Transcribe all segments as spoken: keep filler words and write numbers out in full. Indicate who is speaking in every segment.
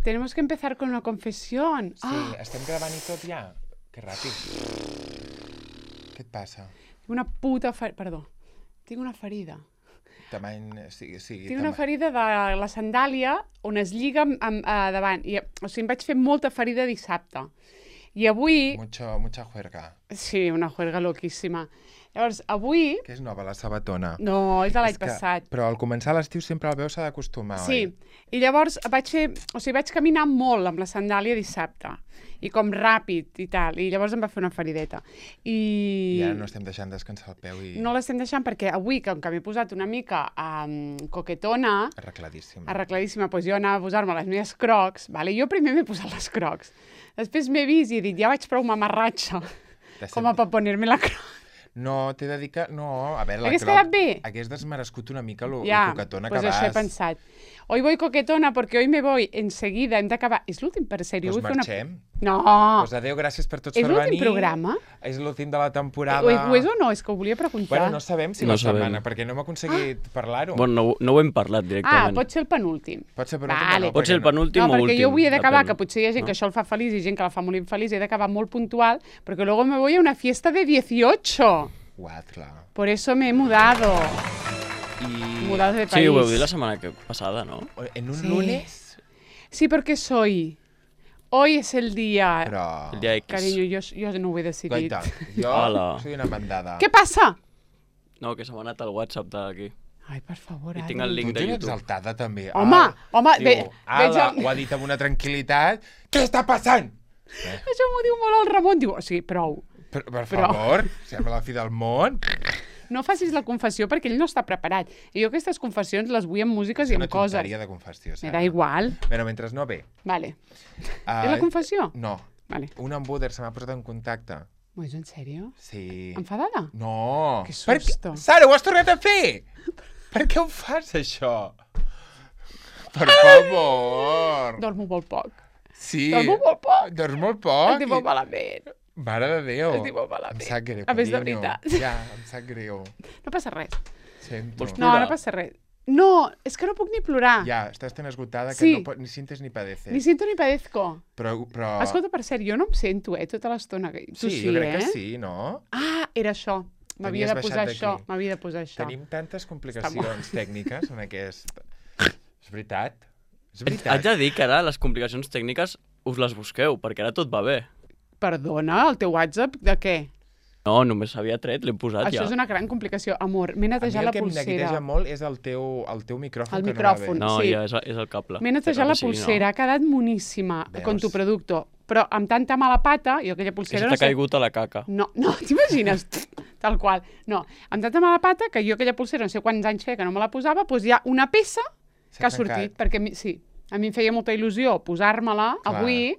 Speaker 1: Tenemos que empezar con una confesión.
Speaker 2: Sí, ah. estem gravant i tot ja. Que ràpid. Què et passa?
Speaker 1: Tinc una puta ferida... Perdó. Tinc una ferida.
Speaker 2: Tamany... Sí, sí,
Speaker 1: Tinc una ferida de la sandàlia on es lliga amb, amb, uh, davant. I, o sigui, em vaig fer molta ferida dissabte. I avui...
Speaker 2: Mucho, mucha juerga.
Speaker 1: Sí, una juerga loquíssima. Llavors, avui...
Speaker 2: Que és nova, la sabatona.
Speaker 1: No, és de l'any passat.
Speaker 2: Però al començar l'estiu sempre el veu s'ha d'acostumar,
Speaker 1: sí. oi? Sí, i llavors vaig fer... O sigui, vaig caminar molt amb la sandàlia dissabte. I com ràpid i tal. I llavors em va fer una ferideta. I...
Speaker 2: I ara no estem deixant descansar el peu i...
Speaker 1: No l'estem deixant perquè avui, com que m'he posat una mica um, coquetona...
Speaker 2: Arregladíssima.
Speaker 1: Arregladíssima, doncs jo anava a posar-me les meves crocs, vale? Jo primer m'he posat les crocs. Després m'he vist i he dit, ja vaig prou mamarratxa com a per poner-me la croc.
Speaker 2: No, t'he de dir que... No, a veure, la
Speaker 1: Hagués
Speaker 2: croc...
Speaker 1: quedat bé?
Speaker 2: Hagués desmerescut una mica lo,
Speaker 1: ja,
Speaker 2: lo coquetona
Speaker 1: pues
Speaker 2: que vas.
Speaker 1: Ja, doncs això he pensat. Hoy voy coquetona porque hoy me voy enseguida, hem d'acabar... És l'últim, per sèrio.
Speaker 2: Doncs pues marxem.
Speaker 1: Una... No!
Speaker 2: Pues adéu, gràcies per tots
Speaker 1: és
Speaker 2: per venir.
Speaker 1: És l'últim programa?
Speaker 2: És l'últim de la temporada.
Speaker 1: Ho, ho és o no? És que ho volia preguntar.
Speaker 2: Bueno, no sabem si
Speaker 3: no
Speaker 2: la
Speaker 3: sabem.
Speaker 2: setmana, perquè no hem aconseguit ah. parlar-ho.
Speaker 3: Bueno, no, no ho hem parlat directament.
Speaker 1: Ah, pot ser el penúltim.
Speaker 2: Pot ser penúltim
Speaker 1: vale.
Speaker 2: o no?
Speaker 3: Pot ser el penúltim
Speaker 1: no,
Speaker 3: o últim.
Speaker 1: No, perquè jo avui he d'acabar, que potser hi ha gent
Speaker 3: no?
Speaker 1: que això el fa feliç i gent que la fa molt infeliç, he d'acabar molt puntual, perquè luego me voy a una fiesta de dieciocho.
Speaker 2: What, clar.
Speaker 1: Por eso me he mudado.
Speaker 2: Y...
Speaker 1: Mudado de país.
Speaker 3: Sí, ho heu dit la setmana que passada, ¿no?
Speaker 2: En un
Speaker 1: sí.
Speaker 2: lunes?
Speaker 1: Sí, porque soy... Hoy es el día...
Speaker 2: Però...
Speaker 3: El día X.
Speaker 1: Cariño, yo, yo no ho he decidit.
Speaker 2: Goita, jo
Speaker 3: Hola.
Speaker 2: soy una mandada.
Speaker 1: Què passa?
Speaker 3: No, que se m'ha anat al WhatsApp d'aquí.
Speaker 1: Ai, per favor,
Speaker 3: I
Speaker 1: Adri.
Speaker 3: tinc el link
Speaker 2: Tu
Speaker 3: de
Speaker 2: ets
Speaker 3: YouTube.
Speaker 2: exaltada, també.
Speaker 1: Home,
Speaker 2: ah,
Speaker 1: home,
Speaker 2: diu,
Speaker 1: ve,
Speaker 2: ala,
Speaker 1: veig el...
Speaker 2: ho ha dit amb una tranquil·litat. Què està passant? Eh?
Speaker 1: Això m'ho diu molt el Ramon. Diu, o sigui, prou.
Speaker 2: Per, per
Speaker 1: Però...
Speaker 2: favor, sembla la fi del món.
Speaker 1: No facis la confessió perquè ell no està preparat. I jo aquestes confessions les vull amb músiques i amb coses.
Speaker 2: És una tonteria de confessió.
Speaker 1: Me da igual.
Speaker 2: Però mentre no ve.
Speaker 1: Vale.
Speaker 2: Uh,
Speaker 1: És la confessió?
Speaker 2: No.
Speaker 1: Vale.
Speaker 2: Un embuder se m'ha posat en contacte.
Speaker 1: ¿Es en sèrio?
Speaker 2: Sí.
Speaker 1: Enfadada?
Speaker 2: No.
Speaker 1: Que susto.
Speaker 2: Per... Sara, ho has tornat a fer! Per què ho fas, això? Per favor.
Speaker 1: Dormo molt poc.
Speaker 2: Sí.
Speaker 1: Dormo molt poc.
Speaker 2: Dors molt poc.
Speaker 1: Estic molt malament.
Speaker 2: Mare de Déu.
Speaker 1: Estic molt malament.
Speaker 2: Em sap greu,
Speaker 1: A més, de
Speaker 2: carinyo.
Speaker 1: veritat.
Speaker 2: Ja, em sap greu.
Speaker 1: No passa res.
Speaker 2: Sento.
Speaker 3: Vols
Speaker 1: No,
Speaker 3: plorar?
Speaker 1: no passa res. No, és que no puc ni plorar.
Speaker 2: Ja, estàs tan esgotada que
Speaker 1: Sí.
Speaker 2: no pot, ni sientes ni padeces.
Speaker 1: Ni siento ni padezco.
Speaker 2: Però, però...
Speaker 1: Escolta, per cert, jo no em sento, eh, tota l'estona. Tu
Speaker 2: sí,
Speaker 1: sí,
Speaker 2: jo crec
Speaker 1: eh?
Speaker 2: que sí, no?
Speaker 1: Ah, era això. M'havia de
Speaker 2: T'havies
Speaker 1: posar
Speaker 2: baixat
Speaker 1: això.
Speaker 2: d'aquí.
Speaker 1: M'havia de posar això.
Speaker 2: Tenim tantes complicacions tècniques en aquest... És veritat. És
Speaker 3: Haig
Speaker 2: veritat.
Speaker 3: de dir que ara les complicacions tècniques us les busqueu, perquè ara tot va bé.
Speaker 1: Perdona, el teu WhatsApp de què?
Speaker 3: No, només s'havia tret, l'he posat
Speaker 1: Això
Speaker 3: ja.
Speaker 1: és una gran complicació. Amor, m'he
Speaker 2: A mi
Speaker 1: netejat
Speaker 2: el
Speaker 1: la
Speaker 2: que em
Speaker 1: pulsera.
Speaker 2: neguiteja molt és el teu, el teu micròfon.
Speaker 1: El
Speaker 2: que
Speaker 1: micròfon.
Speaker 2: No va
Speaker 3: No,
Speaker 1: sí.
Speaker 3: ja és, és el cable.
Speaker 1: M'he netejat
Speaker 3: Però
Speaker 1: la
Speaker 3: que sigui,
Speaker 1: pulsera, ha quedat moníssima
Speaker 2: Veus?
Speaker 1: con tu producto. Però amb tanta mala pata, jo aquella
Speaker 3: Que
Speaker 1: pulsera
Speaker 3: se
Speaker 1: no
Speaker 3: t'ha
Speaker 1: sé...
Speaker 3: caigut a la caca.
Speaker 1: No, no, t'imagines? Tal qual. No, amb tanta mala pata que jo aquella pulsera, no sé quants anys feia que no me la posava, doncs hi ha una peça
Speaker 2: S'ha
Speaker 1: que ha
Speaker 2: trencat.
Speaker 1: sortit. Perquè, mi- sí, a mi em feia molta il·lusió posar-me-la
Speaker 2: Clar.
Speaker 1: avui,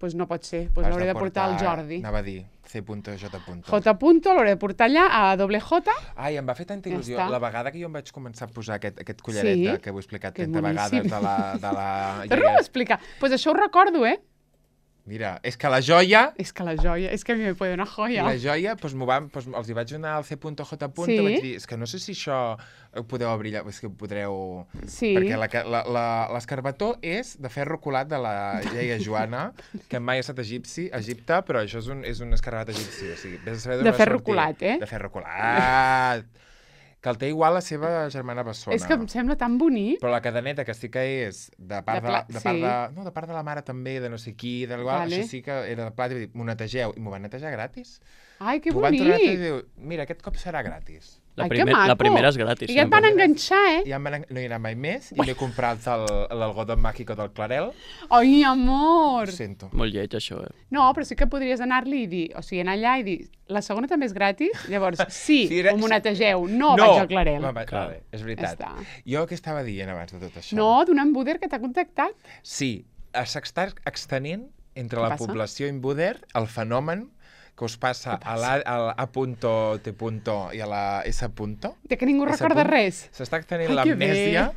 Speaker 1: doncs no pot ser. Doncs
Speaker 2: Has
Speaker 1: l'hauré de portar al Jordi.
Speaker 2: Anava a dir, C J.
Speaker 1: J. punto, l'hauré de portar allà a doble J.
Speaker 2: Ai, em va fer tanta
Speaker 1: Ja
Speaker 2: il·lusió.
Speaker 1: està.
Speaker 2: La vegada que jo em vaig començar a posar aquest, aquest collaret
Speaker 1: Sí.
Speaker 2: de, que ho he explicat
Speaker 1: Que
Speaker 2: trenta
Speaker 1: boníssim.
Speaker 2: vegades de la... De la
Speaker 1: Torna-m'ho a explicar. Doncs pues això ho recordo, eh?
Speaker 2: Mira, és que la joia...
Speaker 1: És que la joia, és que a mi me puede una joia.
Speaker 2: La joia, doncs, m'ho van, doncs, els hi vaig donar al C J.
Speaker 1: Sí.
Speaker 2: Vaig dir, és que no sé si això ho podeu obrir, és que ho podreu...
Speaker 1: Sí.
Speaker 2: Perquè la- la- la- l'escarbató és de ferro colat de la iaia Joana, que mai ha estat a egipci, a Egipte, però això és un, és un escarabat egipci. O sigui, vés a saber d'on
Speaker 1: De
Speaker 2: va
Speaker 1: ferro
Speaker 2: sortir.
Speaker 1: colat, eh?
Speaker 2: De ferro colat. Que el té igual la seva germana bessona.
Speaker 1: És que em sembla tan bonic.
Speaker 2: Però la cadeneta, que sí que és de part
Speaker 1: De
Speaker 2: de, la,
Speaker 1: pla-
Speaker 2: de, part
Speaker 1: sí.
Speaker 2: de, no, de part de la mare també, de no sé qui, del igual,
Speaker 1: Vale.
Speaker 2: això sí que era de plat, i vaig dir, m'ho netegeu, i m'ho van netejar gratis.
Speaker 1: Ai, que
Speaker 2: M'ho van tornar a
Speaker 1: bonic.
Speaker 2: netejar i diu, mira, aquest cop serà gratis.
Speaker 3: La,
Speaker 1: Ai, que
Speaker 3: primer,
Speaker 1: maco.
Speaker 3: la primera és gratis.
Speaker 1: I ja et van
Speaker 3: sempre.
Speaker 1: enganxar, eh?
Speaker 2: I ja em van, no hi era mai més, i m'he comprat el- l'algodó màgico del Clarel.
Speaker 1: Ai, amor!
Speaker 2: Ho sento.
Speaker 3: Molt lleig, això, eh?
Speaker 1: No, però sí que podries anar-li i dir, o sigui, anar allà i dir, la segona també és gratis? Llavors, sí,
Speaker 2: Sí, era-
Speaker 1: m'ho netegeu, no, vaig al Clarel.
Speaker 2: Va, va,
Speaker 3: Clar.
Speaker 2: vale, és
Speaker 1: Ja
Speaker 2: veritat.
Speaker 1: està.
Speaker 2: Jo què estava dient abans de tot això?
Speaker 1: No, d'un embuder que t'ha contactat.
Speaker 2: Sí, s'està extenent entre
Speaker 1: Què
Speaker 2: la
Speaker 1: passa?
Speaker 2: població imbuder el fenomen que us passa,
Speaker 1: Què
Speaker 2: a
Speaker 1: passa?
Speaker 2: la, a A punto, T punto i a la S punto.
Speaker 1: De que ningú
Speaker 2: S
Speaker 1: recorda
Speaker 2: punt.
Speaker 1: res.
Speaker 2: S'està extenent
Speaker 1: Ai, que
Speaker 2: l'amnèsia.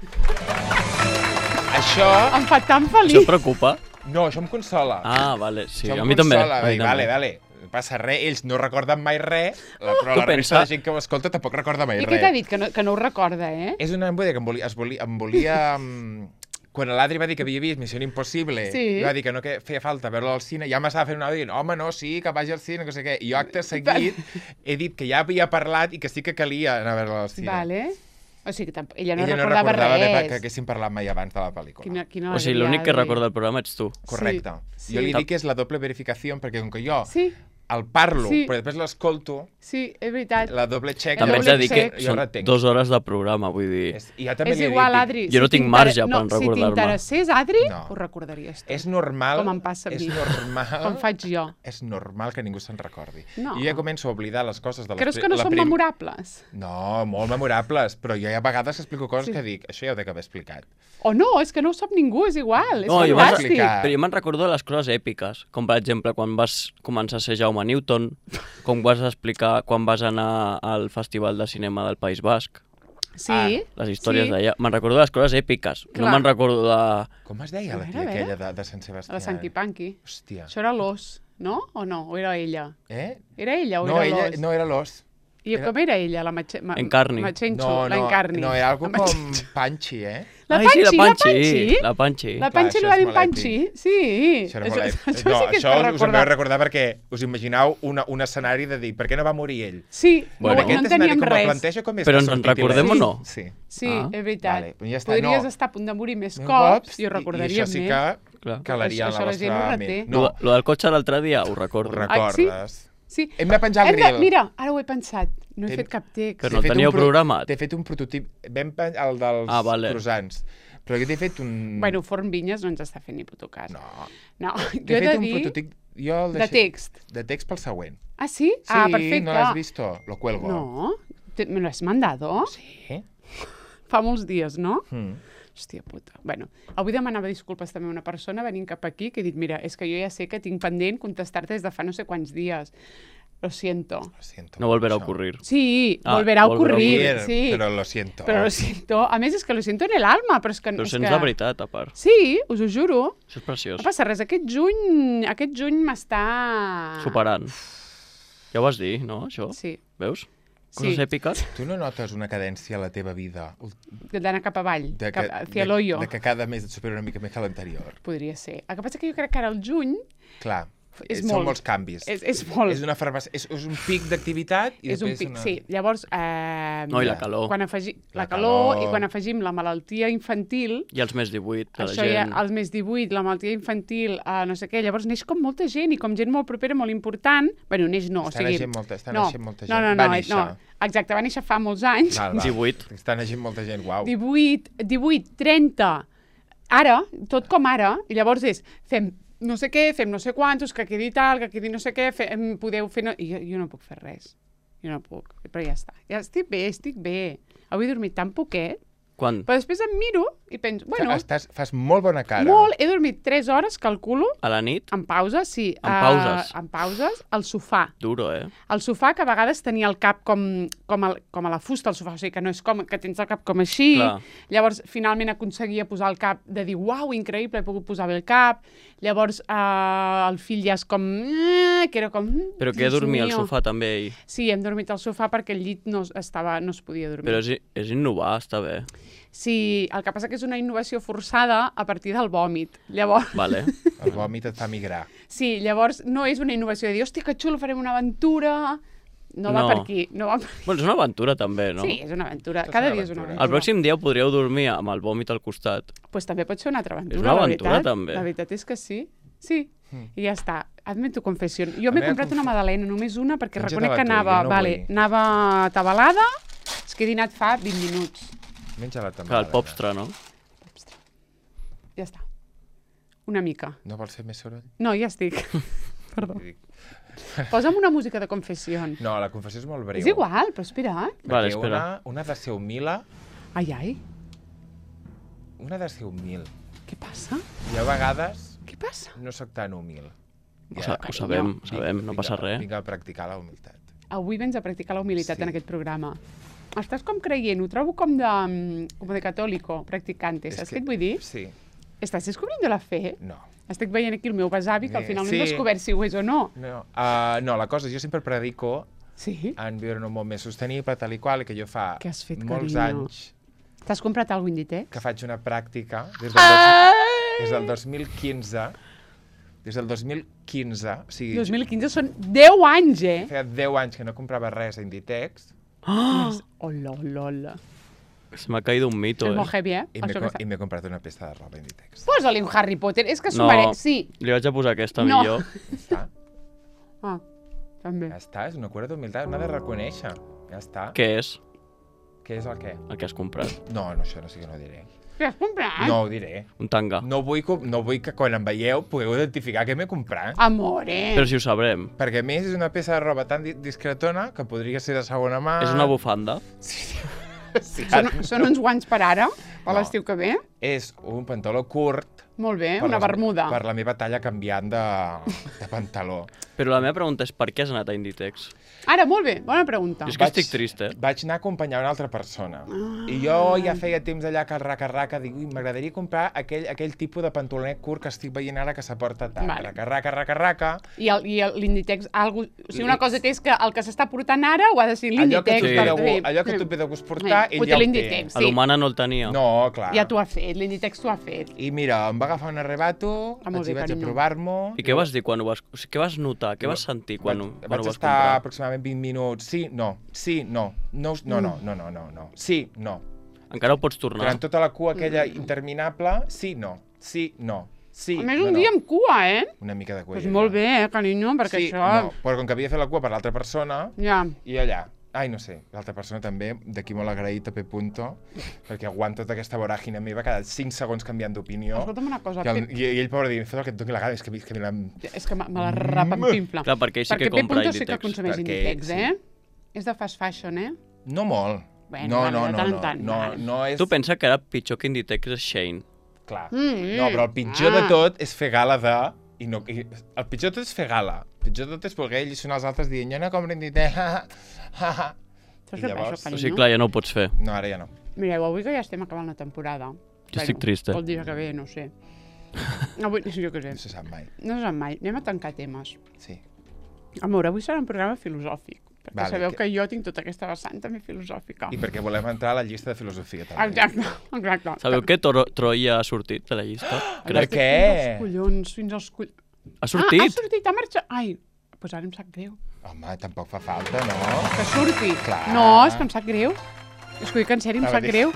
Speaker 2: Això...
Speaker 1: Em fa tan
Speaker 3: Això
Speaker 1: feliç.
Speaker 3: et preocupa?
Speaker 2: No, això em consola.
Speaker 3: Ah, vale, sí,
Speaker 2: això
Speaker 3: a
Speaker 2: em
Speaker 3: mi també.
Speaker 2: consola.
Speaker 3: A
Speaker 2: Va
Speaker 3: mi
Speaker 2: dir,
Speaker 3: també.
Speaker 2: vale, vale, no passa res, ells no recorden mai res, la, però
Speaker 3: Tu
Speaker 2: la resta
Speaker 3: pensa-
Speaker 2: de gent que ho escolta tampoc recorda mai
Speaker 1: I
Speaker 2: res.
Speaker 1: què t'ha dit? Que no, que no ho recorda, eh?
Speaker 2: És una embuda que em volia, es volia, em volia um, quan l'Adri va dir que havia vist Missió Impossible,
Speaker 1: Sí.
Speaker 2: i va dir que no que feia falta veure-la al cine, ja m'estava fent una dient, home, no, sí, que vagi al cine, que no sé què. I jo, acte seguit, he dit que ja havia parlat i que sí que calia anar a veure-la al cine.
Speaker 1: Vale. O sigui, que tamp- ella no
Speaker 2: Ella
Speaker 1: recordava,
Speaker 2: no recordava de,
Speaker 1: res.
Speaker 2: que haguéssim parlat mai abans de la pel·lícula.
Speaker 1: Quina, quina
Speaker 3: O sigui,
Speaker 1: alegria,
Speaker 3: l'únic que
Speaker 1: Adri.
Speaker 3: recorda del programa ets tu.
Speaker 2: Correcte.
Speaker 1: Sí,
Speaker 2: Jo li
Speaker 1: sí.
Speaker 2: dic que és la doble verificació, perquè com que jo
Speaker 1: Sí,
Speaker 2: el parlo,
Speaker 1: Sí.
Speaker 2: però després l'escolto,
Speaker 1: sí, és veritat.
Speaker 2: la doble check...
Speaker 3: També
Speaker 1: El
Speaker 3: ets de dir
Speaker 1: doble
Speaker 3: que
Speaker 1: check.
Speaker 2: jo
Speaker 3: són
Speaker 2: retenc.
Speaker 3: dues hores de programa, vull dir...
Speaker 2: És, i jo també
Speaker 1: És
Speaker 2: li he
Speaker 1: igual,
Speaker 2: dit,
Speaker 1: Adri.
Speaker 3: Jo no tinc
Speaker 1: t'inter-
Speaker 3: marge per
Speaker 1: no,
Speaker 3: recordar-me.
Speaker 1: Si t'interessés, Adri,
Speaker 2: No.
Speaker 1: ho recordaries tu.
Speaker 2: És normal...
Speaker 1: Com em passa a
Speaker 2: és
Speaker 1: mi.
Speaker 2: normal...
Speaker 1: Com faig jo.
Speaker 2: És normal que ningú se'n recordi.
Speaker 1: No.
Speaker 2: Jo ja començo a oblidar les coses de les...
Speaker 1: Creus
Speaker 2: pri-
Speaker 1: que no
Speaker 2: la
Speaker 1: són
Speaker 2: prim-
Speaker 1: memorables?
Speaker 2: No, molt memorables, però jo hi ha vegades que explico coses
Speaker 1: Sí.
Speaker 2: que dic, això ja ho dec haver explicat.
Speaker 1: O no, és que no ho sap ningú, és igual, és
Speaker 3: No, jo m'has
Speaker 1: fantàstic.
Speaker 2: explicat.
Speaker 3: Però jo me'n recordo de les coses èpiques, com per exemple quan vas començar a ser Jaume Newton, com vas explicar quan vas anar al Festival de Cinema del País Basc,
Speaker 1: Sí,
Speaker 3: les històries
Speaker 1: sí.
Speaker 3: d'allà. Me'n recordo de les coses èpiques, no
Speaker 1: Clar.
Speaker 3: me'n recordo de...
Speaker 2: Com es deia
Speaker 1: A
Speaker 2: la
Speaker 1: veure,
Speaker 2: tia
Speaker 1: a veure.
Speaker 2: aquella de, de Sant Sebastià?
Speaker 1: A la Sanquipanqui.
Speaker 2: Hòstia.
Speaker 1: Això era l'os, no? O no? O era ella?
Speaker 2: Eh?
Speaker 1: Era ella o
Speaker 2: No,
Speaker 1: era
Speaker 2: ella,
Speaker 1: l'os?
Speaker 2: no era l'os.
Speaker 1: I
Speaker 2: era-
Speaker 1: com era ella, la Matxe... Ma...
Speaker 3: Encarni.
Speaker 1: Matxenxo,
Speaker 2: No,
Speaker 1: la
Speaker 2: no,
Speaker 1: Encarni.
Speaker 2: no, era algo
Speaker 1: La
Speaker 2: com
Speaker 1: Matxenxo.
Speaker 2: Panchi, eh?
Speaker 1: La
Speaker 3: Ai,
Speaker 1: Panchi,
Speaker 3: sí, la Panchi,
Speaker 1: Panchi.
Speaker 3: la Panchi.
Speaker 1: La
Speaker 2: Clar,
Speaker 1: Panchi li
Speaker 2: això
Speaker 1: va
Speaker 2: és
Speaker 1: dir
Speaker 2: molt
Speaker 1: Panchi?
Speaker 2: èpic.
Speaker 1: Sí.
Speaker 2: Això era molt èpic.
Speaker 1: això
Speaker 2: No,
Speaker 1: sí que
Speaker 2: això
Speaker 1: és per
Speaker 2: us en
Speaker 1: recordar.
Speaker 2: vau recordar perquè us imaginau una, un escenari de dir per què no va morir ell?
Speaker 1: Sí,
Speaker 3: Bueno.
Speaker 1: no, no en
Speaker 2: Aquest escenari
Speaker 1: teníem
Speaker 2: com el
Speaker 1: res.
Speaker 2: planteja com és
Speaker 3: Però
Speaker 2: que
Speaker 3: ens en
Speaker 2: sortit
Speaker 3: recordem
Speaker 2: il·lès.
Speaker 3: o no?
Speaker 2: Sí.
Speaker 1: Sí,
Speaker 3: Ah.
Speaker 1: és veritat.
Speaker 2: Vale, ja està,
Speaker 1: Podries
Speaker 2: no.
Speaker 1: estar a punt de morir més
Speaker 2: Més
Speaker 1: cops
Speaker 2: i,
Speaker 1: i ho recordaríem
Speaker 2: I això sí
Speaker 1: més.
Speaker 2: que
Speaker 3: Clar.
Speaker 2: calaria
Speaker 1: Això
Speaker 2: en la
Speaker 1: la gent ho
Speaker 2: vostra
Speaker 1: reté.
Speaker 2: ment.
Speaker 3: Lo,
Speaker 2: No,
Speaker 3: lo del cotxe l'altre dia, ho
Speaker 2: ho
Speaker 3: recordo.
Speaker 1: Ah, sí?
Speaker 2: recordes.
Speaker 1: Sí.
Speaker 2: Hem de penjar el
Speaker 1: Hem de...
Speaker 2: grill.
Speaker 1: Mira, ara ho he pensat. No he
Speaker 2: Ten-
Speaker 1: fet cap text.
Speaker 3: Però
Speaker 2: T'he
Speaker 3: no
Speaker 2: fet un
Speaker 3: teníeu
Speaker 2: pro-
Speaker 3: programat?
Speaker 2: T'he fet un prototip. Vam pen... el dels
Speaker 3: Ah, vale.
Speaker 2: croissants. Però jo t'he fet un...
Speaker 1: Bueno, Forn Vinyes no ens està fent ni puto cas.
Speaker 2: No.
Speaker 1: No, jo he
Speaker 2: T'he
Speaker 1: de
Speaker 2: fet un
Speaker 1: dir...
Speaker 2: prototip... Jo el
Speaker 1: De
Speaker 2: deixé-
Speaker 1: text.
Speaker 2: De text pel següent.
Speaker 1: Ah, sí?
Speaker 2: Sí,
Speaker 1: ah, perfecte.
Speaker 2: no l'has visto? Lo cuelgo.
Speaker 1: No. Te- ¿Me lo has mandado?
Speaker 2: Sí?
Speaker 1: Fa molts dies, no?
Speaker 2: Mm.
Speaker 1: Hòstia puta. Bueno, avui demanava disculpes també a una persona venint cap aquí que he dit, mira, és que jo ja sé que tinc pendent contestar-te des de fa no sé quants dies. Lo siento.
Speaker 2: Lo siento.
Speaker 3: No volverá a
Speaker 2: mucho.
Speaker 3: ocurrir.
Speaker 1: Sí,
Speaker 3: Ah,
Speaker 1: volverá a
Speaker 3: volverá a
Speaker 1: ocurrir.
Speaker 2: Ocurrir,
Speaker 1: Sí.
Speaker 2: Però lo siento.
Speaker 1: Però lo siento. A més, és que lo siento en el alma, però és que...
Speaker 3: Però
Speaker 1: és
Speaker 3: sents
Speaker 1: que...
Speaker 3: la veritat, a part.
Speaker 1: Sí, us ho juro.
Speaker 3: Això és preciós.
Speaker 1: No passa res. Aquest juny, aquest juny m'està...
Speaker 3: Superant. Ja ho vas dir, no, això?
Speaker 1: Sí.
Speaker 3: Veus?
Speaker 1: Sí.
Speaker 3: Coses èpiques.
Speaker 2: Tu no notes una cadència a la teva vida?
Speaker 1: D'anar cap avall,
Speaker 2: De
Speaker 1: cap,
Speaker 2: que,
Speaker 1: hacia l'hoyo.
Speaker 2: de, de que cada mes et supera una mica més que l'anterior.
Speaker 1: Podria ser. El que passa que jo crec que ara el juny
Speaker 2: Clar,
Speaker 1: És
Speaker 2: són
Speaker 1: molt.
Speaker 2: molts canvis.
Speaker 1: és, és molt...
Speaker 2: És una farmàcia, és, és un pic d'activitat i
Speaker 1: és un
Speaker 2: després
Speaker 1: pic,
Speaker 2: una...
Speaker 1: sí. Llavors, eh,
Speaker 3: No, i la calor.
Speaker 1: Quan afegi... la,
Speaker 2: La
Speaker 1: calor,
Speaker 2: calor.
Speaker 1: i quan afegim la malaltia infantil,
Speaker 3: I els més divuit, de la
Speaker 1: això ja,
Speaker 3: gent.
Speaker 1: els més divuit, la malaltia infantil, eh, no sé què, llavors neix com molta gent i com gent molt propera, molt important. Bueno, neix no,
Speaker 2: Està
Speaker 1: o sigui...
Speaker 2: naixent molta, està
Speaker 1: no,
Speaker 2: naixent molta gent.
Speaker 1: no, no, no,
Speaker 2: Va
Speaker 1: no,
Speaker 2: néixer.
Speaker 1: no, exacte, va néixer fa molts anys.
Speaker 2: Val, val.
Speaker 3: divuit.
Speaker 2: Està naixent molta gent, uau.
Speaker 1: divuit, divuit, trenta, ara, tot com ara, i llavors és, fem no sé què, fem no sé quantos, que quedi tal, que quedi no sé què, fem, podeu fer... No... I jo, jo no puc fer res. Jo no puc, però ja està. Ja estic bé, estic bé. Avui he dormit tan poquet,
Speaker 3: Quan?
Speaker 1: però després em miro i penso, bueno,
Speaker 2: Estàs, fas molt bona cara.
Speaker 1: molt, he dormit tres hores, calculo,
Speaker 3: A la nit?
Speaker 1: en pauses, sí.
Speaker 3: En pauses?
Speaker 1: Uh, en pauses, al sofà.
Speaker 3: Duro, eh?
Speaker 1: El sofà, que a vegades tenia el cap com, com, el, com a la fusta, el sofà, o sigui que no és com, que tens el cap com així.
Speaker 3: Clar.
Speaker 1: Llavors, finalment aconseguia posar el cap, de dir, uau, increïble, he pogut posar bé el cap. Llavors, eh, el fill ja és com... Eh, que era com... mm,
Speaker 3: Però que
Speaker 1: Dios
Speaker 3: dormia al
Speaker 1: mío.
Speaker 3: sofà també ell.
Speaker 1: Sí, hem dormit al sofà perquè el llit no, estava, no es podia dormir.
Speaker 3: Però és, és innovar, està bé.
Speaker 1: Sí, el que passa que és una innovació forçada a partir del vòmit. Llavors,
Speaker 3: Vale.
Speaker 2: El vòmit et fa migrar.
Speaker 1: sí, llavors no és una innovació de dir, hòstia, que xulo, farem una aventura... No, va
Speaker 3: No.
Speaker 1: per aquí. No va per...
Speaker 3: Bueno, és una aventura també, no?
Speaker 1: Sí, és una aventura.
Speaker 2: És
Speaker 1: Cada
Speaker 2: una
Speaker 1: dia és una
Speaker 2: aventura.
Speaker 1: aventura.
Speaker 3: El pròxim dia podríeu dormir amb el vòmit al costat.
Speaker 1: Pues també pot ser una altra aventura,
Speaker 3: És una
Speaker 1: la
Speaker 3: aventura,
Speaker 1: veritat.
Speaker 3: també.
Speaker 1: La veritat és que sí. Sí,
Speaker 2: Mm.
Speaker 1: i ja està. Hazme tu confessió. Jo
Speaker 2: La
Speaker 1: m'he
Speaker 2: meva
Speaker 1: comprat una
Speaker 2: confe-
Speaker 1: magdalena, només una, perquè
Speaker 2: Menja-te
Speaker 1: reconec
Speaker 2: la
Speaker 1: que
Speaker 2: tu,
Speaker 1: anava,
Speaker 2: jo no
Speaker 1: vale,
Speaker 2: vull.
Speaker 1: anava atabalada, és que he dinat fa vint minuts.
Speaker 2: Menja-la també.
Speaker 3: Clar, el popstre, no?
Speaker 1: Ja està. Una mica.
Speaker 2: No vols fer més soroll?
Speaker 1: No, ja estic. Perdó.
Speaker 2: Dic,
Speaker 1: Posa'm una música de confessió.
Speaker 2: No, la confessió és molt breu.
Speaker 1: És igual, però espera.
Speaker 2: Perquè
Speaker 3: Vale, espera.
Speaker 2: Una, una ha de ser humila,
Speaker 1: Ai, ai,
Speaker 2: una ha de ser humil.
Speaker 1: què passa?
Speaker 2: I a vegades
Speaker 1: Què passa?
Speaker 2: no sóc tan humil.
Speaker 3: Ho, sa ho sabem, ho sabem, no passa res.
Speaker 2: Vinc a practicar la humilitat.
Speaker 1: Avui vens a practicar la humilitat
Speaker 2: Sí.
Speaker 1: en aquest programa. Estàs com creient, ho trobo com de, mm, com de catòlico, practicante. Saps què et vull dir?
Speaker 2: Sí,
Speaker 1: Estàs descobrint la fe?
Speaker 2: no.
Speaker 1: Estic veient aquí el meu besavi, que al
Speaker 2: Eh,
Speaker 1: final no
Speaker 2: sí.
Speaker 1: hem descobert si ho és o no.
Speaker 2: No, uh, no, la cosa, jo sempre predico
Speaker 1: Sí?
Speaker 2: en viure en un món més sostenible, tal i qual, i que jo fa
Speaker 1: Què has fet,
Speaker 2: molts
Speaker 1: carinyo?
Speaker 2: anys
Speaker 1: T'has comprat algun Inditex?
Speaker 2: que faig una pràctica des del, dos, des del dos mil quinze. Des del dos mil quinze, o sigui,
Speaker 1: dos mil quinze són deu anys, eh?
Speaker 2: feia deu anys que no comprava res a Inditex
Speaker 3: Ah!
Speaker 1: Hola, hola, hola.
Speaker 3: Se m'ha caído un mito,
Speaker 1: És
Speaker 3: eh?
Speaker 1: molt heavy, eh?
Speaker 2: i
Speaker 1: Per
Speaker 2: m'he
Speaker 1: això
Speaker 2: co-
Speaker 1: que
Speaker 2: i m'he comprat una peça de roba a Inditex.
Speaker 1: Posa-li un Harry Potter, és que s'ho
Speaker 3: No.
Speaker 1: mereix. Sí.
Speaker 3: Li vaig a posar aquesta
Speaker 1: No.
Speaker 3: millor.
Speaker 2: Ja està,
Speaker 1: Ah, també.
Speaker 2: ja està, és una cura d'humilitat, una de reconèixer. Ja està.
Speaker 3: Què és
Speaker 2: Què és el què?
Speaker 3: el que has comprat?
Speaker 2: No, no, això no sé que no diré.
Speaker 1: Què has comprat?
Speaker 2: No ho diré.
Speaker 3: Un tanga.
Speaker 2: No vull, que- no vull que quan em veieu pugueu identificar què m'he comprat.
Speaker 1: Amore.
Speaker 3: Però si ho sabrem.
Speaker 2: Perquè a més és una peça de roba tan di- discretona que podria ser de segona mà.
Speaker 3: És una bufanda.
Speaker 2: Sí. Sí,
Speaker 1: Són, són uns guants per ara, per
Speaker 2: No.
Speaker 1: l'estiu que ve.
Speaker 2: És un pantaló curt.
Speaker 1: Molt bé,
Speaker 2: per
Speaker 1: una
Speaker 2: les-
Speaker 1: bermuda.
Speaker 2: Per la meva talla canviant de, de pantaló.
Speaker 3: Però la meva pregunta és per què has anat a Inditex?
Speaker 1: Ara, molt bé, bona pregunta.
Speaker 3: És que estic trist, eh?
Speaker 2: Vaig anar a acompanyar una altra persona.
Speaker 1: Ah.
Speaker 2: I jo ja feia temps allà que el raca-raca, dic, ui, m'agradaria comprar aquell, aquell tipus de pantalonet curt que estic veient ara que s'aporta tant.
Speaker 1: Vale.
Speaker 2: Raca-raca, raca-raca.
Speaker 1: I el- i el- l'Inditex, algo... o sigui, una cosa té és que el que s'està portant ara ho ha de ser
Speaker 2: Allò que,
Speaker 1: l'Inditex.
Speaker 2: tu
Speaker 3: Sí.
Speaker 2: et ve de
Speaker 1: per
Speaker 2: gust-
Speaker 1: fer.
Speaker 2: allò que tu et ve de gust portar,
Speaker 1: Sí,
Speaker 2: ell
Speaker 1: ho té
Speaker 2: ja ho té.
Speaker 1: l'Inditex.
Speaker 3: A
Speaker 1: Sí.
Speaker 3: l'humana no el tenia.
Speaker 2: No, clar.
Speaker 1: Ja t'ho ha fet, l'Inditex t'ho ha fet.
Speaker 2: I mira, em va agafar un arrebato,
Speaker 1: Ah, molt
Speaker 2: vaig,
Speaker 1: bé,
Speaker 2: vaig a
Speaker 1: carinyo.
Speaker 2: provar-m'ho.
Speaker 3: I què vas dir quan ho vas... O sigui, què vas notar? Què vas sentir quan, ho,
Speaker 2: vaig,
Speaker 3: quan
Speaker 2: vaig
Speaker 3: ho vas
Speaker 2: estar
Speaker 3: comprar?
Speaker 2: aproximadament vint minuts. Sí, no, sí, no. No, no, no, no, no, no, no. Sí, no.
Speaker 3: Encara ho pots tornar.
Speaker 2: Durant tota la cua aquella interminable, sí, no. Sí, no. Sí,
Speaker 1: A més,
Speaker 2: no,
Speaker 1: un
Speaker 2: no.
Speaker 1: dia amb cua, eh?
Speaker 2: Una mica de cua.
Speaker 1: Doncs molt bé, eh, carinyo, perquè
Speaker 2: Sí,
Speaker 1: això...
Speaker 2: no, però com que havia fet la cua per l'altra persona,
Speaker 1: Ja.
Speaker 2: i allà, ai, no sé, l'altra persona també, d'aquí molt agraït a P. Punto, perquè aguanta tota aquesta voràgina meva cada cinc segons canviant d'opinió.
Speaker 1: Escolta'm una cosa,
Speaker 2: Que el,
Speaker 1: Pe-
Speaker 2: i, I ell, pobre, diu, fot el que et doni la gana, és que, és que me l'han...
Speaker 1: és que me me la repampinfla.
Speaker 3: Clar, perquè ell sí
Speaker 1: perquè
Speaker 3: que compra
Speaker 1: P. sí que
Speaker 3: Inditex.
Speaker 1: consumeix
Speaker 2: Perquè-
Speaker 1: Inditex,
Speaker 2: sí.
Speaker 1: eh? És de fast fashion, eh?
Speaker 2: No molt.
Speaker 1: Bueno,
Speaker 2: no,
Speaker 1: vale,
Speaker 2: no,
Speaker 1: de
Speaker 2: no,
Speaker 1: tant en
Speaker 2: no,
Speaker 1: tant,
Speaker 2: no,
Speaker 1: vale.
Speaker 2: no és...
Speaker 3: Tu pensa que era pitjor que Inditex és Shein.
Speaker 2: Clar.
Speaker 1: Mm,
Speaker 2: No, però el pitjor
Speaker 1: ah.
Speaker 2: de tot és fer gala de... I no, i, el pitjor de tot és fer gala. El pitjor de tot és voler alliçonar els altres dient jo no compro Inditex, ha, ha, ha.
Speaker 1: Saps
Speaker 2: I
Speaker 1: què
Speaker 2: llavors-
Speaker 1: passa,
Speaker 3: O
Speaker 1: carinyo?
Speaker 3: sigui, clar, ja no ho pots fer.
Speaker 2: No, ara ja no.
Speaker 1: Mireu, avui que ja estem acabant la temporada.
Speaker 3: Jo estic trist, eh?
Speaker 1: El dia que ve, no sé. Avui, jo què sé.
Speaker 2: No se sap mai.
Speaker 1: No se sap mai. Anem a tancar temes.
Speaker 2: Sí.
Speaker 1: Amor, avui serà un programa filosòfic. Perquè
Speaker 2: Vale,
Speaker 1: sabeu
Speaker 2: que-
Speaker 1: que... jo tinc tota aquesta vessant també filosòfica.
Speaker 2: I perquè volem entrar a la llista de filosofia, també.
Speaker 1: Exacte, exacte.
Speaker 3: Sabeu que Toro, Troia ha sortit de la llista?
Speaker 2: Per
Speaker 3: Crec.
Speaker 2: què?
Speaker 1: Fins als collons, fins als collons.
Speaker 3: Ha sortit?
Speaker 1: Ah, ha sortit, ha marxat. Ai, doncs pues ara em sap greu.
Speaker 2: Home, tampoc fa falta, no?
Speaker 1: Que surti.
Speaker 2: Clar.
Speaker 1: No, és que em sap greu. És que, dic en sèrio, em
Speaker 2: A
Speaker 1: sap
Speaker 2: veure.
Speaker 1: greu.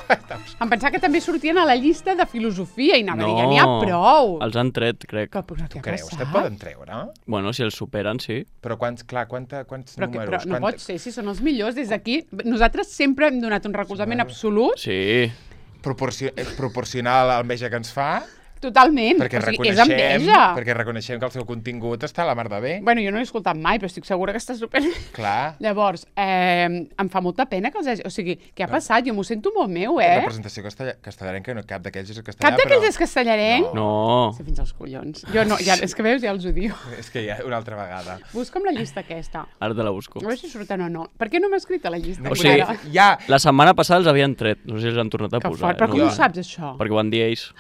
Speaker 1: Em pensava que també sortien a la llista de filosofia i anava a dir,
Speaker 3: No.
Speaker 1: ja n'hi ha prou.
Speaker 3: Els han tret, crec.
Speaker 1: Que, però, què ha
Speaker 2: Creus que et
Speaker 1: passat?
Speaker 2: poden treure?
Speaker 3: Bueno, si els superen, sí.
Speaker 2: Però quants, clar, quanta, quants
Speaker 1: Però, que, però
Speaker 2: números?
Speaker 1: no
Speaker 2: quanta...
Speaker 1: pot ser, si són els millors. Des d'aquí, nosaltres sempre hem donat un recolzament absolut,
Speaker 3: Sí.
Speaker 2: Proporcio... eh, proporcional a l'enveja que ens fa,
Speaker 1: totalment.
Speaker 2: perquè
Speaker 1: O sigui, és
Speaker 2: reconeixem,
Speaker 1: enveja.
Speaker 2: perquè reconeixem que el seu contingut està a la mar de bé.
Speaker 1: Bueno, jo no l'he escoltat mai, però estic segura que està super...
Speaker 2: Clar.
Speaker 1: Llavors, eh, em fa molta pena que els hagi... O sigui, què ha passat? Jo m'ho sento molt meu,
Speaker 2: La
Speaker 1: eh?
Speaker 2: representació castella... castellarenca, no, cap d'aquells és castellà,
Speaker 1: Cap d'aquells
Speaker 2: però...
Speaker 1: és castellarenc?
Speaker 3: No.
Speaker 1: Sí, fins als collons. Jo no, ja, és que veus, ja els odio.
Speaker 2: És que ja, una altra vegada.
Speaker 1: Busca'm la llista aquesta.
Speaker 3: Ara te la busco.
Speaker 1: A veure si surten o no. Per què no m'ha escrit a la llista?
Speaker 3: O sigui,
Speaker 1: encara?
Speaker 2: Ja!
Speaker 3: La setmana passada els havien tret. No sé si els han tornat a
Speaker 1: Que
Speaker 3: posar.
Speaker 1: fort, però
Speaker 3: eh?
Speaker 1: com
Speaker 3: no,
Speaker 1: ho saps, això?
Speaker 3: Perquè ho van dir ells.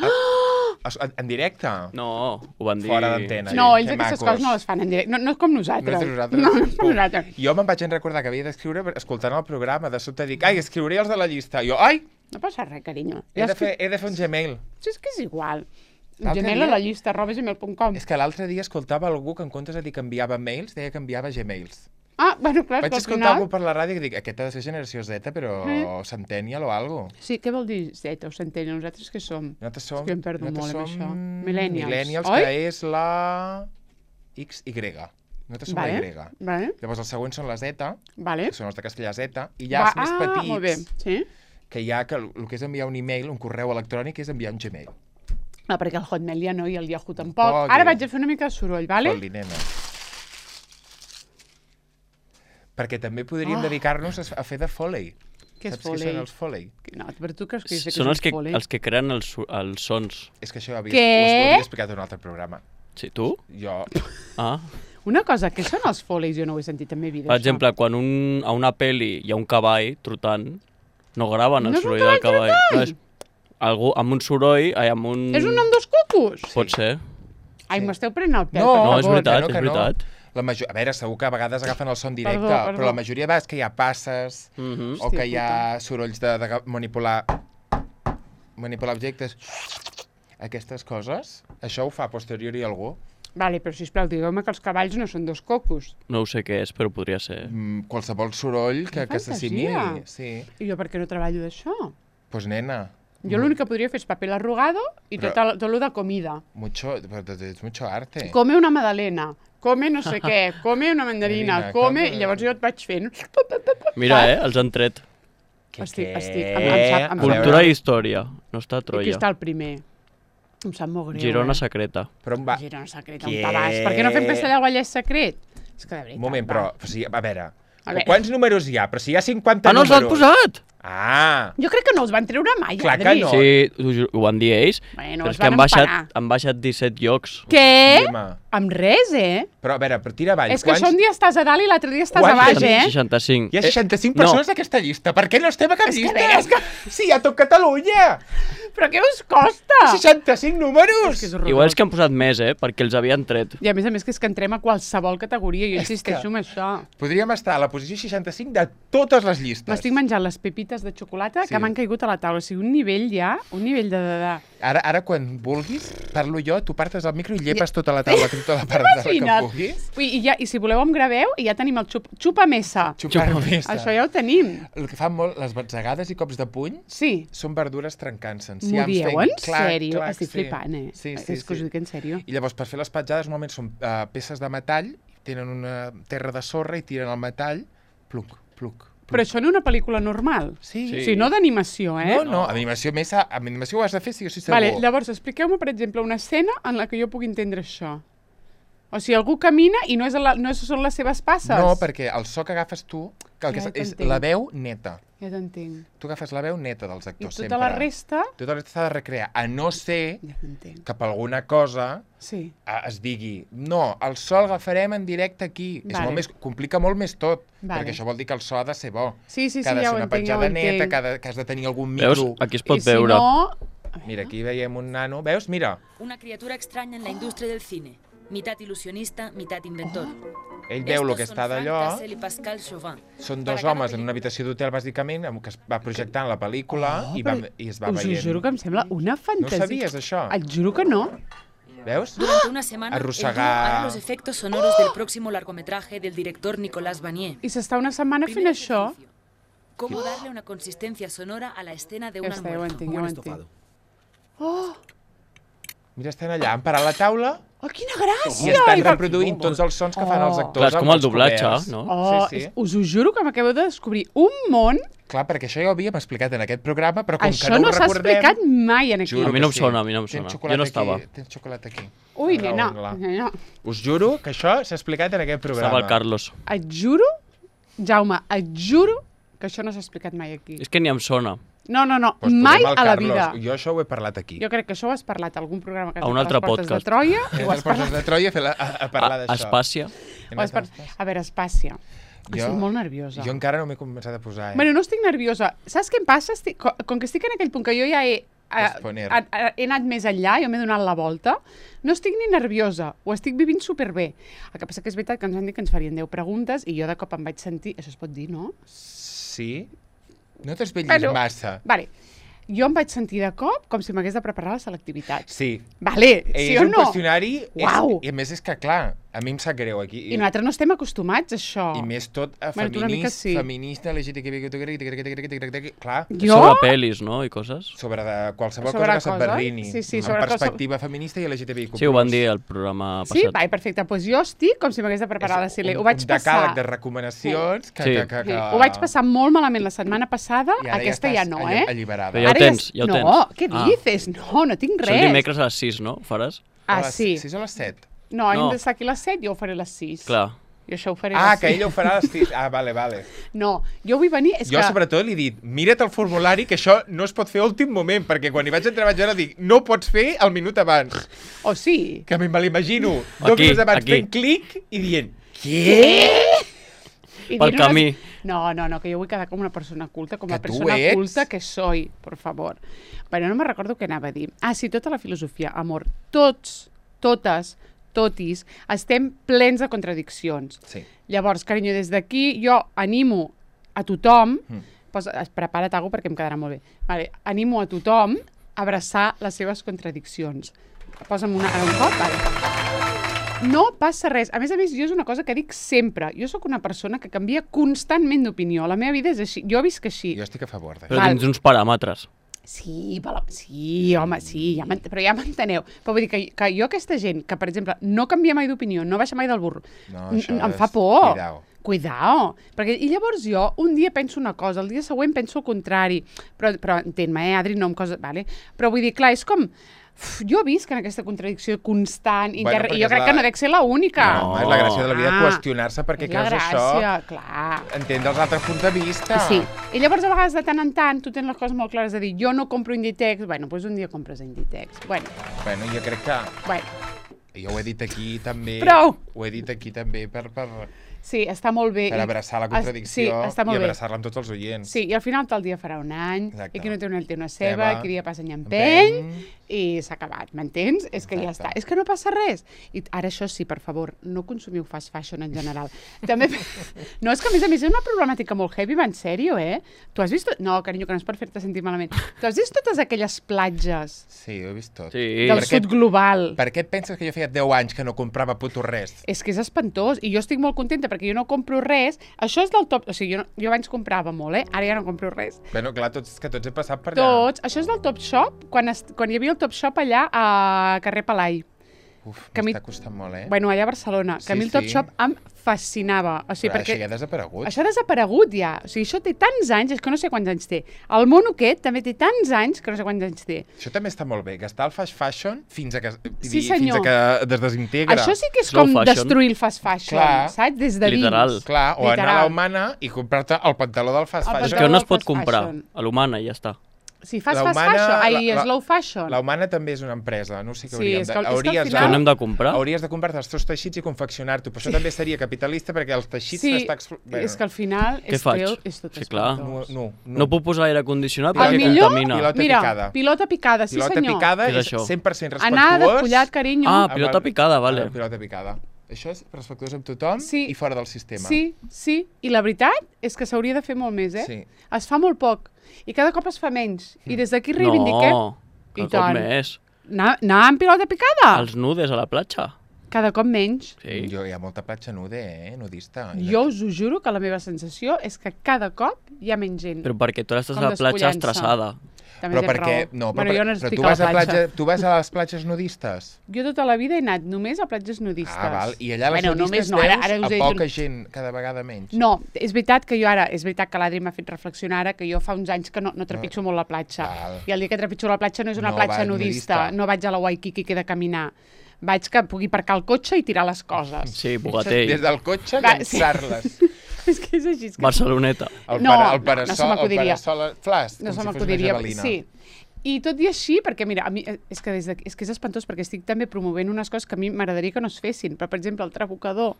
Speaker 2: En, en directe?
Speaker 3: No, ho van dir...
Speaker 2: Fora d'antena.
Speaker 1: No,
Speaker 2: que
Speaker 1: ells aquestes
Speaker 2: macos.
Speaker 1: coses no les fan en directe. No, no és com nosaltres.
Speaker 2: No és de nosaltres.
Speaker 1: No, no és com nosaltres.
Speaker 2: Jo me'n vaig en recordar que havia d'escriure escoltant el programa. De sobte dic, ai, escriuré els de la llista. Jo, ai,
Speaker 1: No passa res, carinyo.
Speaker 2: he de fer, he de fer un Gmail.
Speaker 1: Sí, és que és igual.
Speaker 2: L'altre
Speaker 1: Gmail a
Speaker 2: dia-
Speaker 1: la llista, arroba gmail punt com.
Speaker 2: És que l'altre dia escoltava algú que en comptes de dir que enviava mails, deia que enviava Gmails.
Speaker 1: Ah, bueno, clar,
Speaker 2: Vaig
Speaker 1: és que al
Speaker 2: escoltar
Speaker 1: final...
Speaker 2: algú per la ràdio i dic, aquest ha de ser generació Z, però
Speaker 1: Mm.
Speaker 2: Centennial o algo.
Speaker 1: Sí, què vol dir Z o Centennial? Nosaltres què som?
Speaker 2: Nosaltres som...
Speaker 1: És que em perdo
Speaker 2: nosaltres
Speaker 1: molt amb
Speaker 2: som
Speaker 1: això. Millennials,
Speaker 2: Millennials,
Speaker 1: oi?
Speaker 2: que és la X Y. Nosaltres som
Speaker 1: Vale,
Speaker 2: la Y.
Speaker 1: vale,
Speaker 2: Llavors els següents són la Z,
Speaker 1: vale.
Speaker 2: que són els de castellà Z, i ja
Speaker 1: Va,
Speaker 2: els més
Speaker 1: ah,
Speaker 2: petits,
Speaker 1: molt bé, sí.
Speaker 2: que hi ha que el el que és enviar un email, un correu electrònic, és enviar un Gmail.
Speaker 1: Ah, perquè el Hotmail ja no i el Yahoo tampoc.
Speaker 2: Tampoc,
Speaker 1: Ara
Speaker 2: eh?
Speaker 1: vaig a fer una mica de soroll, vale?
Speaker 2: Fot-li, nena. Perquè també podríem
Speaker 1: Ah.
Speaker 2: dedicar-nos a, a fer de Foley.
Speaker 1: Què és
Speaker 2: Saps
Speaker 1: Foley?
Speaker 2: què són els Foley?
Speaker 1: No, però tu creus que jo sé
Speaker 3: Són
Speaker 1: que
Speaker 3: els
Speaker 1: és
Speaker 3: que,
Speaker 1: un Foley?
Speaker 3: els que creen els, su- els sons.
Speaker 2: És que això ho havia,
Speaker 1: Què?
Speaker 2: ho havia explicat en un altre programa.
Speaker 3: Sí, tu?
Speaker 2: Jo,
Speaker 3: Ah.
Speaker 1: Una cosa, què són els Foleys? Jo no ho he sentit en la meva vida,
Speaker 3: Per
Speaker 1: això.
Speaker 3: exemple, quan un, a una pel·li hi ha un cavall trotant, no graven el
Speaker 1: No és un
Speaker 3: soroll del
Speaker 1: cavall
Speaker 3: cavall.
Speaker 1: trotant!
Speaker 3: No, és algú amb un soroll, ai, amb un...
Speaker 1: És un nom dos cucos?
Speaker 3: Pot ser.
Speaker 1: Ai,
Speaker 2: Sí.
Speaker 1: m'esteu prenent el pèl,
Speaker 2: No,
Speaker 1: per
Speaker 3: No,
Speaker 1: favor.
Speaker 3: és veritat,
Speaker 2: que no,
Speaker 3: és
Speaker 2: que no.
Speaker 3: veritat.
Speaker 2: La major... A veure, segur que a vegades agafen el son directe,
Speaker 1: Perdó, perdó.
Speaker 2: però la majoria de vegades que hi ha passes
Speaker 3: Mm -hmm.
Speaker 2: o que hi ha sorolls de, de manipular manipular objectes, aquestes coses, això ho fa a posteriori algú.
Speaker 1: Vale, però sisplau, digueu-me que els cavalls no són dos cocos.
Speaker 3: No ho sé què és, però podria ser.
Speaker 2: Mm, qualsevol soroll que, que s'assimili.
Speaker 1: fantasia.
Speaker 2: Sí.
Speaker 1: I jo per què no treballo d'això?
Speaker 2: Pues nena,
Speaker 1: Jo l'únic que podria fer és paper l'arrugado i
Speaker 2: Però-
Speaker 1: tot, el, tot lo de comida.
Speaker 2: mucho, és mucho arte.
Speaker 1: Come una magdalena, come no sé què, come una mandarina,
Speaker 2: Mandarina,
Speaker 1: come...
Speaker 2: come-
Speaker 1: I llavors jo et vaig fent...
Speaker 3: Mira, eh, els han tret.
Speaker 1: Estic,
Speaker 2: què?
Speaker 1: estic, em, em sap, em
Speaker 2: A
Speaker 3: Cultura
Speaker 2: veure.
Speaker 3: i història. No està a
Speaker 1: I aquí
Speaker 3: Troia.
Speaker 1: està el primer. Em sap molt greu,
Speaker 3: Girona
Speaker 1: eh?
Speaker 3: secreta.
Speaker 2: Però on va...
Speaker 1: Girona secret,
Speaker 2: Què?
Speaker 1: on te vas? Per què no fem Castellà al Vallès secret? És que de veritat,
Speaker 2: Un moment,
Speaker 1: va.
Speaker 2: però, o sigui, a veure,
Speaker 1: A veure.
Speaker 2: quants números hi ha? Però si hi ha cinquanta
Speaker 3: Ah, no els
Speaker 2: números...
Speaker 3: han posat!
Speaker 2: Ah!
Speaker 1: Jo crec que no els van treure mai,
Speaker 2: Clar que
Speaker 1: Adri.
Speaker 2: no.
Speaker 3: Sí, ho, ju- ho van dir ells,
Speaker 1: Bueno,
Speaker 3: però
Speaker 1: es
Speaker 3: és que
Speaker 1: van
Speaker 3: han baixat,
Speaker 1: emparar.
Speaker 3: han baixat disset llocs.
Speaker 1: Què?
Speaker 2: Sí, home.
Speaker 1: Amb res, eh?
Speaker 2: Però, a veure, però tira avall.
Speaker 1: És que això un dia estàs a dalt i l'altre dia estàs
Speaker 2: Quants
Speaker 1: a baix,
Speaker 2: tenim?
Speaker 1: eh?
Speaker 3: seixanta-cinc.
Speaker 2: Hi ha seixanta-cinc
Speaker 3: Eh, no.
Speaker 2: persones d'aquesta llista. Per què no estem a cap
Speaker 1: És que
Speaker 2: llista?
Speaker 1: bé, és que-
Speaker 2: Sí, hi ha tot Catalunya!
Speaker 1: Però què us costa?
Speaker 2: seixanta-cinc números!
Speaker 1: És que és horrorós.
Speaker 3: Igual és que han posat més, eh? Perquè els havien tret.
Speaker 1: I a més a més que és que entrem a qualsevol categoria, jo
Speaker 2: És
Speaker 1: insisteixo
Speaker 2: que-
Speaker 1: en això.
Speaker 2: Podríem estar a la posició seixanta-cinc de totes les llistes.
Speaker 1: M'estic menjant les pepites de xocolata
Speaker 2: Sí.
Speaker 1: que m'han caigut a la taula. O sigui, un nivell ja, un nivell de... de, de...
Speaker 2: Ara, ara, quan vulguis, parlo jo, tu partes el micro i llepes tota la taula, tota la part de que
Speaker 1: Imagina't.
Speaker 2: puguis.
Speaker 1: Ui, i, ja, I si voleu em graveu, i ja tenim el xup, xupa-mesa.
Speaker 2: Xupar
Speaker 3: Xupa
Speaker 2: mesa.
Speaker 1: Això ja ho tenim.
Speaker 2: El que fan molt, les batzegades i cops de puny,
Speaker 1: Sí.
Speaker 2: són verdures trencant-se.
Speaker 1: M'ho dieu en sèrio? Estic flipant, eh?
Speaker 2: Sí, sí,
Speaker 1: és que us ho
Speaker 2: sí.
Speaker 1: dic en sèrio.
Speaker 2: I llavors, per fer les petjades, normalment són uh, peces de metall, tenen una terra de sorra i tiren el metall, pluc, pluc.
Speaker 1: Però això en una pel·lícula normal.
Speaker 2: Sí.
Speaker 1: O sigui, no d'animació, eh?
Speaker 2: No, no, amb animació més, amb animació ho has de fer, sí o sí segur.
Speaker 1: Vale, llavors, expliqueu-me, per exemple, una escena en la que jo pugui entendre això. O sigui, algú camina i no, és la, no són les seves passes.
Speaker 2: No, perquè el so que agafes tu, que el que
Speaker 1: Ja
Speaker 2: és, és
Speaker 1: t'entenc.
Speaker 2: la veu neta.
Speaker 1: Ja t'entenc.
Speaker 2: Tu agafes la veu neta dels
Speaker 1: I
Speaker 2: actors,
Speaker 1: tota
Speaker 2: sempre.
Speaker 1: la resta...
Speaker 2: Tota la resta s'ha de recrear, a no ser
Speaker 1: Ja t'entenc.
Speaker 2: que per alguna cosa
Speaker 1: Sí.
Speaker 2: eh, es digui no, el so l'agafarem en directe aquí. És
Speaker 1: Vale.
Speaker 2: molt més, complica molt més tot,
Speaker 1: Vale.
Speaker 2: perquè això vol dir que el so ha de ser bo.
Speaker 1: Sí, sí, sí,
Speaker 2: que ha de
Speaker 1: ja
Speaker 2: ser
Speaker 1: ho
Speaker 2: una
Speaker 1: entenc, ja ho
Speaker 2: petjada neta,
Speaker 1: entenc.
Speaker 2: que, ha de, que has de tenir algun
Speaker 3: Veus?
Speaker 2: micro.
Speaker 3: Aquí es pot
Speaker 1: I si
Speaker 3: veure.
Speaker 1: no...
Speaker 2: Mira, aquí veiem un nano. Veus? Mira,
Speaker 4: Una criatura extraña en la industria del cine, mitad ilusionista, mitad inventor.
Speaker 2: ell veu el que
Speaker 4: Estos
Speaker 2: està
Speaker 4: son Frank
Speaker 2: d'allò.
Speaker 4: Tassel y Pascal Chauvin.
Speaker 2: Són
Speaker 4: Para
Speaker 2: dos
Speaker 4: cada
Speaker 2: homes en una
Speaker 4: película.
Speaker 2: habitació d'hotel, bàsicament, amb que es va projectant la pel·lícula i, va,
Speaker 1: però
Speaker 2: i es va
Speaker 1: Us ho
Speaker 2: veient.
Speaker 1: juro que em sembla una
Speaker 2: No
Speaker 1: fantasia.
Speaker 2: sabies, això?
Speaker 1: Et juro que no.
Speaker 2: Veus?
Speaker 4: Durante una semana, el dúo
Speaker 2: Arrossegar.
Speaker 4: hará los efectos sonoros del próximo largometraje del director Nicolas Vanier.
Speaker 1: I s'està una setmana fent
Speaker 4: Primer
Speaker 1: això.
Speaker 4: ejercicio. ¿Cómo darle una consistencia sonora a la escena de un
Speaker 1: Ja està, ja ho
Speaker 4: almuerzo?
Speaker 1: entenc, ja ho entenc. Oh,
Speaker 2: Mira, estan allà, han parat la taula
Speaker 1: oh, quina
Speaker 2: i
Speaker 1: gràcia!
Speaker 2: estan
Speaker 1: I va-
Speaker 2: reproduint tots els sons que fan els
Speaker 1: Oh.
Speaker 2: actors.
Speaker 3: Clar, és com
Speaker 2: amb
Speaker 3: el
Speaker 2: els
Speaker 3: doblatge,
Speaker 2: coberts.
Speaker 3: no?
Speaker 1: Oh,
Speaker 2: Sí, sí.
Speaker 1: és- us ho juro que m'acabeu de descobrir un món.
Speaker 2: Clar, perquè això ja ho havíem explicat en aquest programa, però com
Speaker 1: Això
Speaker 2: que no,
Speaker 1: no
Speaker 2: ho
Speaker 1: s'ha
Speaker 2: recordem...
Speaker 1: explicat mai en aquí.
Speaker 2: Juro
Speaker 3: A mi
Speaker 2: que
Speaker 3: no em
Speaker 2: sí.
Speaker 3: sona, a mi no em
Speaker 2: Tens
Speaker 3: sona.
Speaker 2: xocolata
Speaker 3: Jo no
Speaker 2: aquí,
Speaker 3: estava.
Speaker 2: Tens xocolata aquí.
Speaker 1: Ui,
Speaker 2: Raül,
Speaker 1: nena,
Speaker 2: clar.
Speaker 1: nena.
Speaker 2: Us juro que això s'ha explicat en aquest programa.
Speaker 3: Estava el Carlos.
Speaker 1: Et juro, Jaume, et juro que això no s'ha explicat mai aquí.
Speaker 3: És que ni em sona.
Speaker 1: No, no, no,
Speaker 2: Pues
Speaker 1: mai
Speaker 2: posem el
Speaker 1: a la
Speaker 2: Carlos.
Speaker 1: vida.
Speaker 2: Jo això ho he parlat aquí.
Speaker 1: Jo crec que això ho has parlat a algun programa que has
Speaker 3: A un
Speaker 1: fet
Speaker 3: altre
Speaker 1: les portes
Speaker 3: podcast.
Speaker 1: de Troia.
Speaker 2: He
Speaker 1: I ho
Speaker 2: anat
Speaker 1: has
Speaker 2: als portes
Speaker 1: parlat.
Speaker 2: de Troia a, fer la, a, a parlar
Speaker 3: A,
Speaker 2: d'això.
Speaker 3: Espàcia.
Speaker 2: He
Speaker 1: Ho has
Speaker 2: anat
Speaker 1: par...
Speaker 2: als-
Speaker 1: A veure, Espàcia.
Speaker 2: Jo-
Speaker 1: Estic molt nerviosa.
Speaker 2: Jo encara no m'he començat a posar, eh?
Speaker 1: Bueno, no estic nerviosa. Saps què em passa? Estic... co- Com que estic en aquell punt que jo ja he... eh,
Speaker 2: Posponer.
Speaker 1: a- a- he anat més enllà, jo m'he donat la volta, no estic ni nerviosa, ho estic vivint superbé. El que passa que és veritat que ens han dit que ens farien deu preguntes i jo de cop em vaig sentir... Això es pot dir, no?
Speaker 2: Sí? No t'esvetllis
Speaker 1: Bueno.
Speaker 2: massa.
Speaker 1: Vale. Jo em vaig sentir de cop com si m'hagués de preparar la selectivitat.
Speaker 2: Sí.
Speaker 1: Vale,
Speaker 2: És
Speaker 1: sí o
Speaker 2: un
Speaker 1: no?
Speaker 2: qüestionari...
Speaker 1: Uau.
Speaker 2: És, I a més és que, clar, a mi em sap greu aquí.
Speaker 1: I nosaltres no estem acostumats a això.
Speaker 2: I més tot a
Speaker 1: Bueno, tu una mica
Speaker 2: feminista,
Speaker 1: sí.
Speaker 2: feminista, L G T B, clar,
Speaker 1: Jo?
Speaker 3: Sobre pel·lis, no? I coses.
Speaker 2: sobre de qualsevol
Speaker 1: Sobre
Speaker 2: cosa que
Speaker 1: coses?
Speaker 2: s'adverrini.
Speaker 1: Sí, sí,
Speaker 2: amb
Speaker 1: sobre qualsevol-
Speaker 2: perspectiva feminista i L G T B I Q plus.
Speaker 3: Sí, ho van dir al programa
Speaker 1: Sí?
Speaker 3: passat.
Speaker 1: Vai, perfecte. Doncs pues jo estic com si m'hagués de preparar la
Speaker 2: És
Speaker 1: Sile.
Speaker 2: un,
Speaker 1: Ho vaig
Speaker 2: un
Speaker 1: passar...
Speaker 2: decàleg de recomanacions que,
Speaker 3: Sí.
Speaker 2: que, que,
Speaker 1: Sí.
Speaker 2: que...
Speaker 1: Ho vaig passar molt malament la setmana passada,
Speaker 2: I ara
Speaker 1: aquesta
Speaker 2: ja,
Speaker 1: ja
Speaker 2: estàs
Speaker 1: no,
Speaker 2: alli-
Speaker 1: eh?
Speaker 2: alliberada.
Speaker 3: Però ja ho
Speaker 1: Ara
Speaker 3: tens, ja ho tens.
Speaker 1: No, què
Speaker 3: Ah.
Speaker 1: dices? No, no tinc
Speaker 3: Són
Speaker 1: res.
Speaker 3: dimecres a les sis, no? Ho faràs?
Speaker 1: Ah,
Speaker 2: A les
Speaker 1: sí.
Speaker 2: sis o a les set?
Speaker 1: No, hem
Speaker 3: No.
Speaker 1: d'estar aquí a les set, jo ho faré a les sis.
Speaker 3: Clar.
Speaker 1: I això ho faré
Speaker 2: Ah,
Speaker 1: a les
Speaker 2: que
Speaker 1: sis.
Speaker 2: ella ho farà a les sis. Ah, vale, vale.
Speaker 1: No, jo vull venir... És
Speaker 2: Jo,
Speaker 1: que...
Speaker 2: sobretot, li he dit, mira't el formulari, que això no es pot fer a últim moment, perquè quan hi vaig entrar vaig veure, dic, no ho pots fer al minut abans.
Speaker 1: O sí.
Speaker 2: Que me l'imagino dos
Speaker 3: Aquí,
Speaker 2: minuts abans
Speaker 3: aquí.
Speaker 2: fent clic i dient, què?
Speaker 1: I
Speaker 3: Pel
Speaker 1: dient unes-
Speaker 3: camí.
Speaker 1: No, no, no, que jo vull quedar com una persona culta, com
Speaker 2: Que
Speaker 1: la
Speaker 2: tu
Speaker 1: persona
Speaker 2: ets.
Speaker 1: culta que soy, por favor. Bueno, no me recordo què anava a dir. Ah, sí, tota la filosofia, amor. Tots, totes, totis, estem plens de contradiccions.
Speaker 2: Sí.
Speaker 1: Llavors, carinyo, des d'aquí jo animo a tothom,
Speaker 2: Mm.
Speaker 1: posa, prepara't alguna perquè em quedarà molt bé, vale, animo a tothom a abraçar les seves contradiccions. Posa'm una, ara un cop, vale. No passa res. A més a més, jo és una cosa que dic sempre. Jo sóc una persona que canvia constantment d'opinió. La meva vida és així. Jo visc així.
Speaker 2: Jo estic a favor d'això.
Speaker 3: Però
Speaker 1: Val.
Speaker 3: tens uns paràmetres.
Speaker 1: Sí, però, sí, home, sí, ja però ja m'enteneu. Però vull dir que, que jo aquesta gent que, per exemple, no canvia mai d'opinió, no baixa mai del burro,
Speaker 2: No,
Speaker 1: n-
Speaker 2: això
Speaker 1: em
Speaker 2: és-
Speaker 1: fa por.
Speaker 2: cuidao.
Speaker 1: Cuidao. Perquè, I llavors jo un dia penso una cosa, el dia següent penso el contrari. Però, però entén-me, eh, Adri, no em cosa... Vale? Però vull dir, clar, és com... Uf, jo visc en aquesta contradicció constant
Speaker 2: Bueno,
Speaker 1: inter...
Speaker 2: perquè
Speaker 1: i jo
Speaker 2: és
Speaker 1: crec
Speaker 2: la-
Speaker 1: que no dec ser l'única.
Speaker 2: No, és la gràcia de la vida
Speaker 1: Ah,
Speaker 2: qüestionar-se perquè
Speaker 1: és la
Speaker 2: creus
Speaker 1: gràcia,
Speaker 2: això,
Speaker 1: clar.
Speaker 2: entendre els altres punts de vista.
Speaker 1: Sí, i llavors a vegades de tant en tant tu tens les coses molt clares de dir jo no compro Inditex, bueno, doncs un dia compres Inditex. Bueno,
Speaker 2: Bueno, jo crec que...
Speaker 1: bueno,
Speaker 2: Jo ho he dit aquí també...
Speaker 1: Prou!
Speaker 2: Ho he dit aquí també per, per,
Speaker 1: sí, està molt bé.
Speaker 2: per
Speaker 1: I-
Speaker 2: abraçar la
Speaker 1: es-
Speaker 2: contradicció
Speaker 1: sí, està
Speaker 2: i
Speaker 1: molt bé.
Speaker 2: abraçar-la amb tots els oients.
Speaker 1: Sí, i al final tal dia farà un any,
Speaker 2: Exacte.
Speaker 1: i qui no té una el té una ceba,
Speaker 2: Ceba,
Speaker 1: qui dia passa any empeny,
Speaker 2: empeny.
Speaker 1: i s'ha acabat, m'entens? És que ja
Speaker 2: Exacte.
Speaker 1: està, és que no passa res. I ara això sí, per favor, no consumiu fast fashion en general. També... No, és que a més a més és una problemàtica molt heavy, va en sèrio, eh? Tu has vist... No, carinyo, que no és per fer-te sentir malament. Tu has vist totes aquelles platges
Speaker 2: Sí, ho he vist tot.
Speaker 3: Sí.
Speaker 1: del
Speaker 2: Per què-
Speaker 1: sud global?
Speaker 2: Per què et penses que jo feia deu anys que no comprava puto res?
Speaker 1: És que és espantós, i jo estic molt contenta perquè jo no compro res. Això és del top... O sigui, jo, no, jo abans comprava molt, eh? Ara ja no compro res.
Speaker 2: Bueno, clar, tots, que tots he passat per allà.
Speaker 1: Tots. Això és del Top Shop, quan, est, quan hi havia el Top Shop allà a carrer Palai.
Speaker 2: Uf,
Speaker 1: que a mi-
Speaker 2: m'està costant molt, eh?
Speaker 1: Bueno, allà a Barcelona, que
Speaker 2: Sí,
Speaker 1: a mi el Top
Speaker 2: sí.
Speaker 1: Shop em fascinava. O sigui,
Speaker 2: Però
Speaker 1: perquè
Speaker 2: això ja ha desaparegut.
Speaker 1: això ha desaparegut ja. O sigui, això té tants anys, és que no sé quants anys té. El mono aquest també té tants anys que no sé quants anys té.
Speaker 2: Això també està molt bé, gastar el fast fashion fins a que, vull
Speaker 1: Sí,
Speaker 2: dir,
Speaker 1: senyor.
Speaker 2: fins a que es desintegra.
Speaker 1: Això sí que és
Speaker 3: Slow
Speaker 1: com
Speaker 3: fashion.
Speaker 1: destruir el fast fashion,
Speaker 2: Clar.
Speaker 1: saps? Des de dins.
Speaker 3: Literal.
Speaker 2: Clar, o anar a
Speaker 1: Literal.
Speaker 2: la Humana i comprar-te el pantaló del fast
Speaker 1: El
Speaker 3: És
Speaker 2: fashion.
Speaker 3: que on es
Speaker 1: del
Speaker 3: pot
Speaker 1: fast
Speaker 3: comprar?
Speaker 1: fashion.
Speaker 3: A l'Humana i ja està.
Speaker 1: Si fas
Speaker 2: La
Speaker 1: fast
Speaker 2: Humana-
Speaker 1: fashion, ai,
Speaker 2: la- la-
Speaker 1: slow fashion.
Speaker 2: La Humana també és una empresa, no sé què
Speaker 1: Sí,
Speaker 2: hauríem
Speaker 1: és
Speaker 2: de...
Speaker 1: que- és que al
Speaker 2: hauries,
Speaker 1: final-
Speaker 3: Que no hem de comprar?
Speaker 2: hauries de comprar-te els teus teixits i confeccionar-t'ho, però això també seria capitalista perquè els teixits
Speaker 1: Sí,
Speaker 2: t'està... explo-
Speaker 1: és que al final
Speaker 3: Què
Speaker 1: és,
Speaker 3: faig?
Speaker 1: teu, és tot
Speaker 3: Sí, clar.
Speaker 2: No,
Speaker 1: espantós.
Speaker 2: no, no.
Speaker 3: No puc posar aire condicionat
Speaker 1: El
Speaker 3: perquè
Speaker 1: millor-
Speaker 3: contamina.
Speaker 2: Pilota
Speaker 1: Mira,
Speaker 2: picada.
Speaker 1: pilota picada, sí
Speaker 2: Pilota
Speaker 1: senyor.
Speaker 2: picada
Speaker 3: Què és
Speaker 2: és
Speaker 3: això?
Speaker 2: cent per cent respectuós.
Speaker 1: Anar despullat, carinyo.
Speaker 3: Ah,
Speaker 2: amb
Speaker 3: pilota
Speaker 2: el-
Speaker 3: picada,
Speaker 2: amb
Speaker 3: vale.
Speaker 2: la pilota picada. Això és respectuós amb tothom
Speaker 1: Sí.
Speaker 2: i fora del sistema.
Speaker 1: Sí, sí. I la veritat és que s'hauria de fer molt més, eh?
Speaker 2: Sí.
Speaker 1: Es fa molt poc. I cada cop es fa menys. I des d'aquí reivindiquem...
Speaker 3: No,
Speaker 1: I
Speaker 3: cada cop
Speaker 1: tant.
Speaker 3: més.
Speaker 1: Anar, anar amb pilota picada?
Speaker 3: Els nudes a la platja.
Speaker 1: Cada cop menys.
Speaker 3: Sí.
Speaker 2: Jo, hi ha molta platja nude, eh? Nudista.
Speaker 1: Jo us ho juro que la meva sensació és que cada cop hi ha menys gent.
Speaker 3: Però perquè tu ara estàs
Speaker 1: Com
Speaker 3: a la platja
Speaker 1: despullant-se.
Speaker 3: estressada.
Speaker 1: També
Speaker 2: Però
Speaker 1: tens
Speaker 2: perquè...
Speaker 1: raó.
Speaker 2: No, però,
Speaker 1: bueno, jo no
Speaker 2: però
Speaker 1: estic
Speaker 2: tu,
Speaker 1: a la
Speaker 2: vas a
Speaker 1: platja.
Speaker 2: platja, tu vas a les platges nudistes?
Speaker 1: Jo tota la vida he anat només a platges nudistes.
Speaker 2: Ah, val. I allà les
Speaker 1: bueno,
Speaker 2: nudistes
Speaker 1: només no, ara,
Speaker 2: veus
Speaker 1: ara us
Speaker 2: a
Speaker 1: he
Speaker 2: poca
Speaker 1: dit...
Speaker 2: gent, cada vegada menys.
Speaker 1: No, és veritat que jo ara, és veritat que l'Adri m'ha fet reflexionar ara, que jo fa uns anys que no, no trepitjo molt la platja.
Speaker 2: Val.
Speaker 1: I el dia que trepitjo la platja no és una
Speaker 2: No
Speaker 1: platja
Speaker 2: vas
Speaker 1: nudista,
Speaker 2: nudista.
Speaker 1: no vaig a la Waikiki que he de caminar. Vaig que pugui aparcar el cotxe i tirar les coses.
Speaker 3: Sí, Bogatell.
Speaker 2: Des del cotxe,
Speaker 1: Va, sí.
Speaker 2: llançar-les.
Speaker 1: És que és així. És que...
Speaker 3: Barceloneta.
Speaker 2: El,
Speaker 1: No,
Speaker 2: para, el
Speaker 1: no,
Speaker 2: parasol,
Speaker 1: no se m'acudiria.
Speaker 2: el parasol flas,
Speaker 1: No
Speaker 2: com
Speaker 1: se
Speaker 2: si fos una
Speaker 1: m'acudiria.
Speaker 2: javelina.
Speaker 1: Sí. I tot i així, perquè mira, a mi, eh, és, que des de, és que és espantós perquè estic també promovent unes coses que a mi m'agradaria que no es fessin, però per exemple el Trabucador,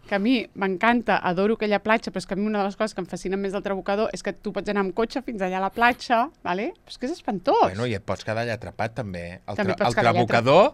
Speaker 1: que a mi m'encanta, adoro aquella platja, però és que a mi una de les coses que em fascinen més del Trabucador és que tu pots anar amb cotxe fins allà a la platja, vale? Però és que és espantós.
Speaker 2: Bueno, i et pots quedar allà atrapat, també. El,
Speaker 1: També
Speaker 2: tra
Speaker 1: pots
Speaker 2: el
Speaker 1: quedar allà
Speaker 2: trabucador,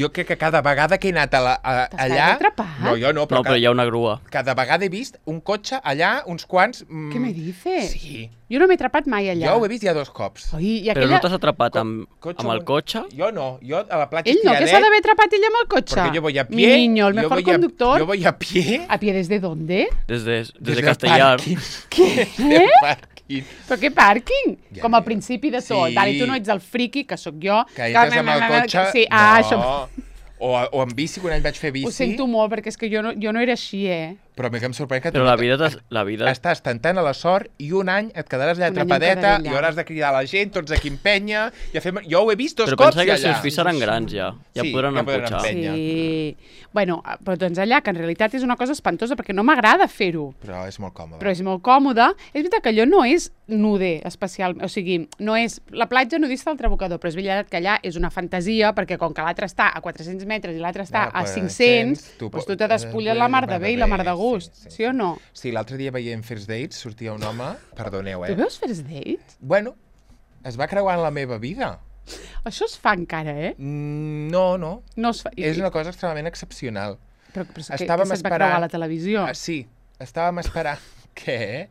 Speaker 2: jo crec que cada vegada que he anat a la, a,
Speaker 1: T'has
Speaker 2: allà...
Speaker 1: quedat atrapat?
Speaker 2: No, jo no, però,
Speaker 3: No, però hi ha una grua.
Speaker 2: cada vegada he vist un cotxe allà, uns quants... Mm,
Speaker 1: Què me dices?
Speaker 2: Sí.
Speaker 1: Jo no m'he atrapat mai allà.
Speaker 2: Jo ho he vist ja dos cops.
Speaker 1: Oi, i
Speaker 3: Però
Speaker 1: aquella...
Speaker 3: no t'has atrapat
Speaker 2: Co-
Speaker 3: amb,
Speaker 2: cotxe
Speaker 3: amb el
Speaker 2: un-
Speaker 3: cotxe?
Speaker 2: Jo no, jo a la platja
Speaker 1: Ell no, que s'ha d'haver atrapat ell amb el cotxe.
Speaker 2: Porque yo voy a
Speaker 1: Mi
Speaker 2: pie.
Speaker 1: niño, el
Speaker 2: yo
Speaker 1: mejor
Speaker 2: voy a-
Speaker 1: conductor.
Speaker 2: yo voy a pie.
Speaker 1: ¿A pie desde dónde?
Speaker 3: Des de, des de
Speaker 2: desde el
Speaker 3: Castellar.
Speaker 2: parking.
Speaker 1: Què?
Speaker 2: Del parking.
Speaker 1: Però què pàrquing?
Speaker 2: Ja,
Speaker 1: Com al
Speaker 2: ja.
Speaker 1: principi de tot.
Speaker 2: Sí.
Speaker 1: Vale, tu no ets el friqui, que sóc jo.
Speaker 2: Que entres amb el cotxe...
Speaker 1: Sí, ah,
Speaker 2: no.
Speaker 1: això...
Speaker 2: O, o en bici, quan ell vaig fer bici.
Speaker 1: Ho sento molt, perquè és que jo no, jo no era així, eh?
Speaker 2: Però a mi que em sorprèn que...
Speaker 3: Però la vida, t'has- la vida...
Speaker 2: Estàs tentant a la sort i un any et quedaràs allà
Speaker 1: Un any em
Speaker 2: atrapadeta
Speaker 1: quedaré allà.
Speaker 2: i hauràs de cridar a la gent, tots aquí empenya... I a fer... Jo ho he vist dos
Speaker 3: Però
Speaker 2: cops
Speaker 3: pensa que els
Speaker 2: allà.
Speaker 3: seus fills seran grans ja. Ja
Speaker 2: Sí,
Speaker 3: podran
Speaker 2: ja podran
Speaker 3: emputxar.
Speaker 2: empènyer.
Speaker 1: Sí. Bueno, però doncs allà, que en realitat és una cosa espantosa, perquè no m'agrada fer-ho.
Speaker 2: Però és molt còmode.
Speaker 1: Però és molt còmode. És veritat que allò no és nude especial, o sigui, no és la platja nudista del Trabucador, però és veritat que allà és una fantasia, perquè com que l'altre està a quatre-cents metres i l'altre està
Speaker 2: Ah,
Speaker 1: a
Speaker 2: pues,
Speaker 1: cinc-cents,
Speaker 2: tu
Speaker 1: doncs
Speaker 2: po-
Speaker 1: tu te despulles la mar de bé i la mar de gust, sí, sí o no?
Speaker 2: Sí, l'altre dia veient First Dates sortia un home... Perdoneu,
Speaker 1: Tu
Speaker 2: eh?
Speaker 1: veus First Dates?
Speaker 2: Bueno, es va creuar en la meva vida.
Speaker 1: Això es fa encara, eh?
Speaker 2: Mm, No, no.
Speaker 1: No es fa...
Speaker 2: És una cosa extremadament excepcional.
Speaker 1: Però, però que,
Speaker 2: Estàvem
Speaker 1: que se't va
Speaker 2: esperant-
Speaker 1: creuar a la televisió.
Speaker 2: Ah, sí, estàvem esperant... Què?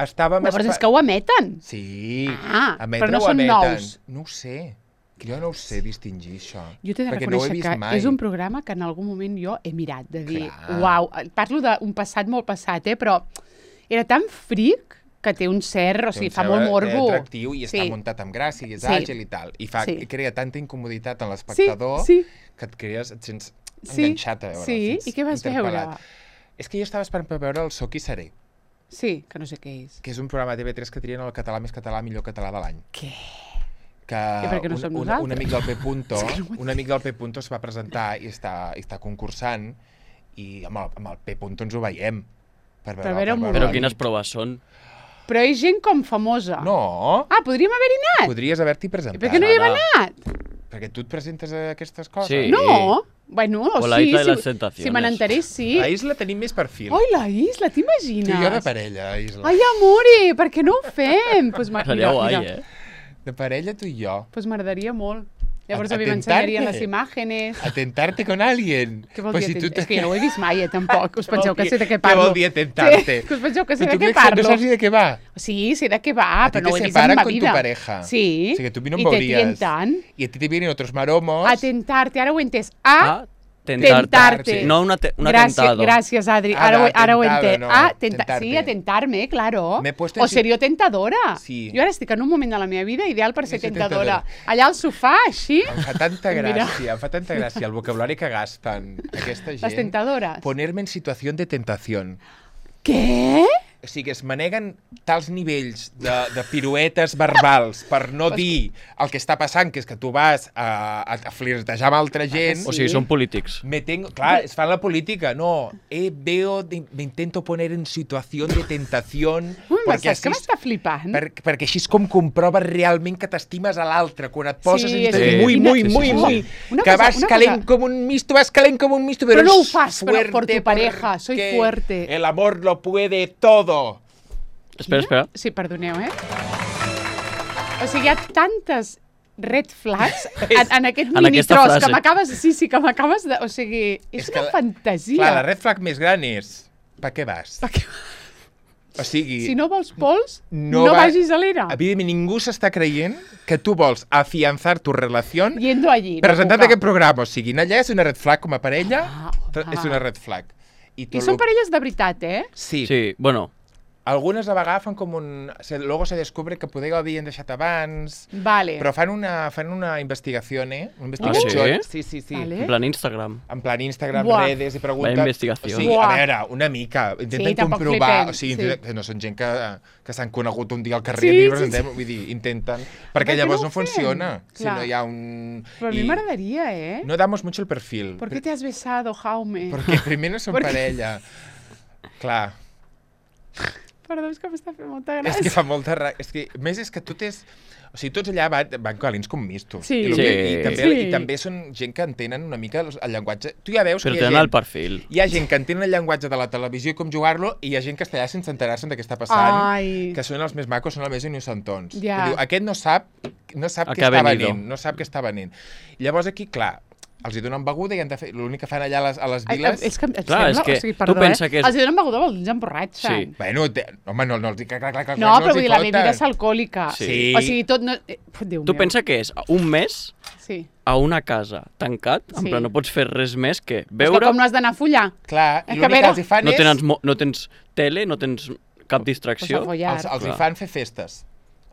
Speaker 2: Estàvem
Speaker 1: Llavors és
Speaker 2: esper-
Speaker 1: que ho emeten.
Speaker 2: Sí,
Speaker 1: Ah,
Speaker 2: emetre
Speaker 1: però no
Speaker 2: o
Speaker 1: són
Speaker 2: emeten.
Speaker 1: nous.
Speaker 2: No ho sé. Jo no ho sé distingir, això.
Speaker 1: Jo t'he de
Speaker 2: perquè no ho he
Speaker 1: reconèixer
Speaker 2: vist
Speaker 1: que
Speaker 2: mai.
Speaker 1: és un programa que en algun moment jo he mirat, de dir,
Speaker 2: Clar.
Speaker 1: uau, parlo d'un passat molt passat, eh, però era tan fric que té un cert, o
Speaker 2: Té
Speaker 1: sigui,
Speaker 2: un
Speaker 1: fa
Speaker 2: cert
Speaker 1: molt morbo.
Speaker 2: atractiu i està
Speaker 1: Sí.
Speaker 2: muntat amb gràcia i és
Speaker 1: Sí.
Speaker 2: àgil i tal. I, fa,
Speaker 1: Sí.
Speaker 2: i crea tanta incomoditat en
Speaker 1: Sí,
Speaker 2: l'espectador
Speaker 1: sí,
Speaker 2: que et crees, et sents
Speaker 1: sí.
Speaker 2: enganxat a veure.
Speaker 1: Sí, i què vas veure?
Speaker 2: És que jo estava esperant per veure el Soc i Seré,
Speaker 1: Sí, que no sé què és.
Speaker 2: que és un programa de T V tres que trien el català més català, millor català de l'any.
Speaker 1: Què?
Speaker 2: Que
Speaker 1: I per què no
Speaker 2: un,
Speaker 1: som
Speaker 2: un, un
Speaker 1: nosaltres?
Speaker 2: amic del P. Punto,
Speaker 1: És que no ho
Speaker 2: un amic del P. Punto es va presentar i està, i està concursant i amb el, amb el P. Punto ens ho veiem. Per
Speaker 1: Per veure un
Speaker 2: per
Speaker 1: moment.
Speaker 3: Però
Speaker 2: la
Speaker 3: quines
Speaker 2: nit.
Speaker 3: proves són?
Speaker 1: Però és gent com famosa.
Speaker 2: No,
Speaker 1: Ah, podríem haver-hi anat.
Speaker 2: podries haver-t'hi presentat.
Speaker 1: Per què no hi hem
Speaker 3: Anna.
Speaker 1: anat?
Speaker 2: Perquè tu et presentes a aquestes coses.
Speaker 3: Sí.
Speaker 1: No. Bueno, o,
Speaker 3: O la
Speaker 1: sí,
Speaker 3: Isla de
Speaker 1: si,
Speaker 3: les Tentaciones.
Speaker 1: si me n'enterés, sí.
Speaker 2: A Isla tenim més perfil.
Speaker 1: Ai, la Isla,
Speaker 2: tu
Speaker 1: t'imagines?
Speaker 2: i jo de parella, Isla.
Speaker 1: Ai, amore, per què no ho fem? Pues ma-
Speaker 3: Seria
Speaker 1: mira,
Speaker 3: guai,
Speaker 1: mira.
Speaker 3: eh?
Speaker 2: De parella tu i jo.
Speaker 1: Pues m'agradaria molt. Llavors
Speaker 2: A-
Speaker 1: a mi
Speaker 2: atentarte.
Speaker 1: m'ensenyarien les imágenes.
Speaker 2: Atentarte con alguien.
Speaker 1: Què vol
Speaker 2: Pues
Speaker 1: dir?
Speaker 2: si tu
Speaker 1: atent- És que jo no ho he vist mai, eh, tampoc. Us
Speaker 2: Què vol
Speaker 1: penseu que
Speaker 2: dir-
Speaker 1: sé de què
Speaker 2: què
Speaker 1: parlo.
Speaker 2: vol dir atentarte?
Speaker 1: Sí, que us penseu que sé
Speaker 2: Però
Speaker 1: de
Speaker 2: tu
Speaker 1: què
Speaker 2: crec que
Speaker 1: parlo.
Speaker 2: No saps ni de què va.
Speaker 1: Sí, sé de què va,
Speaker 2: A ti
Speaker 1: però no ho
Speaker 2: te
Speaker 1: he vist en
Speaker 2: separan
Speaker 1: ma
Speaker 2: con tu
Speaker 1: vida.
Speaker 2: pareja.
Speaker 1: Sí.
Speaker 2: O sigui que tu a mi no em
Speaker 1: I te
Speaker 2: veuries.
Speaker 1: tientan.
Speaker 2: I a ti te vienen otros maromos.
Speaker 1: Atentarte, ara ho he entès. A,
Speaker 3: Ah, tentarte.
Speaker 1: tentarte.
Speaker 3: No un, ate un
Speaker 1: Gràcies,
Speaker 3: atentado.
Speaker 1: gràcies, Adri.
Speaker 2: Ah,
Speaker 1: Ara, ho, ara ho he
Speaker 2: atentado,
Speaker 1: entès.
Speaker 2: no,
Speaker 1: Ah, tenta
Speaker 2: tentarte.
Speaker 1: sí, atentarme, claro.
Speaker 2: M'he puesto en
Speaker 1: O
Speaker 2: si-
Speaker 1: seria tentadora.
Speaker 2: Sí.
Speaker 1: Jo ara estic en un moment de la meva vida ideal per ser
Speaker 2: ser
Speaker 1: tentadora.
Speaker 2: tentadora.
Speaker 1: Allà al sofà, així,
Speaker 2: Em fa tanta
Speaker 1: Mira.
Speaker 2: gràcia, em fa tanta gràcia el vocabulari que gasten aquesta gent.
Speaker 1: les tentadores.
Speaker 2: Ponerme en situació de tentació.
Speaker 1: Què?
Speaker 2: O sigui, es maneguen tals nivells de, de piruetes verbals per no dir el que està passant, que és que tu vas a, a, a flirtejar amb altra gent.
Speaker 1: sí.
Speaker 3: O sigui, són polítics.
Speaker 2: Me tengo, clar, es fan la política, no. Eh, veo, de, me intento poner en situació de tentació.
Speaker 1: Ui,
Speaker 2: perquè
Speaker 1: saps que
Speaker 2: així-
Speaker 1: m'està flipant?
Speaker 2: per, perquè així és com comproves realment que t'estimes a l'altre, quan et poses
Speaker 1: Sí,
Speaker 2: en situació
Speaker 3: sí.
Speaker 2: muy,
Speaker 1: Quina-
Speaker 2: muy,
Speaker 3: sí,
Speaker 2: muy,
Speaker 3: sí, sí.
Speaker 2: muy,
Speaker 1: Una
Speaker 2: que
Speaker 1: cosa-
Speaker 2: vas
Speaker 1: una
Speaker 2: calent
Speaker 1: cosa-
Speaker 2: com un misto, vas calent com un misto,
Speaker 1: Però
Speaker 2: pero
Speaker 1: no ho
Speaker 2: es
Speaker 1: fas per- por
Speaker 2: fuerte
Speaker 1: tu pareja, soy
Speaker 2: porque
Speaker 1: fuerte.
Speaker 2: El amor lo puede todo.
Speaker 3: Espera, espera.
Speaker 1: Sí, perdoneu, eh? O sigui, hi ha tantes red flags en, en aquest
Speaker 3: En aquesta
Speaker 1: minitros que
Speaker 3: frase.
Speaker 1: m'acabes... Sí, sí, que m'acabes de... O sigui, és,
Speaker 2: És que
Speaker 1: una
Speaker 2: la-
Speaker 1: fantasia.
Speaker 2: Clar, la red flag més gran és per què vas?
Speaker 1: Per què?
Speaker 2: O sigui,
Speaker 1: Si no vols pols,
Speaker 2: no
Speaker 1: no,
Speaker 2: va-
Speaker 1: vagis a l'era.
Speaker 2: evidentment ningú s'està creient que tu vols afianzar tu relació
Speaker 1: Yendo allí.
Speaker 2: presentant
Speaker 1: no puc.
Speaker 2: aquest programa. O sigui, allà és una red flag com a parella,
Speaker 1: Ah,
Speaker 2: però és
Speaker 1: home.
Speaker 2: una red flag. I,
Speaker 1: I són parelles de veritat, eh?
Speaker 2: Sí.
Speaker 3: Sí, bueno,
Speaker 2: Algunes a vegades fan com un... Se, luego se descubre que poder ho havien deixat abans,
Speaker 1: Vale.
Speaker 2: però fan una, fan una investigació, eh? Una investigació.
Speaker 3: Ah,
Speaker 2: Sí,
Speaker 3: sí?
Speaker 2: sí, sí.
Speaker 1: Vale.
Speaker 3: en plan Instagram.
Speaker 2: En plan Instagram,
Speaker 1: Buah.
Speaker 2: redes i preguntes.
Speaker 3: La investigació.
Speaker 2: O sigui,
Speaker 1: Buah.
Speaker 2: a veure, una mica. Intenten
Speaker 1: Sí, tampoc
Speaker 2: comprovar.
Speaker 1: flipem,
Speaker 2: O sigui,
Speaker 1: sí.
Speaker 2: intenten- que no són gent que, que s'han conegut un dia al carrer
Speaker 1: Sí,
Speaker 2: i
Speaker 1: sí,
Speaker 2: presentem, vull dir, intenten.
Speaker 1: Per
Speaker 2: Perquè
Speaker 1: què
Speaker 2: llavors
Speaker 1: no
Speaker 2: no,
Speaker 1: ho fem?
Speaker 2: funciona. Si
Speaker 1: Clar.
Speaker 2: no hi ha un...
Speaker 1: Però a mi
Speaker 2: i
Speaker 1: m'agradaria, eh?
Speaker 2: No damos mucho el perfil.
Speaker 1: ¿Por qué te has besado, Jaume?
Speaker 2: Perquè primer no són
Speaker 1: Perquè-
Speaker 2: parella. Clar.
Speaker 1: Perdó, és que m'està fent molta
Speaker 2: És
Speaker 1: gràcia.
Speaker 2: que fa molta ra... És que, a més, és que tu tens... O sigui, tots allà van, van calents com mistos.
Speaker 1: Sí.
Speaker 2: I, lo que,
Speaker 3: Sí.
Speaker 2: i, també,
Speaker 1: Sí.
Speaker 2: I també són gent que entenen una mica el, el llenguatge. Tu ja veus
Speaker 3: Però
Speaker 2: que hi ha
Speaker 3: tenen el
Speaker 2: gent...
Speaker 3: perfil.
Speaker 2: Hi ha gent que entén el llenguatge de la televisió i com jugar-lo, i hi ha gent que està allà sense enterar-se'n de què està passant,
Speaker 1: Ai.
Speaker 2: que són els més macos, són els més innocentons.
Speaker 1: Ja.
Speaker 2: Que diu, aquest no sap, no sap
Speaker 3: A
Speaker 2: què
Speaker 3: què ha
Speaker 2: està
Speaker 3: venido.
Speaker 2: venint, no sap què està venint. I llavors aquí, clar, els hi donen beguda i han de fer... L'únic que fan allà a les, a les
Speaker 1: Ai,
Speaker 2: viles...
Speaker 1: és que, em
Speaker 3: Clar,
Speaker 1: sembla,
Speaker 3: és que
Speaker 1: o sigui,
Speaker 3: tu
Speaker 1: perdó,
Speaker 3: pensa
Speaker 1: eh?
Speaker 3: que és-
Speaker 1: Els donen beguda, els emborratxen.
Speaker 3: Sí.
Speaker 2: Bueno, te... home, no, no els dic que clar, clar, clar,
Speaker 1: No,
Speaker 2: clar,
Speaker 1: però
Speaker 2: els
Speaker 1: vull
Speaker 2: hi
Speaker 1: dir, la
Speaker 2: foten.
Speaker 1: bebida és alcohòlica.
Speaker 3: Sí.
Speaker 1: O sigui, tot no... Eh, Déu
Speaker 3: Tu
Speaker 1: meu.
Speaker 3: pensa que és un mes
Speaker 1: Sí.
Speaker 3: a una casa tancat, en
Speaker 1: Sí.
Speaker 3: plan no pots fer res més que
Speaker 1: És que
Speaker 3: beure,
Speaker 1: com no has d'anar a follar?
Speaker 2: Clar,
Speaker 1: És
Speaker 2: i
Speaker 1: que a
Speaker 2: l'únic que
Speaker 1: veure-
Speaker 2: els hi fan
Speaker 3: no
Speaker 2: és...
Speaker 3: tens, mo- no tens tele, no tens cap
Speaker 1: Pues
Speaker 3: distracció.
Speaker 1: a follar.
Speaker 2: Els, els hi
Speaker 3: Clar.
Speaker 2: fan fer festes.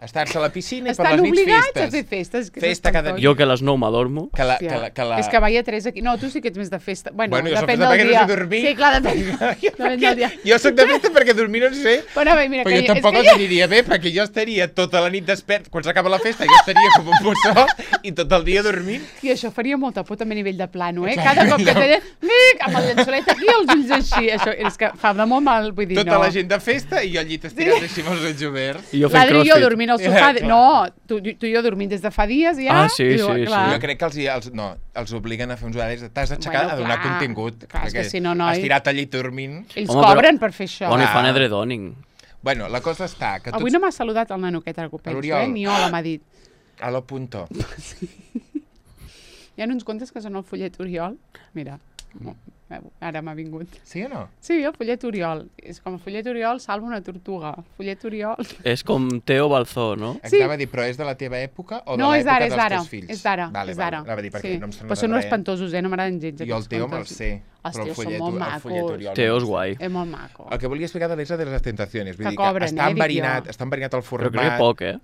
Speaker 2: Estar-se a la piscina i per
Speaker 1: Estan
Speaker 2: les nits
Speaker 1: obligats
Speaker 2: festes.
Speaker 1: a fer festes. Que és
Speaker 2: Festa cada
Speaker 1: espantós.
Speaker 3: Jo que a les nou m'adormo.
Speaker 2: Que la,
Speaker 1: Hòstia.
Speaker 2: que la, que la...
Speaker 1: És que vaya tres aquí. No, tu sí que ets més de festa. Bueno,
Speaker 2: Bueno, jo soc
Speaker 1: depèn
Speaker 2: de
Speaker 1: del
Speaker 2: perquè no
Speaker 1: dia.
Speaker 2: sé dormir.
Speaker 1: Sí, clar, depèn, depèn del dia.
Speaker 2: Jo sóc de festa perquè dormir no en sé,
Speaker 1: Però bé, mira,
Speaker 2: però
Speaker 1: que
Speaker 2: jo tampoc
Speaker 1: és
Speaker 2: els
Speaker 1: que
Speaker 2: aniria bé, perquè jo estaria tota la nit despert, quan s'acaba la festa jo estaria com un mussó i tot el dia dormint.
Speaker 1: I això faria molta por també a nivell de plano, eh?
Speaker 2: Clar,
Speaker 1: Cada cop que
Speaker 2: no.
Speaker 1: tenen... Mic, amb el llençolet aquí, els ulls així. Això és que fa de molt mal, vull dir,
Speaker 2: Tota
Speaker 1: no.
Speaker 2: la gent de festa i jo al llit estirat així amb els ulls oberts.
Speaker 3: I jo fent
Speaker 1: L'Adri i jo
Speaker 3: crossfit.
Speaker 1: dormint al sofà...
Speaker 2: Ja,
Speaker 1: de...
Speaker 2: clar.
Speaker 1: No, tu, tu i jo dormint des de fa dies ja.
Speaker 3: Ah, sí,
Speaker 1: i diu,
Speaker 3: sí,
Speaker 1: clar.
Speaker 2: Jo crec que els, hi- els, no, els obliguen a fer uns horaris. T'has d'aixecar
Speaker 1: Bueno,
Speaker 2: a donar
Speaker 1: clar.
Speaker 2: contingut.
Speaker 1: Clar, és que
Speaker 2: perquè
Speaker 1: si no, noi-
Speaker 2: Estirat al llit dormint...
Speaker 1: Ells
Speaker 3: Home, però-
Speaker 1: cobren per fer això.
Speaker 3: Bueno, i fan
Speaker 2: Ah.
Speaker 3: edredoning.
Speaker 2: Bueno, la cosa està que tots...
Speaker 1: Avui no m'ha saludat el nano aquest, el que penso,
Speaker 2: L'Oriol.
Speaker 1: eh? Ni hola m'ha dit.
Speaker 2: A lo punto.
Speaker 1: Hi ha uns contes que són el follet Oriol. Mira, ara m'ha vingut.
Speaker 2: Sí o no?
Speaker 1: Sí, el follet Oriol. És com el follet Oriol salva una tortuga. Follet Oriol...
Speaker 3: És com Teo Balzó, no?
Speaker 1: Sí.
Speaker 2: Anava a dir, però és de la teva època o de
Speaker 1: No, és
Speaker 2: l'època
Speaker 1: d'ara, és
Speaker 2: dels
Speaker 1: d'ara.
Speaker 2: teus fills?
Speaker 1: És d'ara,
Speaker 2: Vale,
Speaker 1: és
Speaker 2: vale.
Speaker 1: d'ara.
Speaker 2: Anava a dir, perquè
Speaker 1: Sí.
Speaker 2: no em sembla
Speaker 1: Però són
Speaker 2: de
Speaker 1: uns
Speaker 2: res.
Speaker 1: espantosos, eh? No m'agraden gens
Speaker 2: Jo el
Speaker 1: aquests
Speaker 2: Teo me'l
Speaker 1: contes.
Speaker 2: sé.
Speaker 1: Els
Speaker 2: però el
Speaker 1: teus són
Speaker 2: follet-
Speaker 1: molt
Speaker 2: el
Speaker 1: macos.
Speaker 2: follet Oriol
Speaker 3: Teo
Speaker 2: no
Speaker 3: és
Speaker 2: me'l sé.
Speaker 3: guai.
Speaker 1: És molt maco.
Speaker 2: El que volia explicar de l'Isla de les Tentaciones. Vull
Speaker 1: Que
Speaker 2: dir
Speaker 1: cobren,
Speaker 2: que està
Speaker 1: eh, dic
Speaker 2: enverinat,
Speaker 1: jo.
Speaker 2: està enverinat el
Speaker 3: Però
Speaker 2: format.
Speaker 3: crec que poc, eh?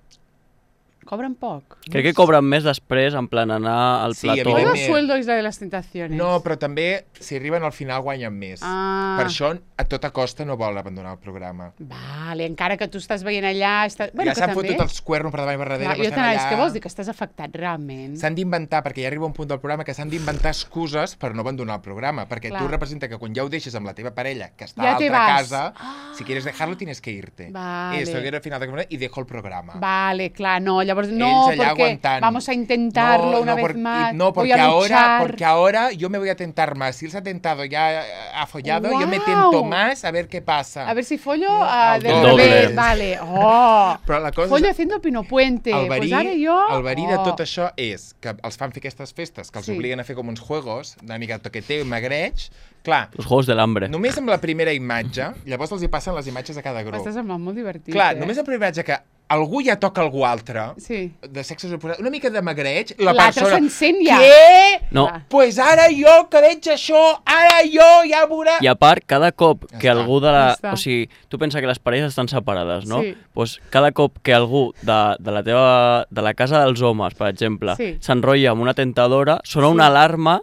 Speaker 1: Cobren poc.
Speaker 3: Crec que cobren més després, en plan anar al
Speaker 2: Sí,
Speaker 3: plató.
Speaker 1: Todo
Speaker 2: evidentment.
Speaker 1: sueldo Isla de las Tentaciones.
Speaker 2: No, però també, si arriben al final, guanyen més.
Speaker 1: Ah.
Speaker 2: Per això, a tota costa, no vol abandonar el programa.
Speaker 1: Vale, encara que tu estàs veient allà... Està...
Speaker 2: Ja s'han
Speaker 1: també...
Speaker 2: fotut els cuernos per davant i per darrere,
Speaker 1: Clar,
Speaker 2: però
Speaker 1: jo
Speaker 2: estan
Speaker 1: t'anava,
Speaker 2: allà...
Speaker 1: és que vols dir que estàs afectat realment?
Speaker 2: S'han d'inventar, perquè ja arriba un punt del programa que s'han d'inventar excuses per no abandonar el programa, perquè
Speaker 1: Clar.
Speaker 2: tu representa que quan ja ho deixes amb la teva parella, que està
Speaker 1: Ja
Speaker 2: a
Speaker 1: te
Speaker 2: l'altra
Speaker 1: vas.
Speaker 2: casa,
Speaker 1: Ah.
Speaker 2: si quieres dejarlo tienes que irte.
Speaker 1: Vale.
Speaker 2: Eso, que era el final del programa y dejo el programa.
Speaker 1: Vale, clar, no, llavors no,
Speaker 2: Ells allà
Speaker 1: porque
Speaker 2: aguantant.
Speaker 1: vamos a intentarlo
Speaker 2: No,
Speaker 1: una
Speaker 2: no,
Speaker 1: vez
Speaker 2: por-
Speaker 1: más.
Speaker 2: No,
Speaker 1: voy
Speaker 2: porque
Speaker 1: a
Speaker 2: ahora,
Speaker 1: luchar.
Speaker 2: porque ahora yo me voy a tentar más. Si él se ha tentado ya ha follado, yo me
Speaker 1: Guau.
Speaker 2: tento más a ver qué pasa.
Speaker 1: A ver si follo
Speaker 2: No,
Speaker 1: ah,
Speaker 2: al
Speaker 1: del
Speaker 3: doble.
Speaker 1: revés, vale. Oh.
Speaker 2: Però la cosa
Speaker 1: Follo
Speaker 2: és...
Speaker 1: haciendo Pino Puente.
Speaker 2: El verí,
Speaker 1: pues ara jo...
Speaker 2: el verí
Speaker 1: oh.
Speaker 2: de tot això és que els fan fer aquestes festes, que els
Speaker 1: Sí.
Speaker 2: obliguen a fer com uns juegos, una mica toqueteo i magreig. Clar,
Speaker 3: Els Juegos de l'Hambre.
Speaker 2: només amb la primera imatge, llavors els hi passen les imatges a cada grup.
Speaker 1: M'està semblant molt divertit,
Speaker 2: Clar,
Speaker 1: eh?
Speaker 2: només amb la primera imatge que algú ja toca algú altre,
Speaker 1: Sí.
Speaker 2: de sexes oposats, una mica de magreig, la
Speaker 1: L'altre
Speaker 2: persona...
Speaker 1: s'encén ja.
Speaker 2: Què?
Speaker 3: No,
Speaker 1: Clar.
Speaker 2: Pues ara jo que veig això, ara jo ja veurà...
Speaker 3: i a part, cada cop
Speaker 2: Ja
Speaker 3: que
Speaker 2: està.
Speaker 3: algú de
Speaker 1: Ja
Speaker 3: la...
Speaker 1: està.
Speaker 3: O sigui, tu pensa que les parelles estan separades, no?
Speaker 1: Sí.
Speaker 3: Pues cada cop que algú de, de la teva... de la casa dels homes, per exemple,
Speaker 1: Sí.
Speaker 3: s'enrotlla amb una tentadora, sona
Speaker 1: Sí.
Speaker 3: una alarma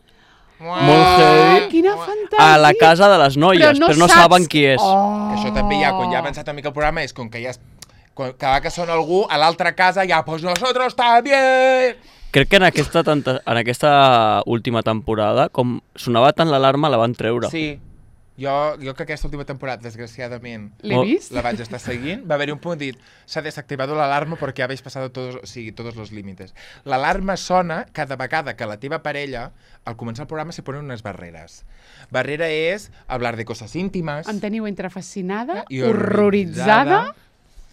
Speaker 2: Uah.
Speaker 3: molt heavy
Speaker 1: Quina fantàsia.
Speaker 3: a la casa de les noies, però no, però no
Speaker 1: saps-
Speaker 3: saben qui és.
Speaker 1: Oh.
Speaker 2: Que això també ja, quan ja ha avançat una mica el programa, és com que ja... Es... Quan, cada que sona algú, a l'altra casa ja, pues nosotros también...
Speaker 3: Crec que en aquesta, tanta, en aquesta última temporada, com sonava tant l'alarma, la van treure.
Speaker 2: Sí. Jo, jo que aquesta última temporada, desgraciadament,
Speaker 1: L'he
Speaker 3: Molt-
Speaker 1: vist?
Speaker 2: la vaig estar seguint, va haver-hi un punt dit s'ha desactivado la alarma porque habéis pasado todos, o sigui, todos los límites. L'alarma sona cada vegada que la teva parella, al començar el programa, se ponen unes barreres. Barrera és hablar de cosas íntimas.
Speaker 1: Em teniu entre fascinada,
Speaker 2: I
Speaker 1: horroritzada...
Speaker 2: horroritzada.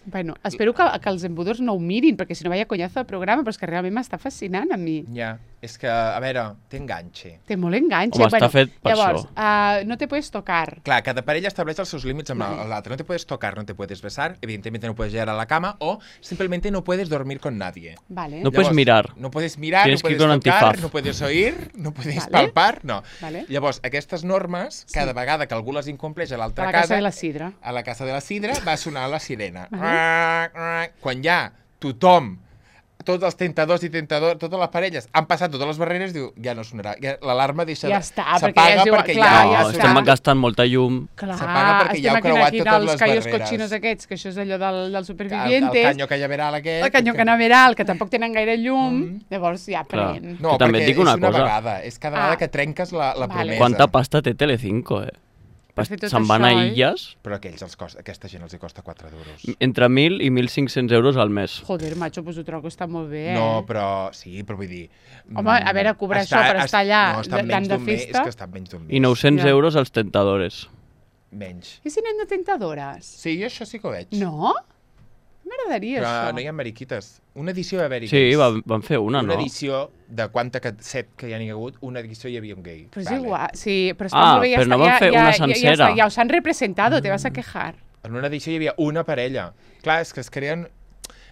Speaker 1: Bueno, espero que, que els embudors no ho mirin, perquè si no vaya conyazo de programa, però és que realment m'està fascinant a mi.
Speaker 2: Ja, és que, a veure, té enganxe.
Speaker 1: Té molt enganxe.
Speaker 3: Home, està fet per
Speaker 1: llavors,
Speaker 3: això.
Speaker 1: Uh, no te puedes tocar.
Speaker 2: Clar, cada parella estableix els seus límits amb
Speaker 1: Vale.
Speaker 2: l'altre. No te puedes tocar, no te puedes besar, evidentemente no puedes llegar a la cama o simplemente no puedes dormir con nadie.
Speaker 1: Vale.
Speaker 3: No puedes mirar.
Speaker 2: No puedes mirar,
Speaker 3: Tienes
Speaker 2: no
Speaker 3: que ir
Speaker 2: puedes
Speaker 3: con
Speaker 2: tocar,
Speaker 3: antifaz.
Speaker 2: no puedes oír, no puedes
Speaker 1: Vale.
Speaker 2: palpar, no.
Speaker 1: Vale.
Speaker 2: Llavors, aquestes normes,
Speaker 1: Sí.
Speaker 2: cada vegada que algú les incompleix a
Speaker 1: A
Speaker 2: l'altra
Speaker 1: la
Speaker 2: casa,
Speaker 1: casa de la Sidra.
Speaker 2: a la casa de la Sidra, va sonar la sirena.
Speaker 1: Vale.
Speaker 2: Quan ja tothom, tots els tentadors i tentadors, totes les parelles han passat totes les barreres, diu, ja no sonarà. Ja, l'alarma deixa
Speaker 1: Ja
Speaker 2: de...
Speaker 1: està, perquè
Speaker 2: s'apaga
Speaker 1: ja es diu-
Speaker 2: perquè
Speaker 1: clar,
Speaker 2: ja,
Speaker 3: no,
Speaker 1: ja
Speaker 2: ha
Speaker 1: està.
Speaker 3: estem gastant molta llum.
Speaker 1: Clar,
Speaker 2: S'apaga perquè ja
Speaker 1: estem
Speaker 2: heu
Speaker 1: aquí
Speaker 2: creuat
Speaker 1: aquí
Speaker 2: totes
Speaker 1: dels
Speaker 2: les
Speaker 1: callos
Speaker 2: barreres.
Speaker 1: cochinos aquests, que això és allò del, dels
Speaker 2: El, el
Speaker 1: supervivientes.
Speaker 2: canyo callaveral aquest.
Speaker 1: El canyo canaveral, que tampoc tenen gaire llum,
Speaker 2: Mm.
Speaker 1: llavors ja
Speaker 3: Clar.
Speaker 1: pren.
Speaker 2: No,
Speaker 3: Que també
Speaker 2: perquè
Speaker 3: et dic una
Speaker 2: és una
Speaker 3: cosa.
Speaker 2: vegada, és cada vegada
Speaker 1: Ah.
Speaker 2: que trenques la, la
Speaker 1: Vale.
Speaker 2: promesa.
Speaker 3: Quanta pasta té Telecinco, eh?
Speaker 1: Per fer tot
Speaker 3: Se'n van a
Speaker 1: això, eh?
Speaker 3: illes,
Speaker 2: Però a aquells els costa, aquesta gent els hi costa quatre duros.
Speaker 3: entre mil i mil cinc-cents euros al mes.
Speaker 1: Joder, macho, pues ho trobo que està molt bé, eh?
Speaker 2: No, però sí, però vull dir...
Speaker 1: Home, a veure, cobrar això per estar allà
Speaker 2: no, està
Speaker 1: de-
Speaker 2: menys
Speaker 1: tant de
Speaker 2: d'un mes,
Speaker 1: festa.
Speaker 2: És que està menys d'un mes.
Speaker 3: I nou-cents
Speaker 1: Ja.
Speaker 3: euros als tentadores.
Speaker 2: Menys.
Speaker 1: I si anem de tentadores?
Speaker 2: Sí, jo això sí que ho veig.
Speaker 1: No? M'agradaria,
Speaker 2: Però
Speaker 1: això.
Speaker 2: no hi ha mariquites. Una edició va haver-hi
Speaker 3: Sí,
Speaker 2: gais.
Speaker 3: van, van fer una,
Speaker 2: Una
Speaker 3: no?
Speaker 2: edició de quanta que, set que hi ha hagut, una edició hi havia un gay.
Speaker 1: Però és
Speaker 2: Vale.
Speaker 1: igual, sí, però està
Speaker 3: Ah,
Speaker 1: molt bé, ja
Speaker 3: però no
Speaker 1: està,
Speaker 3: van
Speaker 1: ja,
Speaker 3: fer
Speaker 1: ja,
Speaker 3: una
Speaker 1: ja, ja,
Speaker 3: sencera.
Speaker 1: està, ja us han representado, te vas a quejar.
Speaker 2: En una edició hi havia una parella. Clar, és que es creen...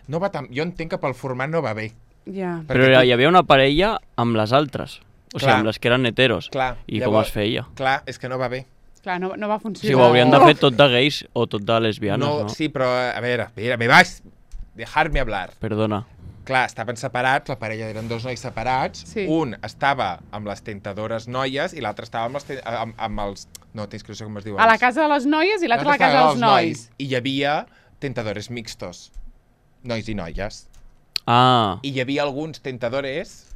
Speaker 2: No va tan... Jo entenc que pel format no va bé.
Speaker 1: Ja.
Speaker 3: Però
Speaker 2: Perquè
Speaker 3: hi havia una parella amb les altres. O sigui,
Speaker 2: Clar.
Speaker 3: amb les que eren heteros.
Speaker 2: Clar,
Speaker 3: I com
Speaker 2: llavors-
Speaker 3: es feia?
Speaker 2: Clar, és que no va bé.
Speaker 1: Clar, no, no va
Speaker 3: O
Speaker 1: funcionar.
Speaker 3: sigui, ho haurien de fer tot de gais o tot de lesbianes, no?
Speaker 2: no, sí, però a veure, a veure, me vas dejar-me hablar.
Speaker 3: Perdona.
Speaker 2: Clar, estaven separats, la parella eren dos nois separats,
Speaker 1: Sí.
Speaker 2: un estava amb les tentadores noies i l'altre estava amb els, ten- amb, amb els... No, tens que no sé com es diuen.
Speaker 1: A la casa de les noies i l'altre a la casa
Speaker 2: estava
Speaker 1: dels
Speaker 2: amb els
Speaker 1: nois.
Speaker 2: I hi havia tentadores mixtos, nois i noies.
Speaker 3: Ah,
Speaker 2: I hi havia alguns tentadores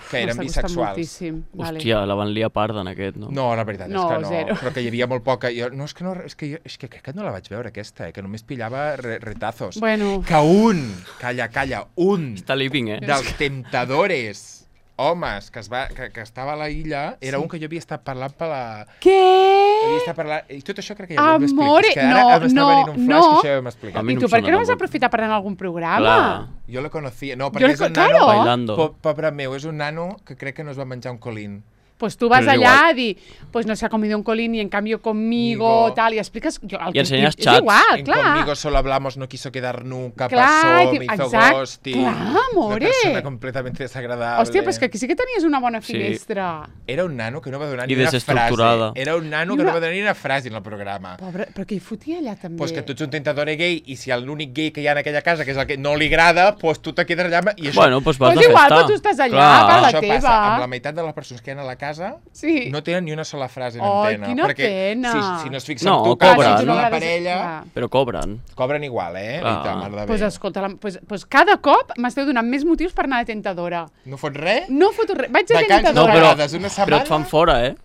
Speaker 2: que eren
Speaker 1: M'està costant
Speaker 2: bisexuals.
Speaker 1: moltíssim. Vale.
Speaker 3: hòstia, la van liar parda en aquest, no?
Speaker 2: No, la veritat
Speaker 1: No,
Speaker 2: és que no.
Speaker 1: zero.
Speaker 2: Però que hi havia molt poca... Jo, no, és que, no, és que, jo, és que crec que no la vaig veure, aquesta, eh, que només pillava re, retazos.
Speaker 1: Bueno,
Speaker 2: Que un, calla, calla, un
Speaker 3: Està living, eh?
Speaker 2: dels tentadores homes que, es va, que, que estava a la illa era
Speaker 1: Sí.
Speaker 2: un que jo havia estat parlant per la...
Speaker 1: què?
Speaker 2: Havia estat parlant... I tot això crec que ja ho hem explicat.
Speaker 1: Amore,
Speaker 2: És que ara
Speaker 1: no,
Speaker 2: m'està
Speaker 1: no,
Speaker 2: venint un flash
Speaker 1: no.
Speaker 2: que això ja ho hem explicat.
Speaker 3: A mi
Speaker 1: I
Speaker 3: no
Speaker 1: tu
Speaker 3: em
Speaker 1: per què
Speaker 3: sona
Speaker 1: no vas
Speaker 3: tampoc.
Speaker 1: aprofitar per anar a algun programa?
Speaker 3: Clar.
Speaker 2: Jo lo conocía. No,
Speaker 1: Jo
Speaker 2: perquè
Speaker 1: le-
Speaker 2: és un
Speaker 1: claro.
Speaker 2: nano...
Speaker 3: Bailando.
Speaker 2: Po pobre meu, és un nano que crec que no es va menjar un colín.
Speaker 1: Pues tú vas
Speaker 3: Pero es
Speaker 1: allá
Speaker 3: igual.
Speaker 1: a dir, pues no se ha comido un colín y en cambio conmigo,
Speaker 2: Migo.
Speaker 1: tal, y explicas... Yo, el
Speaker 3: Y enseñas
Speaker 1: es
Speaker 3: chats.
Speaker 1: igual,
Speaker 2: En
Speaker 1: clar.
Speaker 2: Conmigo solo hablamos, no quiso quedar nunca,
Speaker 1: Clar,
Speaker 2: pasó,
Speaker 1: i
Speaker 2: me
Speaker 1: ti-
Speaker 2: hizo
Speaker 1: exact.
Speaker 2: ghosting.
Speaker 1: Clar, amore.
Speaker 2: Una persona completamente desagradable.
Speaker 1: Hòstia, però és que aquí sí que tenies una bona
Speaker 3: Sí.
Speaker 1: finestra.
Speaker 2: Era un nano que no va donar
Speaker 3: I
Speaker 2: ni una frase.
Speaker 3: desestructurada.
Speaker 2: Era un nano
Speaker 1: Ni
Speaker 2: que
Speaker 1: una-
Speaker 2: no va donar ni una frase en el programa.
Speaker 1: Pobre, però què hi fotia allà també?
Speaker 2: Pues que tu ets un tentador gay i si l'únic gay que hi ha en aquella casa, que és el que no li agrada, pues tu te quedes allà i això...
Speaker 3: Bueno, doncs vas
Speaker 1: Pues
Speaker 3: de
Speaker 1: igual,
Speaker 3: festa.
Speaker 1: però tu estàs allà,
Speaker 3: Clar.
Speaker 1: per la
Speaker 2: això
Speaker 1: teva.
Speaker 2: passa amb la meitat de les persones que hi ha a la casa,
Speaker 1: Sí.
Speaker 2: no tenen ni una sola frase en
Speaker 1: Ai,
Speaker 2: antena.
Speaker 1: quina
Speaker 2: perquè
Speaker 1: pena.
Speaker 2: Si, si no es fixen
Speaker 3: No,
Speaker 2: en tu,
Speaker 3: cobren.
Speaker 2: que
Speaker 3: Ah,
Speaker 2: ets
Speaker 3: si tu no
Speaker 2: una
Speaker 1: agrades-
Speaker 2: parella,
Speaker 1: clar.
Speaker 3: Però cobren.
Speaker 2: cobren igual, eh?
Speaker 3: Clar.
Speaker 2: I ta mare de
Speaker 1: Pues
Speaker 2: bé.
Speaker 1: escolta, la, pues, pues cada cop m'esteu donant més motius per anar de tentadora.
Speaker 2: No fots res?
Speaker 1: No foto res. Vaig de
Speaker 2: Vacances
Speaker 3: No,
Speaker 1: tentadora.
Speaker 3: però,
Speaker 2: Vegades una setmana?
Speaker 3: però et fan fora, eh?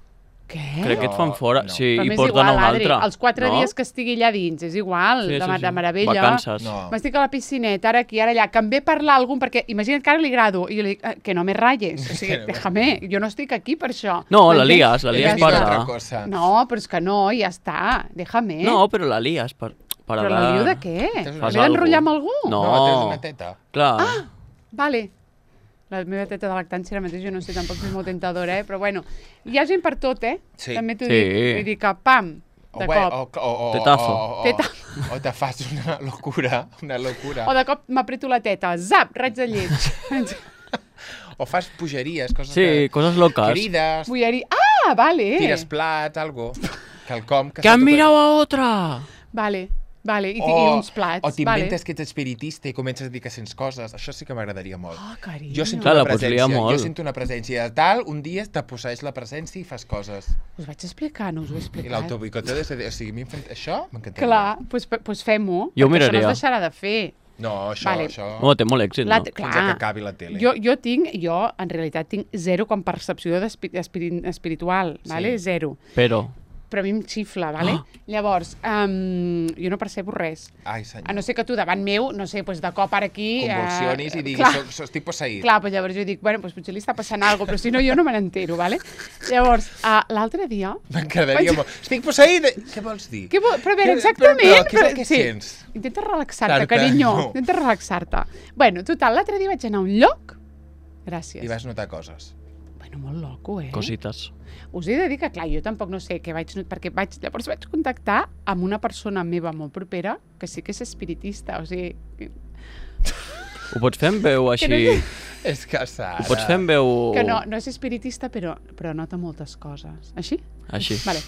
Speaker 1: Què?
Speaker 3: Crec que et fan
Speaker 2: No,
Speaker 3: fora.
Speaker 2: no.
Speaker 3: Sí,
Speaker 1: Però
Speaker 3: i
Speaker 1: m'és
Speaker 3: porten
Speaker 1: igual,
Speaker 3: a un
Speaker 1: Adri.
Speaker 3: altre.
Speaker 1: Els quatre
Speaker 3: no?
Speaker 1: dies que estigui allà dins, és igual,
Speaker 3: Sí,
Speaker 1: de,
Speaker 3: sí,
Speaker 1: de
Speaker 3: sí.
Speaker 1: meravella.
Speaker 3: Vacances.
Speaker 2: No.
Speaker 1: M'estic a la piscineta, ara aquí, ara allà, que em ve parlar a algun, perquè imagina't que ara li grado, i jo li dic, "Eh, que no me ratlles, o sigui,
Speaker 2: Que no me-
Speaker 1: déjame, jo no estic aquí per això.
Speaker 3: No, la
Speaker 1: M'entens?
Speaker 3: lies, la
Speaker 1: I
Speaker 3: lies
Speaker 1: ja
Speaker 2: Dic
Speaker 3: per-
Speaker 1: està.
Speaker 2: altra cosa.
Speaker 1: No, però és que no, ja està, déjame.
Speaker 3: No, però la lies per, per
Speaker 1: però la lio de què?
Speaker 2: Fas
Speaker 1: M'he
Speaker 3: algo.
Speaker 1: d'enrotllar amb algú?
Speaker 3: No.
Speaker 2: No, tens una teta.
Speaker 3: Clar.
Speaker 1: Ah, vale. La meva teta de lactància ara mateix, jo no sé tampoc si és molt tentadora, eh? Però bueno, hi ha gent per tot, eh?
Speaker 2: Sí.
Speaker 1: També t'ho
Speaker 3: Sí.
Speaker 1: dic. Vull dir que, pam,
Speaker 2: O,
Speaker 1: de
Speaker 2: bé,
Speaker 1: cop.
Speaker 2: o, o, o,
Speaker 3: Tetazo.
Speaker 2: O, o,
Speaker 1: Teta-
Speaker 2: o te fas una locura, una locura.
Speaker 1: O de cop m'apreto la teta, zap, raig de lleig.
Speaker 2: O fas pugeries, coses
Speaker 3: Sí,
Speaker 2: que...
Speaker 3: coses locas.
Speaker 2: Crides,
Speaker 1: Vull dir, ah, vale.
Speaker 2: tires plats, algo. Quelcom que...
Speaker 3: Que han
Speaker 2: se t'ho-
Speaker 3: mirado a otra!
Speaker 1: Vale, vale, i,
Speaker 2: O,
Speaker 1: i uns plats.
Speaker 2: o t'inventes
Speaker 1: vale.
Speaker 2: que ets espiritista i comences a dir que sents coses. Això sí que m'agradaria molt.
Speaker 1: Oh, carinyo.
Speaker 2: Jo sento
Speaker 3: Clar,
Speaker 2: una
Speaker 3: la pots
Speaker 2: presència,
Speaker 3: liar molt.
Speaker 2: jo sento una presència de tal, un dia te posseeix la presència i fas coses.
Speaker 1: Us vaig explicar, no us ho he
Speaker 2: I
Speaker 1: explicat.
Speaker 2: l'autoboicoteo, de... o sigui, a mi em fan... això m'encantaria.
Speaker 1: Clar, doncs pues, pues fem-ho.
Speaker 3: Jo ho
Speaker 1: perquè Això no
Speaker 3: miraria.
Speaker 1: es deixarà de fer.
Speaker 2: No, això,
Speaker 1: Vale.
Speaker 2: això...
Speaker 3: No, té molt èxit,
Speaker 1: La,
Speaker 3: no?
Speaker 2: Fins a que acabi la tele.
Speaker 1: Jo, jo tinc, jo en realitat tinc zero com percepció d'espi- espiri- espiritual,
Speaker 2: Sí.
Speaker 1: vale? Zero.
Speaker 3: Però...
Speaker 1: Però a mi em xifla, vale?
Speaker 3: Ah.
Speaker 1: Llavors, um, jo no percebo res.
Speaker 2: Ai, senyor.
Speaker 1: A no ser que tu davant meu, no sé, pues de cop ara aquí...
Speaker 2: Convulsionis
Speaker 1: eh,
Speaker 2: i diguis,
Speaker 1: clar,
Speaker 2: soc, soc, estic posseït.
Speaker 1: Clar, però llavors jo dic, bueno, pues potser li està passant alguna cosa, però si no jo no me n'entero, vale? Llavors, uh, l'altre dia...
Speaker 2: M'agradaria
Speaker 1: Vaig-
Speaker 2: molt. Estic posseït! Què vols dir?
Speaker 1: Què vol... Però a veure,
Speaker 2: Què-
Speaker 1: exactament...
Speaker 2: però- però què és el que
Speaker 1: sí.
Speaker 2: sents?
Speaker 1: Intenta relaxar-te,
Speaker 2: Tar-te,
Speaker 1: carinyo.
Speaker 2: no.
Speaker 1: Intenta relaxar-te. Bueno, total, l'altre dia vaig anar a un lloc... Gràcies.
Speaker 2: I vas notar coses.
Speaker 1: Bueno, molt loco, eh?
Speaker 3: Cosites.
Speaker 1: Us he de dir que, clar, jo tampoc no sé què vaig... not- Perquè vaig, llavors vaig contactar amb una persona meva molt propera que sí que és espiritista, o sigui...
Speaker 3: Ho pots fer en veu així...
Speaker 1: no sé.
Speaker 2: És que, Sara...
Speaker 3: Ho pots fer en veu...
Speaker 1: Que no, no és espiritista, però, però nota moltes coses. Així?
Speaker 3: Així.
Speaker 1: Vale.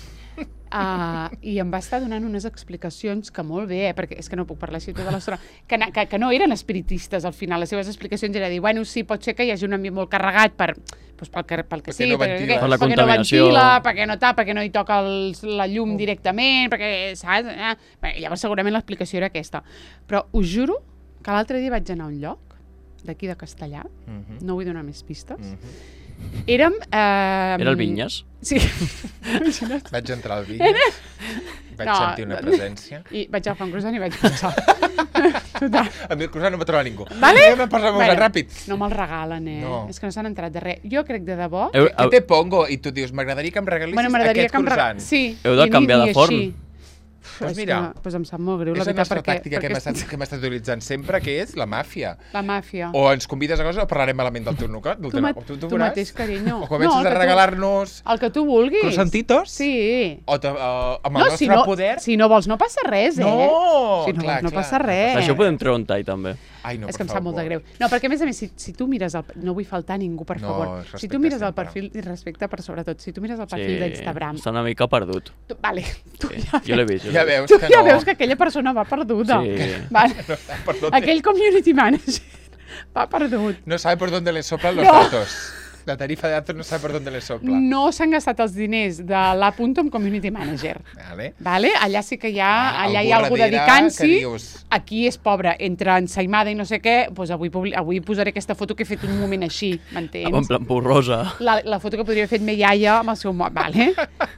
Speaker 1: Uh, I em va estar donant unes explicacions que molt bé, eh, perquè és que no puc parlar així tota l'estona, que, na- que, que no eren espiritistes al final. Les seves explicacions era dir, bueno, sí, pot ser que hi hagi un ambient molt carregat per, doncs pel, que, pel que
Speaker 2: Perquè
Speaker 1: sí,
Speaker 2: no
Speaker 1: perquè,
Speaker 2: ventila.
Speaker 3: Per la
Speaker 1: perquè no
Speaker 3: contaminació.
Speaker 1: ventila, perquè no tapa, perquè no hi toca els, la llum directament, perquè, saps? Eh? Bé, llavors segurament l'explicació era aquesta. Però us juro que l'altre dia vaig anar a un lloc, d'aquí de Castellà,
Speaker 2: Mhm,
Speaker 1: no vull donar més pistes,
Speaker 2: mhm.
Speaker 1: érem... Eh,
Speaker 3: Era el Vinyes?
Speaker 1: Sí. Imagina't.
Speaker 2: Vaig entrar al vídeo, vaig
Speaker 1: No,
Speaker 2: sentir una
Speaker 1: no.
Speaker 2: presència.
Speaker 1: I vaig agafar un croissant i vaig pensar. Total.
Speaker 2: A mi el croissant no va trobar ningú.
Speaker 1: Vale?
Speaker 2: Anem a passar molt
Speaker 1: Bueno,
Speaker 2: ràpid.
Speaker 1: No me'l regalen, eh?
Speaker 2: No.
Speaker 1: És que no s'han enterat de res. Jo crec de debò...
Speaker 3: Heu,
Speaker 2: Què
Speaker 3: heu,
Speaker 2: te pongo? I tu dius, m'agradaria que em regalis
Speaker 1: Bueno, m'agradaria
Speaker 2: aquest
Speaker 1: que em
Speaker 2: croissant.
Speaker 1: regalen... Sí.
Speaker 3: Heu de
Speaker 1: i ni-
Speaker 3: canviar de
Speaker 1: ni
Speaker 3: forn.
Speaker 1: així.
Speaker 2: Pues
Speaker 1: És
Speaker 2: mira,
Speaker 1: que, pues em sap molt greu,
Speaker 2: és
Speaker 1: la
Speaker 2: la
Speaker 1: veritat,
Speaker 2: nostra
Speaker 1: perquè...
Speaker 2: tàctica que hem,
Speaker 1: perquè
Speaker 2: estat, que hem estat utilitzant sempre, que és la màfia.
Speaker 1: La màfia.
Speaker 2: O ens convides a coses o parlarem malament del teu nuca. Del
Speaker 1: Tu,
Speaker 2: teu,
Speaker 1: ma
Speaker 2: tu, tu,
Speaker 1: tu
Speaker 2: veuràs.
Speaker 1: mateix, carinyo.
Speaker 2: O comences
Speaker 1: No,
Speaker 2: a
Speaker 1: que tu-
Speaker 2: regalar-nos
Speaker 1: El que tu vulguis.
Speaker 2: croissantitos.
Speaker 1: Sí.
Speaker 2: O te, uh, amb el
Speaker 1: No,
Speaker 2: nostre
Speaker 1: si no,
Speaker 2: poder...
Speaker 1: si no vols no passa res, eh?
Speaker 2: No!
Speaker 1: Si no
Speaker 2: clar,
Speaker 1: vols no
Speaker 2: clar.
Speaker 1: passa res.
Speaker 3: Això ho podem treure un tall, també.
Speaker 2: Ai, no,
Speaker 1: és
Speaker 2: per
Speaker 1: que em sap molt de
Speaker 2: favor.
Speaker 1: greu. No, perquè a més a més, si, si tu mires el... No vull faltar a ningú, per
Speaker 2: No,
Speaker 1: favor. Si
Speaker 2: respecte
Speaker 1: tu mires el
Speaker 2: sempre.
Speaker 1: perfil, i respecte per sobretot, si tu mires el perfil d'Instagram...
Speaker 3: Està una mica perdut.
Speaker 1: Tu, vale, tu
Speaker 3: Sí.
Speaker 1: ja,
Speaker 3: Jo l'he vist. jo
Speaker 2: Ja
Speaker 3: l'he
Speaker 2: veus
Speaker 1: tu
Speaker 2: que
Speaker 1: ja
Speaker 2: no.
Speaker 1: veus que aquella persona va perduda.
Speaker 3: Sí.
Speaker 1: Vale.
Speaker 2: No sabe por dónde,
Speaker 1: Aquell community manager va perdut.
Speaker 2: no sabe por dónde le soplan los
Speaker 1: No.
Speaker 2: datos. La tarifa de datos no sabe por dónde le sopla.
Speaker 1: No s'han gastat els diners de l'Apunto amb community manager.
Speaker 2: Vale.
Speaker 1: Vale? Allà sí que hi ha,
Speaker 2: Ah,
Speaker 1: allà hi ha
Speaker 2: algú
Speaker 1: algú
Speaker 2: darrere
Speaker 1: dedicant-s'hi.
Speaker 2: que dius-
Speaker 1: Aquí és pobre, entre ensaïmada i no sé què, doncs avui, publi- avui posaré aquesta foto que he fet un moment així,
Speaker 3: En
Speaker 1: m'entens?
Speaker 3: plan borrosa.
Speaker 1: La, la foto que podria haver fet me iaia amb el seu mòbil, vale?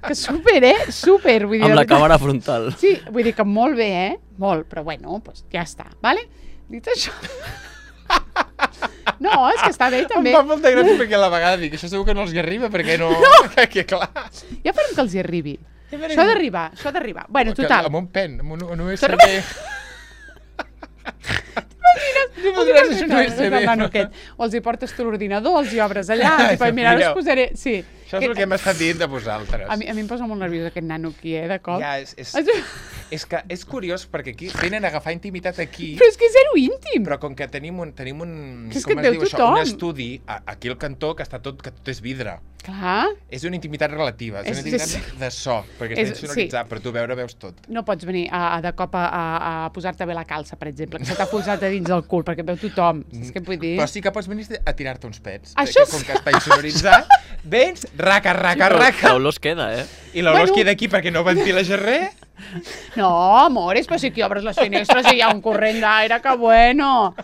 Speaker 1: Que super, eh? Super, vull dir...
Speaker 3: Amb
Speaker 1: de
Speaker 3: la
Speaker 1: veritat.
Speaker 3: càmera frontal.
Speaker 1: Sí, vull dir que molt bé, eh? Molt, però bueno, doncs ja està, vale? Dit això... No, és que està bé també.
Speaker 2: Em fa molta gràcia perquè a la vegada dic, això segur que no els hi arriba, perquè no... no. Que clar.
Speaker 1: Ja farem que els hi arribi. Això ha d'arribar, això ha d'arribar. Bueno, total.
Speaker 2: Amb un pen, amb un, un U S
Speaker 1: Torna-
Speaker 2: B. T'imagines un U S B?
Speaker 1: Nanuquet. O els hi portes tu l'ordinador, els hi obres allà, i
Speaker 2: Sí,
Speaker 1: mira, ara us
Speaker 2: millor.
Speaker 1: posaré... Sí.
Speaker 2: Això és el que hem estat dient de vosaltres.
Speaker 1: A mi, a mi em posa molt nerviós aquest nano aquí, eh, de cop.
Speaker 2: Ja, és, és, és que és curiós perquè aquí venen a agafar intimitat aquí,
Speaker 1: Però és que és zero íntim.
Speaker 2: però com que tenim un, tenim un,
Speaker 1: Que és
Speaker 2: com
Speaker 1: que et
Speaker 2: es
Speaker 1: veu
Speaker 2: diu això,
Speaker 1: tothom.
Speaker 2: un estudi a, aquí al cantó que està tot, que tot és vidre.
Speaker 1: Clar,
Speaker 2: És una intimitat relativa, és,
Speaker 1: És-
Speaker 2: una intimitat
Speaker 1: és-
Speaker 2: de so, perquè
Speaker 1: és-
Speaker 2: està insonoritzat, però tu veure veus tot.
Speaker 1: no pots venir a, a de cop a, a, a posar-te bé la calça, per exemple, que se t'ha posat a dins del cul, perquè veu tothom. Saps què vull dir?
Speaker 2: Però sí que pots venir a tirar-te uns pets.
Speaker 1: Això
Speaker 2: perquè com que està insonoritzat, vens, raca, raca,
Speaker 3: Però
Speaker 2: raca,
Speaker 3: l'olor es queda, eh?
Speaker 2: i l'olor
Speaker 1: Bueno.
Speaker 2: es queda aquí perquè no ventiles res.
Speaker 1: No, amores, però si aquí obres les finestres i hi ha un corrent d'aire, que bueno.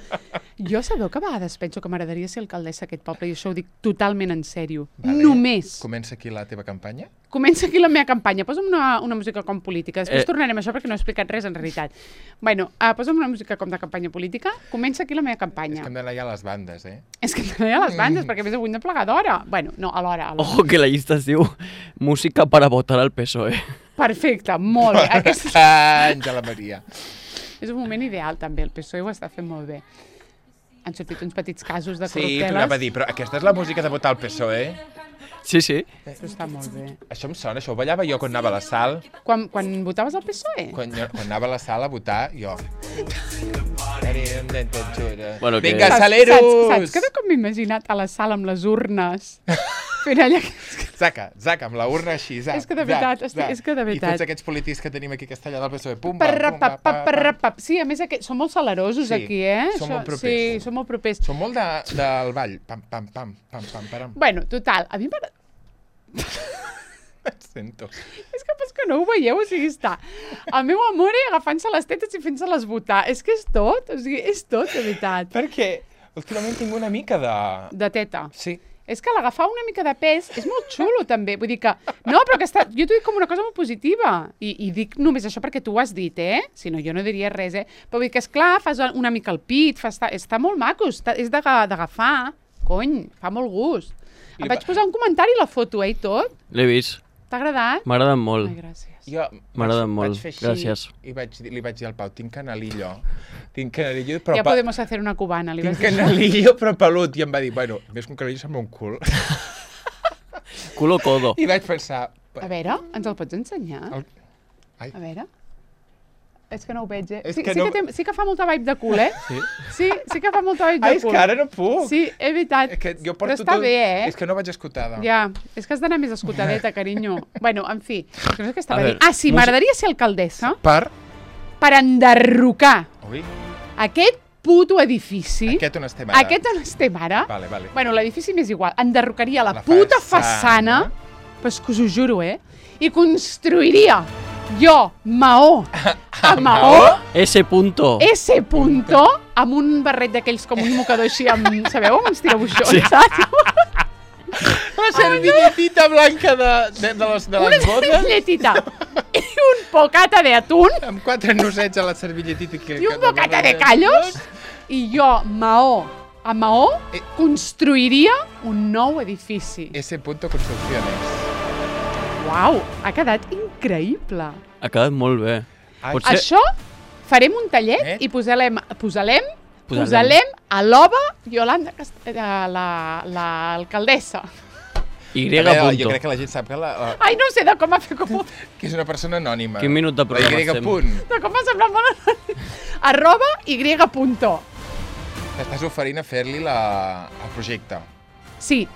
Speaker 1: Jo sabeu que a vegades penso que m'agradaria ser alcaldessa d'aquest poble, i això ho dic totalment en sèrio.
Speaker 2: Vale.
Speaker 1: Només.
Speaker 2: Comença aquí la teva campanya.
Speaker 1: Comença aquí la meva campanya. Posa'm una, una música com política. Després
Speaker 3: Eh.
Speaker 1: eh... tornarem a això perquè no he explicat res en realitat. Bueno, uh, posa'm una música com de campanya política. Comença aquí la meva
Speaker 2: És
Speaker 1: campanya.
Speaker 2: que hem d'anar ja a les bandes, eh?
Speaker 1: És que també hi ha les bandes, perquè a més avui hem de plegar d'hora. Bueno, no, a l'hora. a l'hora.
Speaker 3: Ojo que la llista es diu música para votar al P S O E.
Speaker 1: Perfecte, molt bé. Aquest
Speaker 2: Àngela Maria.
Speaker 1: és un moment ideal, també. El P S O E ho està fent molt bé. Han sortit uns petits casos de
Speaker 2: Sí,
Speaker 1: corrupteles.
Speaker 2: t'ho anava a dir, però aquesta és la música de votar al P S O E?
Speaker 3: Sí, sí.
Speaker 1: Això està molt bé.
Speaker 2: Això em sona, això ho ballava jo quan anava a la sal.
Speaker 1: Quan, quan votaves al P S O E?
Speaker 2: Quan, jo- quan anava a la sala a votar, jo...
Speaker 3: Bueno, que-
Speaker 2: Vinga,
Speaker 3: Saps-
Speaker 2: saleros!
Speaker 1: Saps, saps que de com m'he imaginat a la sala amb les urnes fent allà...
Speaker 2: Zaca, zaca, amb la urna així, zac,
Speaker 1: És que de
Speaker 2: zac,
Speaker 1: veritat, estic-
Speaker 2: zac.
Speaker 1: és que de
Speaker 2: I
Speaker 1: veritat.
Speaker 2: tots aquests polítics que tenim aquí a Castellà del P S O E, pum, pam, pum,
Speaker 1: Parrapap,
Speaker 2: pam, pam,
Speaker 1: parrapap. Sí, a més, aquest, són molt salarosos
Speaker 2: Sí,
Speaker 1: aquí, eh?
Speaker 2: són
Speaker 1: Això-
Speaker 2: molt propers.
Speaker 1: Sí, són molt propers.
Speaker 2: Són molt de, del ball. Pam, pam, pam, pam, pam, param.
Speaker 1: Bueno, total, a mi m'agrada...
Speaker 2: Sento.
Speaker 1: És que pas que no ho veieu, o sigui, està el meu amor agafant-se les tetes i fent-se-les votar. És que és tot, o sigui, és tot, de veritat.
Speaker 2: Perquè últimament tinc una mica de...
Speaker 1: De teta.
Speaker 2: Sí.
Speaker 1: És que l'agafar una mica de pes és molt xulo, també. Vull dir que... No, però que està... Jo t'ho dic com una cosa molt positiva. I, I dic només això perquè tu ho has dit, eh? Si no, jo no diria res, eh? Però vull dir que, esclar, fas una mica el pit, fa està, està molt maco, està, és d'aga- d'agafar. Cony, fa molt gust.
Speaker 2: I
Speaker 1: Em vaig
Speaker 2: va-
Speaker 1: posar un comentari a la foto, eh, i tot.
Speaker 3: L'he vist.
Speaker 1: T'ha agradat?
Speaker 3: M'ha agradat molt.
Speaker 1: Ai, gràcies.
Speaker 2: Jo
Speaker 3: M'agrada
Speaker 2: vaig-
Speaker 3: molt.
Speaker 2: vaig fer així
Speaker 3: Gràcies.
Speaker 2: I vaig, dir- li vaig dir al Pau, tinc canalillo. Tinc canalillo, però...
Speaker 1: Ja
Speaker 2: pa-
Speaker 1: podemos hacer una cubana, li
Speaker 2: Tinc
Speaker 1: vas dir.
Speaker 2: canalillo, però pelut. I em va dir, bueno, més que un canalillo sembla un cul.
Speaker 3: Culo codo.
Speaker 2: I vaig pensar...
Speaker 1: A veure, ens el pots ensenyar?
Speaker 2: El... Ai,
Speaker 1: A veure. És que no ho veig, eh?
Speaker 2: És
Speaker 1: Sí,
Speaker 2: que
Speaker 1: sí,
Speaker 2: no-
Speaker 1: que té, sí que fa molta vibe de cul, eh?
Speaker 3: Sí.
Speaker 1: Sí, sí que fa molta vibe de
Speaker 2: Ai és
Speaker 1: cul.
Speaker 2: que ara no puc.
Speaker 1: Sí, és veritat.
Speaker 2: És que jo
Speaker 1: Però
Speaker 2: porto
Speaker 1: està
Speaker 2: tot...
Speaker 1: bé, eh?
Speaker 2: És que no vaig escotada.
Speaker 1: Ja, és que has d'anar més escotadeta, carinyo. Bueno, en fi, no sé què estava
Speaker 3: A
Speaker 1: dient.
Speaker 3: veure,
Speaker 1: Ah, sí,
Speaker 3: música-
Speaker 1: m'agradaria ser alcaldessa
Speaker 2: Per...
Speaker 1: per enderrocar
Speaker 2: Ui,
Speaker 1: aquest puto edifici.
Speaker 2: aquest on estem ara.
Speaker 1: Aquest on estem ara.
Speaker 2: Vale, vale.
Speaker 1: Bueno, l'edifici m'és igual. Enderrocaria la,
Speaker 2: La
Speaker 1: puta
Speaker 2: façana.
Speaker 1: façana, però és que us ho juro, eh? I construiria jo, maó, a maó,
Speaker 3: Ese punto.
Speaker 1: S punto, amb un barret d'aquells com un mocador així, amb, sabeu, amb uns tirabuixons,
Speaker 3: Sí.
Speaker 1: saps?
Speaker 2: La servilletita blanca de, de, de, les, de
Speaker 1: Una
Speaker 2: les botes,
Speaker 1: servilletita i un bocata de atún
Speaker 2: amb quatre nosets a la servilletita. Que,
Speaker 1: i un
Speaker 2: que-
Speaker 1: bocata de callos i jo, maó a maó,
Speaker 2: Eh.
Speaker 1: construiria un nou edifici.
Speaker 2: Ese punto construcciones.
Speaker 1: Uau, ha quedat increïble.
Speaker 3: Ha quedat molt bé.
Speaker 2: Ai.
Speaker 3: Potser...
Speaker 1: Això farem un tallet
Speaker 2: Eh?
Speaker 1: i posarem, posarem,
Speaker 3: Posarem.
Speaker 1: posarem a l'Ova Yolanda, Cast- eh, la- l'alcaldessa.
Speaker 3: Y
Speaker 2: A veure, jo
Speaker 3: punto.
Speaker 2: crec que la gent sap que, la, la,
Speaker 1: Ai, no sé de com ha fet com,
Speaker 2: que és una persona anònima.
Speaker 3: Quin minut de programa
Speaker 2: La Y
Speaker 3: estem?
Speaker 2: punt.
Speaker 1: de com m'ha semblat molt. Arroba y punto.
Speaker 2: T'estàs oferint a fer-li la- el projecte.
Speaker 1: Sí.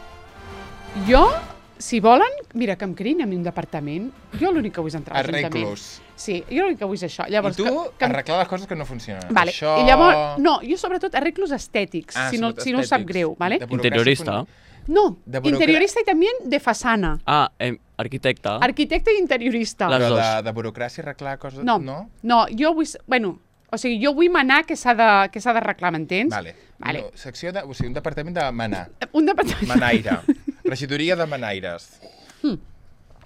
Speaker 1: Jo, si volen, mira, que em creïn a mi un departament, jo l'únic que vull és entrar a l'Ajuntament.
Speaker 2: Arreglos.
Speaker 1: Sí, jo l'únic que vull és això. Llavors,
Speaker 2: I tu,
Speaker 1: que, que em-
Speaker 2: arreglar les coses que no funcionen.
Speaker 1: Vale.
Speaker 2: Això...
Speaker 1: I llavors, no, jo sobretot arreglos estètics,
Speaker 2: Ah,
Speaker 1: si, no,
Speaker 2: sobretot
Speaker 1: si no us sap
Speaker 2: estètics.
Speaker 1: greu, ¿vale?
Speaker 2: De burocràcia
Speaker 3: Interiorista.
Speaker 2: fun-
Speaker 1: No,
Speaker 2: de burocra-
Speaker 1: interiorista y también de fasana.
Speaker 3: Ah, eh, arquitecta.
Speaker 1: Arquitecte i interiorista.
Speaker 3: Les
Speaker 2: Però
Speaker 3: dos.
Speaker 2: de, de burocràcia arreglar coses...
Speaker 1: No,
Speaker 2: no?
Speaker 1: no, jo vull... Bueno, o sigui, jo vull manar què s'ha de- què s'ha d'arreglar, m'entens?
Speaker 2: Vale.
Speaker 1: Vale.
Speaker 2: No, secció de, o sigui, un departament de manar.
Speaker 1: Un departament...
Speaker 2: Manaire. Regidoria de manaires.
Speaker 1: Hmm.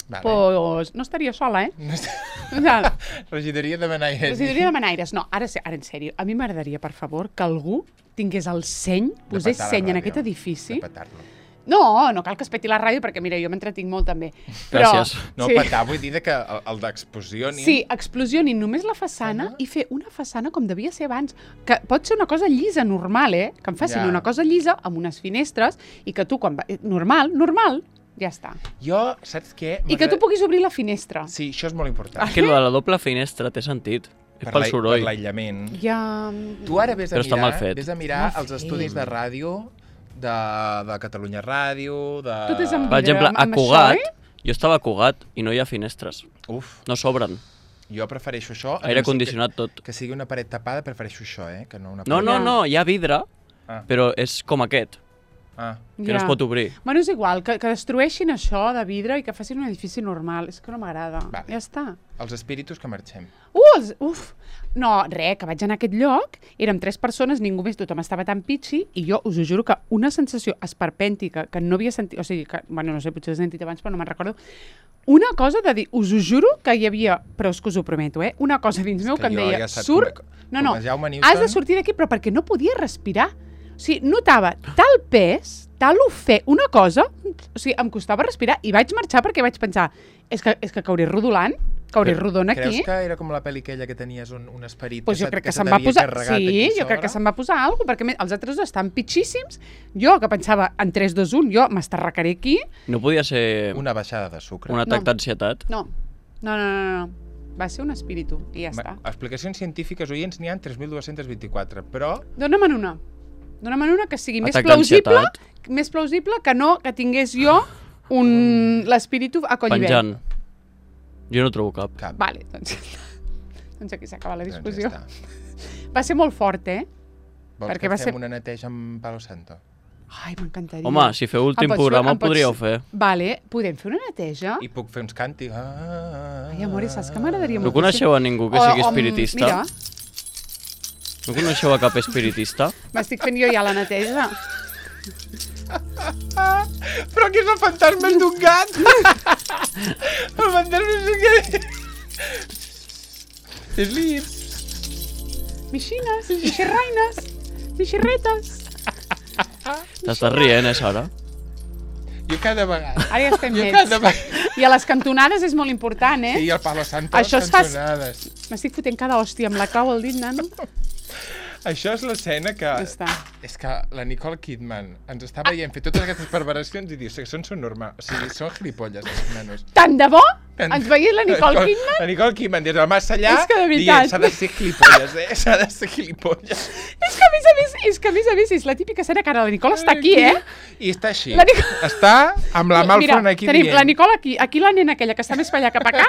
Speaker 2: Vale.
Speaker 1: Pues no estaria sola, eh?
Speaker 2: No és...
Speaker 1: O sea,
Speaker 2: Regidoria de manaires.
Speaker 1: Residuria de manaires. No, ara, se- ara en sèrio, a mi m'agradaria, per favor, que algú tingués el seny,
Speaker 2: De
Speaker 1: posés
Speaker 2: petar la
Speaker 1: seny en
Speaker 2: ràdio.
Speaker 1: aquest edifici
Speaker 2: De petar-lo.
Speaker 1: No, no cal que es peti la ràdio, perquè mira, jo m'entretinc molt també. Però,
Speaker 3: Gràcies.
Speaker 2: No,
Speaker 1: sí.
Speaker 2: petar, vull dir que el, el d'explosionin...
Speaker 1: Sí, explosionin només la façana i fer una façana com devia ser abans. Que pot ser una cosa llisa, normal, eh? Que em facin
Speaker 2: Ja.
Speaker 1: una cosa llisa amb unes finestres i que tu, quan va... normal, normal, ja està.
Speaker 2: Jo, saps què?
Speaker 1: I que tu puguis obrir la finestra.
Speaker 2: Sí, això és molt important.
Speaker 3: Que lo de la doble finestra té sentit. És
Speaker 2: Per
Speaker 3: pel
Speaker 2: l'ai-
Speaker 3: soroll.
Speaker 2: Per l'aïllament.
Speaker 1: Ja...
Speaker 2: Tu ara vés a
Speaker 3: Però està
Speaker 2: mirar,
Speaker 3: mal fet.
Speaker 2: vés a mirar
Speaker 1: Mal
Speaker 2: els
Speaker 1: fet.
Speaker 2: estudis de ràdio de, de Catalunya Ràdio, de...
Speaker 1: Tot és amb
Speaker 3: Per exemple,
Speaker 1: amb-
Speaker 3: a
Speaker 1: amb
Speaker 3: Cugat,
Speaker 1: això,
Speaker 3: jo estava a Cugat i no hi ha finestres.
Speaker 2: Uf,
Speaker 3: No s'obren.
Speaker 2: jo prefereixo això. a
Speaker 3: Aire
Speaker 2: no ser
Speaker 3: condicionat tot.
Speaker 2: Que, que sigui una paret tapada, prefereixo això, eh? Que no una
Speaker 3: No,
Speaker 2: paret...
Speaker 3: no,
Speaker 1: Ja.
Speaker 3: no, hi ha vidre,
Speaker 2: Ah,
Speaker 3: però és com aquest,
Speaker 2: ah.
Speaker 3: que no es pot obrir.
Speaker 1: Bueno, és igual, que, que destrueixin això de vidre i que facin un edifici normal. És que no m'agrada.
Speaker 2: Vale.
Speaker 1: Ja està.
Speaker 2: Els espíritus que marxem.
Speaker 1: Uh, els, uf! No, res, que vaig anar a aquest lloc, érem tres persones, ningú més, tothom estava tan pitxi, i jo us ho juro que una sensació esperpèntica que no havia sentit, o sigui, que, bueno, no sé, potser he sentit abans, però no me'n recordo, una cosa de dir, us ho juro que hi havia, però és que us ho prometo, eh, una cosa dins meu
Speaker 2: És
Speaker 1: que,
Speaker 2: que
Speaker 1: em
Speaker 2: jo
Speaker 1: deia,
Speaker 2: ja saps
Speaker 1: surt...
Speaker 2: com-
Speaker 1: no,
Speaker 2: com
Speaker 1: no,
Speaker 2: el Jaume
Speaker 1: has
Speaker 2: Newton.
Speaker 1: de sortir d'aquí, però perquè no podia respirar. O sigui, notava tal pes, tal ofè, una cosa, o sigui, em costava respirar, i vaig marxar perquè vaig pensar, és que, és que cauré rodolant, cauré rodona aquí.
Speaker 2: Creus que era com la pel·li aquella que tenies un, un esperit
Speaker 1: Pues jo
Speaker 2: se-
Speaker 1: crec que,
Speaker 2: se
Speaker 1: se'n va
Speaker 2: t'havia
Speaker 1: posar...
Speaker 2: carregat
Speaker 1: Sí,
Speaker 2: aquí
Speaker 1: jo crec que
Speaker 2: sobre?
Speaker 1: se'n va posar alguna cosa, perquè a més, els altres dos estan pitxíssims. Jo, que pensava en tres, dos, un, jo m'estarracaré aquí.
Speaker 3: No podia ser
Speaker 2: Una baixada de sucre.
Speaker 3: un atac
Speaker 1: No.
Speaker 3: d'ansietat?
Speaker 1: No, no, no, no, no. Va ser un espíritu i ja està.
Speaker 2: Va, explicacions científiques, oients, n'hi ha tres mil dos-cents vint-i-quatre, però...
Speaker 1: Dóna'm una. Dóna'm una que sigui més
Speaker 3: Atac
Speaker 1: plausible,
Speaker 3: d'ansietat.
Speaker 1: més plausible que no que tingués jo un l'espíritu a collibè.
Speaker 3: Penjant. Jo no trobo cap.
Speaker 2: Cap.
Speaker 1: Vale, doncs, doncs aquí s'acaba la
Speaker 2: Doncs ja
Speaker 1: discussió.
Speaker 2: està.
Speaker 1: Va ser molt fort, eh?
Speaker 2: Vols
Speaker 1: Perquè
Speaker 2: que
Speaker 1: va
Speaker 2: fem
Speaker 1: ser-
Speaker 2: una neteja amb Palo Santo?
Speaker 1: Ai, m'encantaria.
Speaker 3: Home, si feu últim
Speaker 1: Em pots fer-
Speaker 3: programa
Speaker 1: em
Speaker 3: ho
Speaker 1: pots-
Speaker 3: podríeu fer.
Speaker 1: Vale, podem fer una neteja?
Speaker 2: I puc fer uns càntics. Ah,
Speaker 1: Ai, amore, saps que m'agradaria
Speaker 3: No
Speaker 1: molt?
Speaker 3: coneixeu a ningú que
Speaker 1: O-
Speaker 3: sigui
Speaker 1: o,
Speaker 3: espiritista?
Speaker 1: Mira,
Speaker 3: No coneixeu a cap espiritista?
Speaker 1: m'estic fent jo ja la neteja.
Speaker 2: Però que és el fantasma d'un gat! El fantasma d'un gat! És l'Ips.
Speaker 1: Mixines, mixerraines, mixerretes.
Speaker 3: T'estàs rient, eh, Sara?
Speaker 2: Jo cada vegada...
Speaker 1: Ara ja estem
Speaker 2: Jo
Speaker 1: nets.
Speaker 2: cada vegada...
Speaker 1: I a les cantonades és molt important, eh?
Speaker 2: Sí, el Palo Santo,
Speaker 1: Això
Speaker 2: les
Speaker 1: es fa-
Speaker 2: cançonades.
Speaker 1: M'estic fotent cada hòstia amb la clau al dit, nano.
Speaker 2: Això és l'escena que...
Speaker 1: Ja està.
Speaker 2: És que la Nicole Kidman ens està veient fer totes aquestes perversions i diu que són, són normals. O sigui, són gilipolles, els nanos.
Speaker 1: Tant de bo? Ens veia la Nicole Kidman?
Speaker 2: La Nicole Kidman des del més allà
Speaker 1: És que de
Speaker 2: dient
Speaker 1: veritat.
Speaker 2: s'ha de ser gilipolles, eh? S'ha de ser gilipolles.
Speaker 1: És que a més a més, és que a més a més és la típica escena que ara la Nicole està aquí, eh?
Speaker 2: I està així.
Speaker 1: La Nic-
Speaker 2: Està amb la mà al
Speaker 1: Mira,
Speaker 2: front aquí
Speaker 1: tenim
Speaker 2: dient...
Speaker 1: la Nicole aquí, aquí la nena aquella que està més per allà cap acá,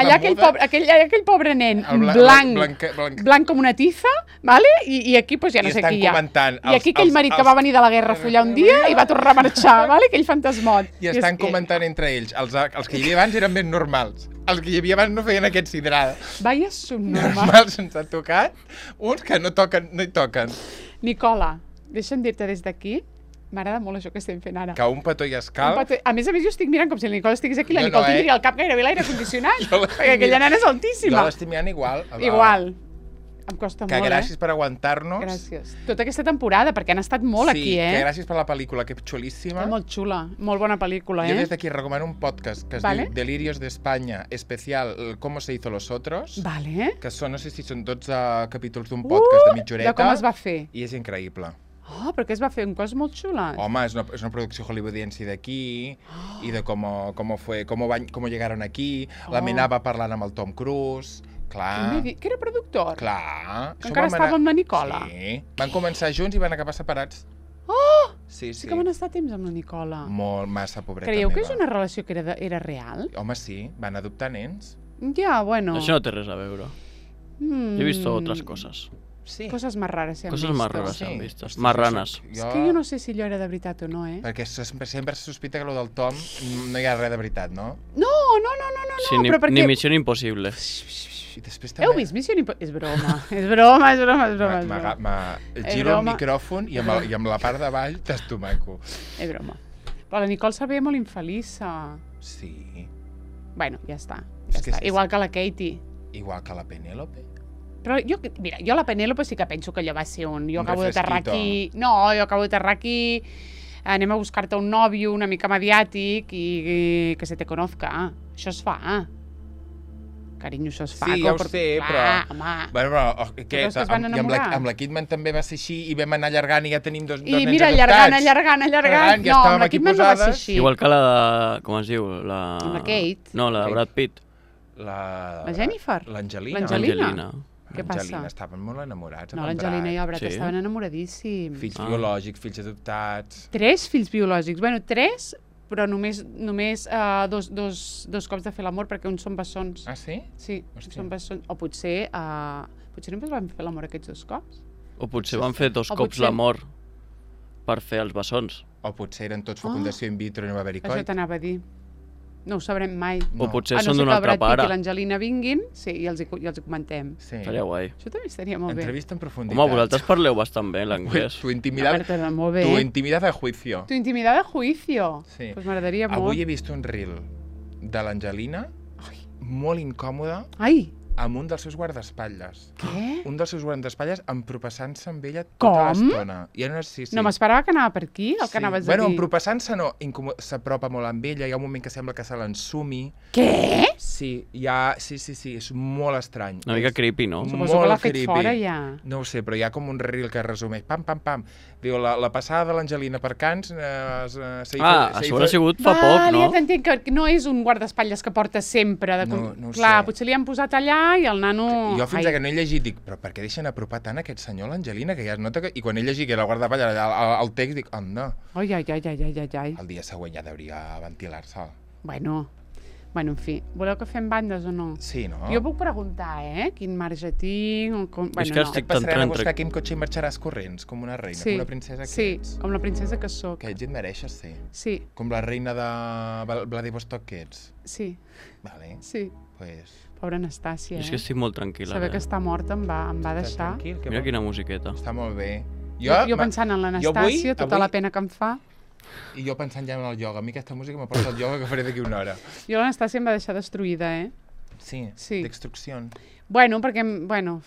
Speaker 1: allà aquell
Speaker 2: muda.
Speaker 1: pobre, aquell, allà aquell pobre nen,
Speaker 2: El bla-
Speaker 1: blanc,
Speaker 2: blanc- blanc-
Speaker 1: blanc com una tiza, vale? I, i aquí pues, ja no
Speaker 2: I
Speaker 1: sé
Speaker 2: estan
Speaker 1: qui hi ha.
Speaker 2: comentant
Speaker 1: I aquí
Speaker 2: els-
Speaker 1: aquell
Speaker 2: els-
Speaker 1: marit que
Speaker 2: els-
Speaker 1: va venir de la guerra a follar un dia i va tornar a marxar, vale? Aquell fantasmot.
Speaker 2: I estan
Speaker 1: és que-
Speaker 2: comentant entre ells. Els, els que hi havia abans eren més normals. Els que hi havia abans no feien aquest sidrada.
Speaker 1: Vaya subnormal.
Speaker 2: Normals ens ha tocat. Uns que no toquen, no hi toquen.
Speaker 1: Nicola, deixa'm dir-te des d'aquí, m'agrada molt això que estem fent ara.
Speaker 2: Que un petó i
Speaker 1: Un
Speaker 2: escalf.
Speaker 1: petó- A més a més, jo estic mirant com si la Nicole estigués aquí, la
Speaker 2: Jo no,
Speaker 1: Nicole
Speaker 2: eh?
Speaker 1: tindria al cap gairebé l'aire condicionat,
Speaker 2: Jo l'estic
Speaker 1: perquè aquella
Speaker 2: mirant-
Speaker 1: nena és
Speaker 2: Jo
Speaker 1: altíssima.
Speaker 2: l'estic mirant igual.
Speaker 1: Igual. Em costa
Speaker 2: Que
Speaker 1: molt,
Speaker 2: gràcies
Speaker 1: eh?
Speaker 2: per aguantar-nos.
Speaker 1: Gràcies. Tota aquesta temporada, perquè han estat molt
Speaker 2: sí,
Speaker 1: aquí,
Speaker 2: que
Speaker 1: eh?
Speaker 2: gràcies per la pel·lícula, que és xulíssima.
Speaker 1: És molt xula, molt bona pel·lícula,
Speaker 2: Jo
Speaker 1: eh?
Speaker 2: des d'aquí recomano un podcast que es
Speaker 1: Vale.
Speaker 2: diu Delirios de España, especial el Cómo se hizo los otros,
Speaker 1: Vale.
Speaker 2: que són, no sé si són dotze capítols d'un podcast de mitja horeta.
Speaker 1: De com es va fer.
Speaker 2: I és increïble.
Speaker 1: Oh, perquè es va fer un cos molt xula.
Speaker 2: Home, és una, és una producció hollywoodiense d'aquí, i de com, com, fue, com, van, com llegaron aquí, la
Speaker 1: Oh.
Speaker 2: Mena va parlant amb el Tom Cruise, clar.
Speaker 1: Què m'he dit? Que era productor?
Speaker 2: Clar.
Speaker 1: Que
Speaker 2: Això
Speaker 1: encara
Speaker 2: vam
Speaker 1: estava
Speaker 2: anar-
Speaker 1: amb la Nicola?
Speaker 2: Sí. Van començar junts i van acabar separats.
Speaker 1: Oh!
Speaker 2: Sí,
Speaker 1: Sí
Speaker 2: sí.
Speaker 1: que van estar temps amb la Nicola.
Speaker 2: Molt, massa pobreta
Speaker 1: Creieu que
Speaker 2: meva.
Speaker 1: és una relació que era, de, era real?
Speaker 2: Home, sí, van adoptar nens.
Speaker 1: Ja, bueno.
Speaker 3: Això no té res a veure.
Speaker 1: Mm.
Speaker 3: Yo he visto otras cosas.
Speaker 2: Sí.
Speaker 1: Coses más rares se han
Speaker 3: Cosas
Speaker 1: visto.
Speaker 3: más raras
Speaker 2: Sí.
Speaker 3: se han visto.
Speaker 2: Hosti,
Speaker 3: Marranas.
Speaker 2: jo-
Speaker 1: És que jo no sé si allò era de veritat o no, eh?
Speaker 2: Perquè se- sempre se sospita que lo del Tom no hi ha res de veritat, no?
Speaker 1: No, no, no, no, no,
Speaker 3: Sí,
Speaker 1: no
Speaker 3: ni,
Speaker 1: però perquè...
Speaker 3: ni Misión Imposible.
Speaker 2: I després també...
Speaker 1: Heu vist Missió Impossible? És broma, és broma, és broma, és broma. És
Speaker 2: Ma-
Speaker 1: broma.
Speaker 2: ma-
Speaker 1: És
Speaker 2: Giro el
Speaker 1: broma.
Speaker 2: micròfon i amb, el, i amb la part de baix t'estomaco.
Speaker 1: És broma. Però la Nicole se veia molt infeliça.
Speaker 2: Sí.
Speaker 1: Bueno, ja està.
Speaker 2: És
Speaker 1: Ja
Speaker 2: que
Speaker 1: està.
Speaker 2: és-
Speaker 1: Igual que la Katie.
Speaker 2: Igual que la Penélope.
Speaker 1: Però jo, mira, jo la Penélope sí que penso que allò va ser un... Jo
Speaker 2: Un
Speaker 1: acabo d'aterrar
Speaker 2: refresquito.
Speaker 1: aquí... No, jo acabo d'aterrar aquí anem a buscar-te un nòvio una mica mediàtic i, i que se te conozca. Això es fa. Carinyo, això es fa.
Speaker 2: Sí, ja ho sé, però...
Speaker 1: Home.
Speaker 2: Bueno, però oh, què?
Speaker 1: Però és que es van
Speaker 2: Amb, i amb, la,
Speaker 1: enamorar.
Speaker 2: amb la Kidman també va ser així i vam anar allargant i ja tenim dos, dos
Speaker 1: I
Speaker 2: nens
Speaker 1: mira,
Speaker 2: adoptats.
Speaker 1: allargant, allargant, allargant.
Speaker 2: Ja
Speaker 1: No,
Speaker 2: estàvem
Speaker 1: amb la
Speaker 2: aquí
Speaker 1: Kidman no va ser
Speaker 2: posades.
Speaker 1: així.
Speaker 3: Igual que la de... Com es diu? La...
Speaker 1: Amb la Kate.
Speaker 3: No, la de
Speaker 2: Kate.
Speaker 3: Brad Pitt.
Speaker 2: La...
Speaker 1: La Jennifer?
Speaker 2: L'Angelina.
Speaker 1: L'Angelina.
Speaker 3: Angelina.
Speaker 1: Què passa?
Speaker 2: L'Angelina, estaven molt enamorats.
Speaker 1: No,
Speaker 2: amb en
Speaker 1: l'Angelina i el Brad
Speaker 3: Sí.
Speaker 1: estaven enamoradíssims.
Speaker 2: Fills
Speaker 3: Ah.
Speaker 2: biològics, fills adoptats...
Speaker 1: Tres fills biològics. Bueno, tres, però només, només uh, dos, dos, dos cops de fer l'amor, perquè uns són bessons.
Speaker 2: Ah, sí?
Speaker 1: Sí,
Speaker 2: Hòstia.
Speaker 1: són bessons. O potser, uh, potser només van fer l'amor aquests dos cops.
Speaker 3: O potser van fer dos
Speaker 1: O
Speaker 3: cops
Speaker 1: potser-
Speaker 3: l'amor per fer els bessons.
Speaker 2: O potser eren tots fecundació in vitro i no va haver-hi
Speaker 1: Això
Speaker 2: coit.
Speaker 1: t'anava a dir. No ho sabrem mai.
Speaker 3: O
Speaker 2: No.
Speaker 3: potser
Speaker 1: A no
Speaker 3: són
Speaker 1: ser
Speaker 3: d'un
Speaker 1: que el
Speaker 3: altre
Speaker 1: Brad Pitt
Speaker 3: pare.
Speaker 1: i l'Angelina vinguin, sí, i els, hi, i els hi comentem.
Speaker 2: Sí.
Speaker 3: Estaria guai.
Speaker 1: Això també estaria molt bé.
Speaker 2: Entrevista en profunditat.
Speaker 3: Home, vosaltres parleu bastant bé l'anglès.
Speaker 2: Tu intimidad,
Speaker 1: A veure, molt bé.
Speaker 2: tu intimidad a juicio.
Speaker 1: Tu intimidad de juicio.
Speaker 2: Sí.
Speaker 1: Pues m'agradaria molt.
Speaker 2: Avui he vist un reel de l'Angelina molt incòmoda
Speaker 1: Ai,
Speaker 2: amb un dels seus guardaespatlles.
Speaker 1: què?
Speaker 2: Un dels seus guardaespatlles empropassant-se amb ella
Speaker 1: Com?
Speaker 2: tota l'estona. Ja no, sí, sí.
Speaker 1: No m'esperava que anava per aquí, el que
Speaker 2: Sí.
Speaker 1: anaves
Speaker 2: Bueno,
Speaker 1: a dir.
Speaker 2: empropassant-se no, incomo- s'apropa molt amb ella, hi ha un moment que sembla que se l'ensumi.
Speaker 1: Què?
Speaker 2: Sí, hi ha... sí, sí, sí, és molt estrany.
Speaker 3: Una mica
Speaker 2: És
Speaker 3: creepy, no?
Speaker 2: molt
Speaker 1: Suposo que l'ha fet
Speaker 2: creepy.
Speaker 1: fora ja.
Speaker 2: No ho sé, però hi ha com un reel que resumeix, pam, pam, pam. Diu, la, la passada de l'Angelina per Cans... Eh, es, eh, se hi
Speaker 3: Ah,
Speaker 2: fa- se hi
Speaker 3: això
Speaker 2: fa-
Speaker 3: ha sigut fa poc,
Speaker 1: Vale,
Speaker 3: no?
Speaker 1: ja t'entenc, que no és un guardaespatlles que porta sempre. De...
Speaker 2: No, no ho
Speaker 1: Clar,
Speaker 2: sé.
Speaker 1: potser li han posat allà i el nano...
Speaker 2: Jo fins
Speaker 1: Ai.
Speaker 2: que no he llegit, dic, però per què deixen apropar tant aquest senyor a l'Angelina, que ja es nota que... I quan he llegit que era el guardaespatlles al, al, al text, dic, anda,
Speaker 1: Ai, ai, ai, ai, ai, ai, ai.
Speaker 2: el dia següent ja hauria ventilar-se.
Speaker 1: Bueno, bueno, en fi. Voleu que fem bandes o no?
Speaker 2: Sí, no?
Speaker 1: Jo puc preguntar, eh? Quin marge tinc o com... Bueno,
Speaker 3: que
Speaker 1: no.
Speaker 3: estic-
Speaker 2: Passarem a
Speaker 3: Tant
Speaker 2: buscar
Speaker 3: entre-
Speaker 2: quin cotxe i marxaràs corrents, com una reina,
Speaker 1: Sí,
Speaker 2: com una princesa que
Speaker 1: sí,
Speaker 2: ets.
Speaker 1: com la princesa que sóc.
Speaker 2: Que ets i et mereixes ser.
Speaker 1: Sí,
Speaker 2: Com la reina de Val- Vladivostok que ets.
Speaker 1: sí,
Speaker 2: Vale,
Speaker 1: sí.
Speaker 2: pues...
Speaker 1: Pobra Anastàcia,
Speaker 3: És que
Speaker 1: eh?
Speaker 3: estic molt tranquil·la.
Speaker 1: Saber que
Speaker 3: ara.
Speaker 1: està morta em va, em va
Speaker 2: Estàs
Speaker 1: deixar...
Speaker 2: tranquil, que
Speaker 3: Mira
Speaker 2: bo.
Speaker 3: quina musiqueta.
Speaker 2: Està molt bé.
Speaker 1: Jo, jo
Speaker 2: ma-
Speaker 1: pensant en
Speaker 2: jo
Speaker 1: l'Anastàcia,
Speaker 2: avui-
Speaker 1: tota
Speaker 2: avui-
Speaker 1: la pena que em fa.
Speaker 2: I jo pensant ja en el ioga. A mi aquesta música me porta al ioga que faré d'aquí una hora.
Speaker 1: Jo l'Anastàcia em va deixar destruïda, eh?
Speaker 2: Sí,
Speaker 1: Sí.
Speaker 2: d'extrucció.
Speaker 1: Bueno, perquè... em- Bueno,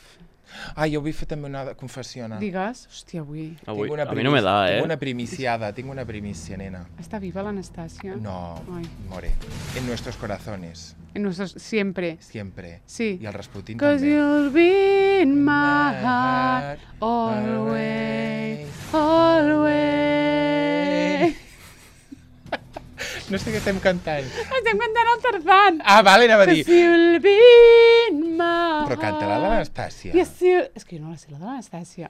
Speaker 2: Ah, jo vull fer també una confessió.
Speaker 1: digues... Hòstia, avui...
Speaker 3: Avui,
Speaker 2: Tinc una
Speaker 3: a mi no me da, eh?
Speaker 2: Tinc una primiciada, tinc una primicia, nena.
Speaker 1: Està viva l'Anastàcia?
Speaker 2: No,
Speaker 1: Ai.
Speaker 2: more. En nuestros corazones,
Speaker 1: En nuestros... Siempre.
Speaker 2: siempre.
Speaker 1: Sí.
Speaker 2: I el Rasputin
Speaker 1: Cause
Speaker 2: també.
Speaker 1: you'll be in my heart always, always.
Speaker 2: No sé què estem cantant.
Speaker 1: Estem cantant el Tarzan.
Speaker 2: Ah, vale, anava a dir.
Speaker 1: Cause you'll be in my
Speaker 2: Però canta-la de l'Anastàcia.
Speaker 1: Yes, you... És que jo no la sé, la de l'Anastàcia.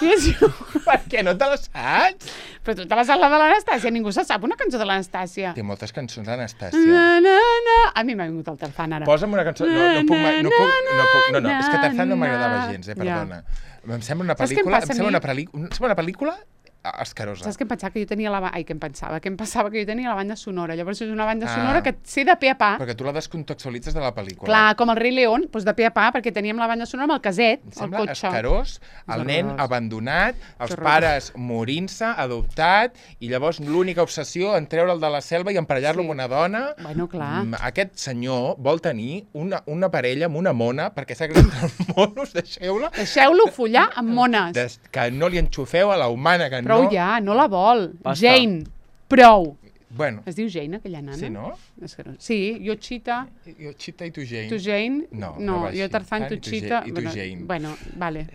Speaker 1: Yes, you...
Speaker 2: Per què no te la saps?
Speaker 1: Però tu te la saps la de l'Anastàcia, ningú se sap una cançó de l'Anastàcia.
Speaker 2: Té moltes cançons
Speaker 1: Na,
Speaker 2: d'Anastàcia.
Speaker 1: na, na. A mi m'ha vingut el Tarzan ara.
Speaker 2: Posa'm una cançó... No, no puc... mai- No, puc, no, puc, no, no, és que Tarzan no m'agradava gens, eh,
Speaker 1: Ja.
Speaker 2: perdona. Em sembla una
Speaker 1: Saps què em
Speaker 2: pel·lícula...
Speaker 1: passa a
Speaker 2: Em sembla
Speaker 1: mi?
Speaker 2: una, pel·li- em sembla una pel·lícula escarosa.
Speaker 1: Saps què em pensava? Que jo tenia la... ba- Ai, què em pensava? Que em pensava que jo tenia la banda sonora. Llavors és una banda
Speaker 2: Ah.
Speaker 1: sonora que sé de pe a pa.
Speaker 2: Perquè tu la descontextualitzes de la pel·lícula.
Speaker 1: Clar, com el Rei León, doncs de pe a pa, perquè teníem la banda sonora amb el caset,
Speaker 2: Em
Speaker 1: el
Speaker 2: sembla
Speaker 1: cotxe.
Speaker 2: escarós, el
Speaker 1: És
Speaker 2: nen
Speaker 1: horrorós.
Speaker 2: abandonat, els
Speaker 1: horrorós.
Speaker 2: pares morint-se, adoptat, i llavors l'única obsessió en treure'l de la selva i emparellar-lo
Speaker 1: Sí.
Speaker 2: amb una dona.
Speaker 1: Bueno, clar.
Speaker 2: Mm, Aquest senyor vol tenir una, una parella amb una mona, perquè s'ha creat entre els monos, deixeu-la,
Speaker 1: Deixeu-lo follar amb mones.
Speaker 2: des, que no li enxufeu a la humana, que
Speaker 1: Prou
Speaker 2: no...
Speaker 1: ja, no la vol.
Speaker 3: Basta.
Speaker 1: Jane, prou.
Speaker 2: Bueno,
Speaker 1: Es diu Jane, aquella nana?
Speaker 2: sí, no?
Speaker 1: És que no. Sí, jo Chita,
Speaker 2: Jo, Chita i tu, Jane.
Speaker 1: tu Jane.
Speaker 2: No,
Speaker 1: no
Speaker 2: no va
Speaker 1: jo
Speaker 2: així.
Speaker 1: Tarzan, tu
Speaker 2: Tant, i tu
Speaker 1: Chita.
Speaker 2: Ja- i tu
Speaker 1: bueno,
Speaker 2: Jane.
Speaker 1: Bueno, vale.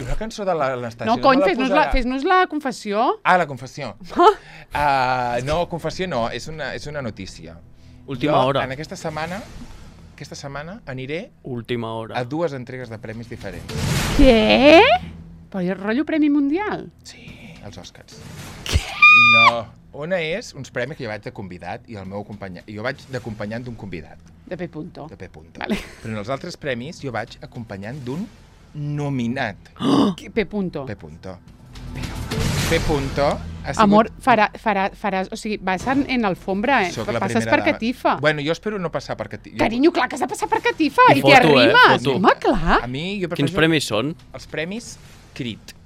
Speaker 2: Una cançó de la- l'Anastàcia.
Speaker 1: No, cony,
Speaker 2: me la
Speaker 1: fes-nos la,
Speaker 2: posarà.
Speaker 1: fes la confessió.
Speaker 2: Ah, la confessió. uh, no, confessió no, és una, és una notícia.
Speaker 3: Última
Speaker 2: jo,
Speaker 3: hora.
Speaker 2: En aquesta setmana, aquesta setmana aniré
Speaker 3: Última hora.
Speaker 2: a dues entregues de premis diferents.
Speaker 1: Què? Però hi ha rotllo Premi Mundial.
Speaker 2: Sí, els Oscars. Què? No. Una és uns premis que jo vaig de convidat i el meu acompanyant. Jo vaig d'acompanyant d'un convidat,
Speaker 1: De P. Punto.
Speaker 2: de P. Punto.
Speaker 1: Vale.
Speaker 2: Però en els altres premis jo vaig acompanyant d'un nominat.
Speaker 1: P. Punto.
Speaker 2: P. Punto. P. Punto ha sigut...
Speaker 1: Amor, farà, farà, faràs... O sigui, vas en, en alfombra, eh?
Speaker 2: Soc la
Speaker 1: Passes
Speaker 2: primera
Speaker 1: per
Speaker 2: dama.
Speaker 1: catifa.
Speaker 2: Bueno, jo espero no passar per catifa.
Speaker 1: Carinyo, clar que has de passar per catifa.
Speaker 3: I
Speaker 1: I t'hi
Speaker 3: foto, eh?
Speaker 1: arribes.
Speaker 3: Foto.
Speaker 1: Home, clar.
Speaker 2: A mi, jo
Speaker 3: Quins
Speaker 2: prefereixo
Speaker 3: premis són?
Speaker 2: els premis Crit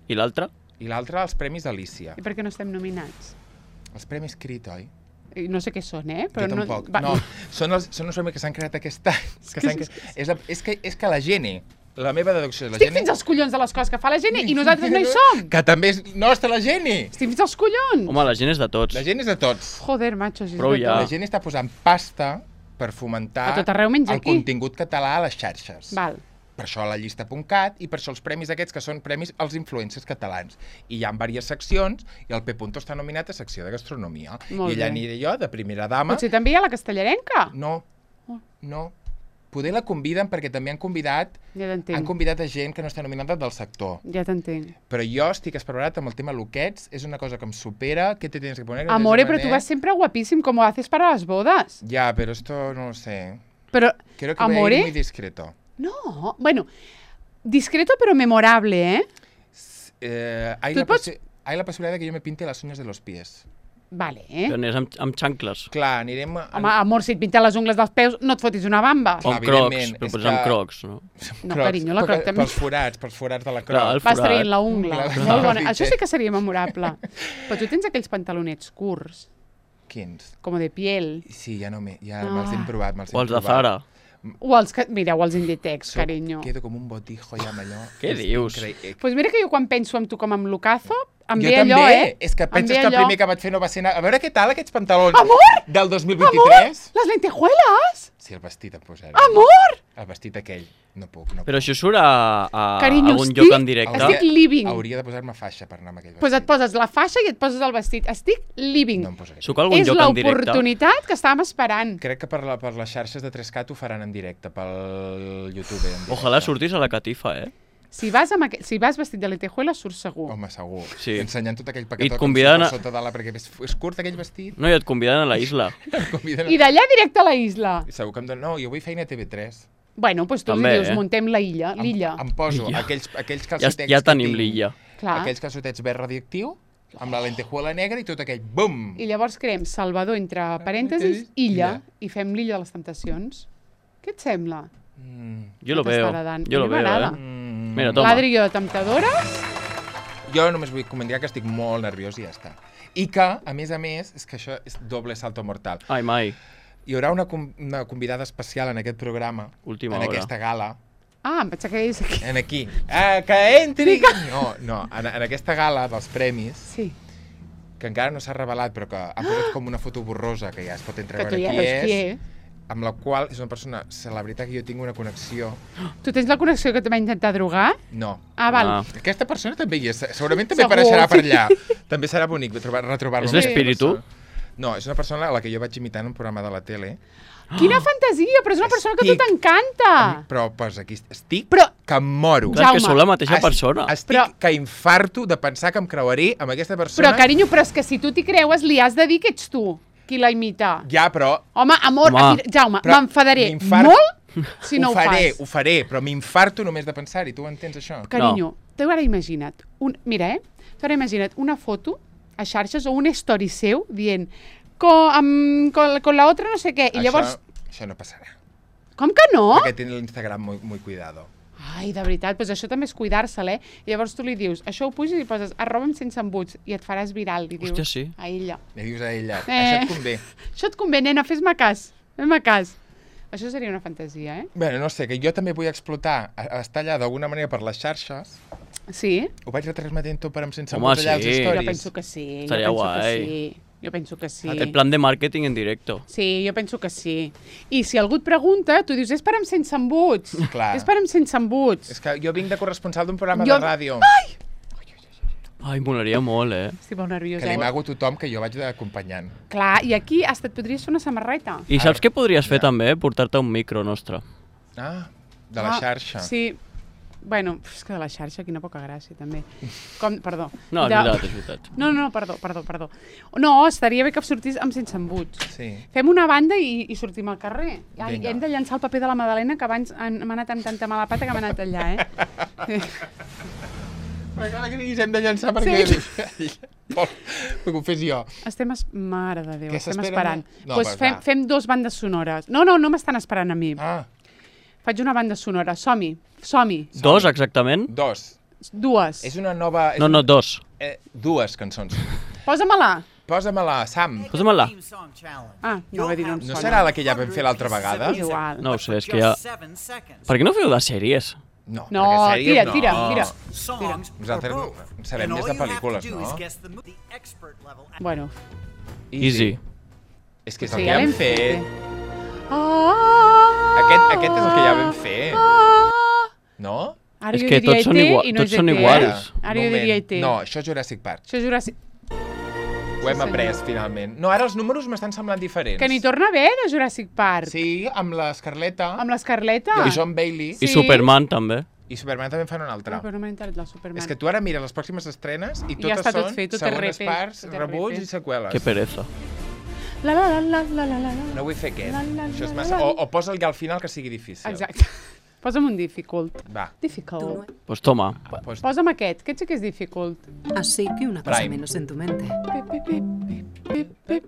Speaker 3: I l'altre?
Speaker 2: i l'altre els premis Alicia.
Speaker 1: I per què no estem nominats?
Speaker 2: Els premis Crit, oi?
Speaker 1: I no sé què són, eh?
Speaker 2: jo tampoc.
Speaker 1: va-
Speaker 2: No, són, els, són els premis que s'han creat aquest any. Que
Speaker 1: que
Speaker 2: s'han
Speaker 1: és-
Speaker 2: cre... és, la, és, que, és que la gent La meva deducció és la
Speaker 1: Estic
Speaker 2: Geni...
Speaker 1: fins als collons de les coses que fa la Geni i nosaltres no hi som.
Speaker 2: Que també és nostra, la Geni!
Speaker 1: Estic fins als collons.
Speaker 3: Home, la gent és de tots.
Speaker 2: La Geni és de tots.
Speaker 1: Joder, macho, si és
Speaker 3: Prou
Speaker 1: de
Speaker 3: ja.
Speaker 2: La Geni està posant pasta per fomentar
Speaker 1: A tot arreu menys
Speaker 2: el
Speaker 1: aquí.
Speaker 2: contingut català a les xarxes.
Speaker 1: Val.
Speaker 2: Per això la llista punt cat i per això els premis aquests que són premis als influencers catalans. I hi ha diverses seccions i el P. Punto està nominat a secció de gastronomia.
Speaker 1: Molt
Speaker 2: I allà
Speaker 1: bé.
Speaker 2: aniré jo, de primera dama.
Speaker 1: Potser també hi ha la castellarenca.
Speaker 2: No,
Speaker 1: Oh.
Speaker 2: no. Poder la conviden perquè també han convidat
Speaker 1: Ja
Speaker 2: han
Speaker 1: t'entenc.
Speaker 2: convidat a gent que no està nominada del sector.
Speaker 1: Ja t'entenc.
Speaker 2: Però jo estic esperat amb el tema loquets, és una cosa que em supera. ¿Qué te tienes que poner?
Speaker 1: Amore, pero tú vas siempre guapísimo, como haces para las bodas.
Speaker 2: Ya, pero esto no lo sé.
Speaker 1: Pero,
Speaker 2: Creo que voy a
Speaker 1: amore,
Speaker 2: ir muy discreto.
Speaker 1: no, bueno, discreto pero memorable, ¿eh?
Speaker 2: Eh, hay,
Speaker 1: Tú
Speaker 2: la
Speaker 1: pots-
Speaker 2: possi- hay la posibilidad de que yo me pinte las uñas de los pies.
Speaker 1: Vale, eh?
Speaker 3: Que anés amb, amb xancles.
Speaker 2: Clar, anirem... A...
Speaker 1: Home, amor, si et pinten les ungles dels peus, no et fotis una bamba.
Speaker 3: O
Speaker 2: Clar,
Speaker 3: amb crocs,
Speaker 2: evidentment,
Speaker 3: però
Speaker 2: és
Speaker 3: posar amb
Speaker 2: que-
Speaker 3: crocs, no?
Speaker 1: No, carinyo, la croc
Speaker 2: Pel-
Speaker 1: també.
Speaker 2: Pels forats, pels forats de la croc.
Speaker 3: Clar, el
Speaker 1: Vas
Speaker 3: forat.
Speaker 1: traient la ungla.
Speaker 2: Clar,
Speaker 1: Molt
Speaker 2: clar,
Speaker 1: bona.
Speaker 2: sí,
Speaker 1: Això
Speaker 2: sí.
Speaker 1: sí que seria memorable. Però tu tens aquells pantalonets curts,
Speaker 2: Quins?
Speaker 1: com de piel.
Speaker 2: Sí, ja no m'he... Ja
Speaker 1: Ah.
Speaker 2: me'ls hem provat, me'ls hem
Speaker 3: O els de
Speaker 2: provat.
Speaker 3: Zara.
Speaker 1: O els que... Mireu, els Inditex,
Speaker 2: Soc-
Speaker 1: carinyo.
Speaker 2: Quedo com un botijo ja amb allò.
Speaker 3: Què
Speaker 2: És
Speaker 3: dius?
Speaker 1: Doncs
Speaker 2: increïble.
Speaker 1: pues mira que jo quan penso en tu com amb Lucazo, em
Speaker 2: Jo
Speaker 1: ve
Speaker 2: també,
Speaker 1: allò, eh?
Speaker 2: és que
Speaker 1: Em
Speaker 2: penses
Speaker 1: ve
Speaker 2: que el
Speaker 1: allò.
Speaker 2: primer que vaig fer no va ser anar... A veure què tal aquests pantalons
Speaker 1: Amor!
Speaker 2: del dos mil
Speaker 1: Amor,
Speaker 2: vint-i-tres.
Speaker 1: les lentejuelas!
Speaker 2: Sí, el vestit em posaré.
Speaker 1: Amor!
Speaker 2: El vestit aquell. No puc, no puc.
Speaker 3: Però això surt a, a
Speaker 1: Carinyo,
Speaker 3: algun
Speaker 1: estic-
Speaker 3: lloc en directe?
Speaker 1: estic living.
Speaker 2: Hauria de posar-me faixa per anar amb aquell vestit.
Speaker 1: Doncs pues et poses la faixa i et poses el vestit. Estic living.
Speaker 2: No em posaré.
Speaker 3: Surt a algun
Speaker 1: És
Speaker 3: lloc en directe?
Speaker 1: l'oportunitat que estàvem esperant.
Speaker 2: Crec que per, la, per les xarxes de tres cat ho faran en directe, pel YouTube. En directe.
Speaker 3: Ojalà sortis a la catifa, eh?
Speaker 1: Si vas, amb aqu... si vas vestit de lentejuelas, surts segur.
Speaker 2: Home, segur.
Speaker 3: Sí.
Speaker 2: Ensenyant tot aquell
Speaker 3: I et
Speaker 2: paquetó
Speaker 3: conviden
Speaker 2: per
Speaker 3: a-
Speaker 2: sota de la... Perquè és, és curt aquell vestit.
Speaker 3: No, i et conviden a la isla.
Speaker 2: Em conviden a...
Speaker 1: I d'allà directe a la isla.
Speaker 2: Segur que em donen... No, jo vull feina a T V tres.
Speaker 1: Bueno, doncs tu
Speaker 3: També,
Speaker 1: li dius,
Speaker 3: eh?
Speaker 1: muntem la illa,
Speaker 2: Em,
Speaker 1: l'illa.
Speaker 2: em poso
Speaker 3: L'illa.
Speaker 2: aquells, aquells
Speaker 3: Ja,
Speaker 2: calçotets
Speaker 3: ja
Speaker 2: que
Speaker 3: tenim
Speaker 2: tinc,
Speaker 3: l'illa.
Speaker 1: Clar.
Speaker 2: aquells calçotets verd radioactiu, amb la lentejuela negra i tot aquell bum!
Speaker 1: I llavors creem Salvador entre parèntesis, illa, i fem l'illa de les tentacions. Què et sembla?
Speaker 2: Mm,
Speaker 3: Jo lo
Speaker 1: T'està
Speaker 3: veo.
Speaker 1: agradant.
Speaker 3: Jo
Speaker 1: A
Speaker 3: lo
Speaker 1: mi
Speaker 3: veo,
Speaker 1: m'agrada.
Speaker 3: eh?
Speaker 2: mm.
Speaker 3: Mira, toma.
Speaker 1: L'Adri i jo de temptadora.
Speaker 2: Jo només vull comentar que estic molt nerviós i ja està. I que, a més a més, és que això és doble salto mortal.
Speaker 3: Ai, mai.
Speaker 2: Hi haurà una, com- una convidada especial en aquest programa,
Speaker 3: Última
Speaker 2: en
Speaker 3: hora.
Speaker 2: aquesta gala,
Speaker 1: Ah, em pensava que deies aquí.
Speaker 2: en aquí. Ah, que entri! No, no, en, en aquesta gala dels premis,
Speaker 1: Sí,
Speaker 2: que encara no s'ha revelat, però que han posat com una foto borrosa, que ja es pot
Speaker 1: que
Speaker 2: entreveure
Speaker 1: tu ja
Speaker 2: qui
Speaker 1: veus
Speaker 2: és,
Speaker 1: qui és.
Speaker 2: amb la qual és una persona, celebritat, que jo tinc una connexió.
Speaker 1: Tu tens la connexió que te va intentar drogar?
Speaker 2: No.
Speaker 1: Ah, val.
Speaker 3: Ah.
Speaker 2: Aquesta persona també hi és, segurament també
Speaker 1: Segur,
Speaker 2: apareixerà per
Speaker 1: sí.
Speaker 2: allà. També serà bonic retrobar- retrobar-lo.
Speaker 3: És
Speaker 2: amb aquesta
Speaker 3: l'espíritu?
Speaker 2: persona. No, és una persona a la que jo vaig imitar en un programa de la tele.
Speaker 1: Quina fantasia, però és una persona que a tu
Speaker 2: Estic-
Speaker 1: t'encanta.
Speaker 2: Però posa aquí, estic
Speaker 1: Però,
Speaker 2: que em moro.
Speaker 3: Clar, és que
Speaker 1: Jaume,
Speaker 3: sou la mateixa
Speaker 2: Es-
Speaker 3: persona.
Speaker 2: Estic
Speaker 1: Però-
Speaker 2: que infarto de pensar que em creuaré amb aquesta persona.
Speaker 1: però, carinyo, però és que si tu t'hi creues, li has de dir que ets tu qui la imita.
Speaker 2: Ja, però...
Speaker 1: Home, amor,
Speaker 3: Home.
Speaker 1: mira, Jaume,
Speaker 2: Però
Speaker 1: m'enfadaré
Speaker 2: m'infart-
Speaker 1: molt si no ho,
Speaker 2: faré,
Speaker 1: fas.
Speaker 2: ho faré, però m'infarto només de pensar-hi. Tu ho entens, això?
Speaker 1: Carinyo, t'ho ara imagina't. Un, mira, eh? T'ho ara imagina't una foto a xarxes o un story seu dient con, amb, con, con la otra no sé què. I llavors,
Speaker 2: Això, això no passarà.
Speaker 1: com que no?
Speaker 2: Perquè té l'Instagram muy, muy cuidado.
Speaker 1: Ai, de veritat, doncs això també és cuidar-se'l, eh? I llavors tu li dius, això ho puges i poses arroba'm sense embuts i et faràs viral. Li dius
Speaker 3: Hòstia, sí.
Speaker 1: a ella.
Speaker 2: Li dius a ella,
Speaker 1: Eh.
Speaker 2: això et convé.
Speaker 1: Això et convé, nena, fes-me cas. Fes-me cas. Això seria una fantasia, eh?
Speaker 2: Bé, no sé, que jo també vull explotar, a, a estar allà d'alguna manera per les xarxes.
Speaker 1: Sí?
Speaker 2: Ho vaig retransmetent tot per em sense
Speaker 3: Home,
Speaker 2: embotellar
Speaker 3: sí.
Speaker 2: els stories.
Speaker 1: Jo penso que sí.
Speaker 3: Estaria
Speaker 1: jo penso
Speaker 3: guai.
Speaker 1: Que sí. Jo penso que sí.
Speaker 3: Aquest plan de màrqueting en directo.
Speaker 1: Sí, jo penso que sí. I si algú et pregunta, tu dius, és per em sense embuts.
Speaker 2: Clar.
Speaker 1: És per em sense embuts.
Speaker 2: És que jo vinc de corresponsal d'un programa
Speaker 1: Jo-
Speaker 2: de ràdio.
Speaker 3: Ai, molaria molt, eh?
Speaker 1: Estic molt nerviosa.
Speaker 2: Que li
Speaker 1: Eh?
Speaker 2: mago a tothom que jo vaig d'acompanyant.
Speaker 1: Clar, i aquí hasta et podries fer una samarreta.
Speaker 3: I saps què podries fer
Speaker 2: Ja.
Speaker 3: també? Portar-te un micro nostre.
Speaker 2: Ah, de la
Speaker 1: Ah,
Speaker 2: xarxa.
Speaker 1: Sí. Bueno, és que de la xarxa, quina poca gràcia, també. Com, perdó.
Speaker 3: No, és
Speaker 1: De-
Speaker 3: veritat, és veritat.
Speaker 1: No, no, perdó, perdó, perdó. No, estaria bé que sortís amb sense embuts.
Speaker 2: Sí.
Speaker 1: Fem una banda i, i sortim al carrer. Ja,
Speaker 2: Vinga.
Speaker 1: hem de llançar el paper de la Madalena, que abans han- m'ha anat amb tanta mala pata que m'ha anat allà, eh?
Speaker 2: M'agrada que diguis hem de llançar perquè...
Speaker 1: Sí.
Speaker 2: Vol que ho fes jo.
Speaker 1: Estem... Es... Mare de Déu,
Speaker 2: Què
Speaker 1: estem
Speaker 2: s'esperen?
Speaker 1: esperant.
Speaker 2: No,
Speaker 1: pues
Speaker 2: pues
Speaker 1: fem,
Speaker 2: va.
Speaker 1: fem dos bandes sonores. No, no, no m'estan esperant a mi.
Speaker 2: Ah,
Speaker 1: Faig una banda sonora. Som-hi, som-hi.
Speaker 3: Dos, exactament?
Speaker 2: dos.
Speaker 1: Dues.
Speaker 2: És una nova... És
Speaker 3: No, no, dos.
Speaker 2: una, eh, dues cançons.
Speaker 1: Posa-me-la.
Speaker 2: Posa-me-la, Sam.
Speaker 3: Posa-me-la.
Speaker 1: Ah, no va dir no em
Speaker 2: No
Speaker 1: sona.
Speaker 2: serà la que ja vam fer l'altra vegada?
Speaker 1: És igual.
Speaker 3: No ho sé, és que ja... Per què no feu de sèries?
Speaker 2: No,
Speaker 1: No,
Speaker 2: perquè sèries
Speaker 1: tira,
Speaker 2: no.
Speaker 1: tira, tira.
Speaker 5: songs,
Speaker 2: Nosaltres
Speaker 5: or both.
Speaker 2: sabem
Speaker 5: And
Speaker 2: més
Speaker 5: all
Speaker 2: de
Speaker 5: you have
Speaker 2: pel·lícules,
Speaker 5: to do
Speaker 2: no?
Speaker 5: is guess the mo- the expert level.
Speaker 1: Bueno,
Speaker 3: Easy.
Speaker 2: És que és
Speaker 1: sí,
Speaker 2: el que
Speaker 1: ja
Speaker 2: ja hem
Speaker 1: l'hem
Speaker 2: fet.
Speaker 1: fet. Ah,
Speaker 2: Aquest, aquest és el que ja vam fer,
Speaker 1: ah.
Speaker 2: no?
Speaker 1: Ara
Speaker 3: És
Speaker 1: jo
Speaker 3: que
Speaker 1: diria
Speaker 3: tots són
Speaker 1: E T
Speaker 3: igual-
Speaker 1: i no
Speaker 3: tots
Speaker 1: és
Speaker 3: són
Speaker 1: E T,
Speaker 3: iguals.
Speaker 1: eh? Ara jo diria E T.
Speaker 2: No, això és Jurassic Park.
Speaker 1: Això és Jurassic...
Speaker 2: Ho hem
Speaker 1: senyor.
Speaker 2: après, finalment. No, ara els números m'estan semblant diferents.
Speaker 1: Que n'hi torna a haver, de Jurassic Park.
Speaker 2: Sí, amb l'Escarleta
Speaker 1: Amb l'Escarleta.
Speaker 2: i John Bailey.
Speaker 3: I
Speaker 1: Sí.
Speaker 3: Superman, també.
Speaker 2: I Superman també en fan un altre.
Speaker 1: No, però no m'ha entrat la Superman.
Speaker 2: És que tu ara mires les pròximes estrenes i
Speaker 1: I ja
Speaker 2: totes
Speaker 1: està tot
Speaker 2: són
Speaker 1: fet, tot és
Speaker 2: segones
Speaker 1: repe,
Speaker 2: parts,
Speaker 1: tot és
Speaker 2: rebuts
Speaker 1: repe.
Speaker 2: i seqüeles.
Speaker 3: Que pereza.
Speaker 1: La, la, la, la, la, la, la.
Speaker 2: No vull fer aquest.
Speaker 1: La, la,
Speaker 2: Això és
Speaker 1: la,
Speaker 2: massa...
Speaker 1: la.
Speaker 2: O, o posa'l ja al final que sigui difícil.
Speaker 1: Exacte. Posa'm un difficult.
Speaker 2: Va.
Speaker 1: Difficult.
Speaker 3: Pues toma.
Speaker 2: Pues...
Speaker 1: Posa'm aquest, aquest sí que és difficult.
Speaker 6: Así que una cosa
Speaker 2: Prime.
Speaker 6: menos en tu mente.
Speaker 1: Pip, pip, pip, pip, pip, pip,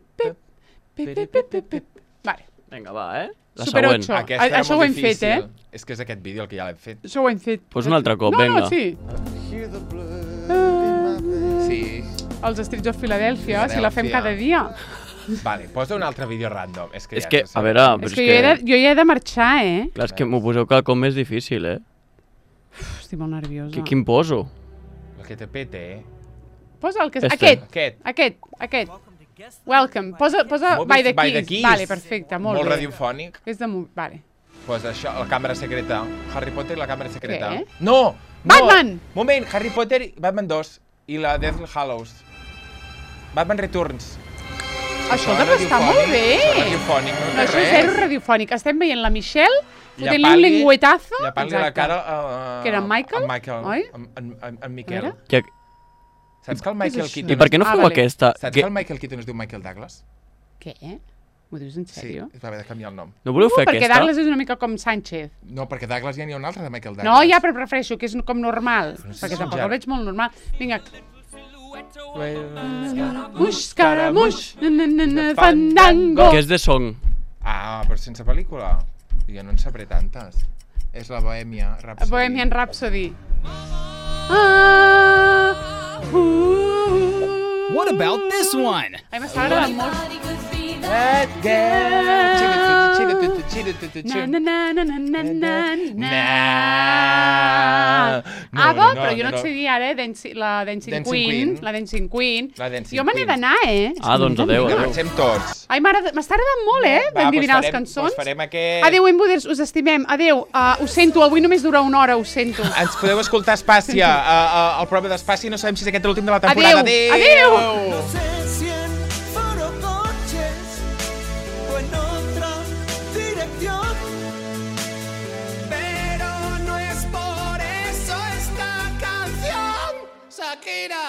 Speaker 1: pip, pip, pip, pip, pip. Vale.
Speaker 3: Vinga, va, eh? La
Speaker 1: Super
Speaker 3: següent.
Speaker 1: ocho.
Speaker 2: Aquesta
Speaker 1: A-
Speaker 2: era
Speaker 1: això
Speaker 2: molt
Speaker 1: ho hem fet,
Speaker 2: difícil.
Speaker 1: eh?
Speaker 2: És que és aquest vídeo el que ja l'hem fet.
Speaker 1: Això ho hem fet.
Speaker 3: Pues un altre cop,
Speaker 1: no,
Speaker 3: vinga.
Speaker 1: No, sí.
Speaker 2: Sí.
Speaker 1: Els Streets of Philadelphia, si la fem
Speaker 2: Philadelphia.
Speaker 1: cada dia.
Speaker 2: Vale, posa un altre vídeo random. És que,
Speaker 3: És
Speaker 2: ja
Speaker 3: que,
Speaker 2: no sé.
Speaker 3: a veure, però
Speaker 1: És
Speaker 3: és
Speaker 1: que jo he, de,
Speaker 3: que...
Speaker 1: jo ja he de marxar, eh?
Speaker 3: Clar, és que m'ho poseu quelcom més difícil, eh?
Speaker 1: Uf, estic molt nerviosa.
Speaker 3: Qui, quin poso?
Speaker 2: El que te pete, eh?
Speaker 1: Posa el que és...
Speaker 3: Este.
Speaker 1: Aquest,
Speaker 2: Aquest.
Speaker 1: aquest, aquest. Welcome. Posa, posa
Speaker 2: Molt
Speaker 1: by the
Speaker 2: by the
Speaker 1: keys.
Speaker 2: keys.
Speaker 1: Vale, perfecte, molt,
Speaker 2: Molt
Speaker 1: bé.
Speaker 2: radiofònic.
Speaker 1: És de... mo- Vale.
Speaker 2: Pues això, la càmera secreta. Harry Potter i la càmera secreta.
Speaker 1: Què?
Speaker 2: No! no!
Speaker 1: Batman!
Speaker 2: Moment, Harry Potter i Batman dos. I la Deathly Hallows. Batman Returns.
Speaker 1: Escolta,
Speaker 2: Això
Speaker 1: però està molt bé.
Speaker 2: Això és radiofònic, no,
Speaker 1: No,
Speaker 2: té
Speaker 1: això és
Speaker 2: res.
Speaker 1: zero radiofònic. Estem veient la Michelle fotent-li un
Speaker 2: Llapant-li-
Speaker 1: lengüetazo.
Speaker 2: Llapant-li la
Speaker 1: Exacte.
Speaker 2: cara a...
Speaker 1: Que era en Michael,
Speaker 2: En Michael,
Speaker 1: oi?
Speaker 2: En, en, en, en Miquel.
Speaker 1: Era?
Speaker 3: Que...
Speaker 2: Saps que el Michael
Speaker 1: això?
Speaker 2: Keaton...
Speaker 3: I per què no
Speaker 1: Ah,
Speaker 3: feu
Speaker 1: vale.
Speaker 3: aquesta?
Speaker 2: Saps
Speaker 3: Que...
Speaker 2: que el Michael Keaton es diu Michael Douglas?
Speaker 1: Què? M'ho dius en sèrio?
Speaker 2: Sí, es va haver de canviar el nom.
Speaker 3: No voleu fer
Speaker 1: Uh, perquè
Speaker 3: aquesta?
Speaker 1: Douglas és una mica com Sánchez.
Speaker 2: No, perquè Douglas ja n'hi ha un altre de Michael Douglas.
Speaker 1: No, ja, però prefereixo que és com normal.
Speaker 2: Però no sé
Speaker 1: Perquè
Speaker 2: si
Speaker 1: tampoc
Speaker 2: ja-
Speaker 1: el veig molt normal. Vinga.
Speaker 2: Well,
Speaker 1: Muix, caramuix, na, na, na, na,
Speaker 2: Fandango.
Speaker 1: fandango.
Speaker 3: Que és de song.
Speaker 2: Ah, però sense pel·lícula. Jo no en sabré tantes. És la Bohèmia Rhapsody.
Speaker 1: Bohemian Rhapsody. Ah, uh,
Speaker 7: What about this one?
Speaker 1: Ai, m'està agradant molt.
Speaker 2: That girl. Chidu-tu-tu, chidu-tu-tu,
Speaker 1: Na,
Speaker 2: chidu-tu-tu.
Speaker 1: na, na, na, na, na, na, na.
Speaker 2: No,
Speaker 1: Ava,
Speaker 2: no,
Speaker 1: però jo no
Speaker 2: no.
Speaker 1: et sé dir ara, Dancing, la Dancing,
Speaker 2: Dancing
Speaker 1: Queen,
Speaker 2: Queen.
Speaker 1: la Dancing Queen.
Speaker 2: La Dancing
Speaker 1: jo me n'he
Speaker 2: Queen.
Speaker 1: d'anar, eh?
Speaker 3: Ah, doncs adeu,
Speaker 2: Vinga,
Speaker 3: adeu.
Speaker 2: marxem tots.
Speaker 1: Ai, m'agrada- m'està agradant molt, eh?
Speaker 2: Va,
Speaker 1: Endivinar
Speaker 2: doncs
Speaker 1: les
Speaker 2: farem-
Speaker 1: cançons.
Speaker 2: doncs farem aquest-
Speaker 1: Adéu, Embuders, us estimem. Adéu, uh, ho sento, avui només dura una hora, ho sento.
Speaker 2: Ens podeu escoltar a Espàcia, a, a, al programa d'Espàcia, no sabem si és aquest l'últim de la temporada.
Speaker 1: Adéu,
Speaker 2: Adéu!
Speaker 1: adéu.
Speaker 5: No sé si en forocoches o en otra dirección, pero no es por eso esta canción, Shakira.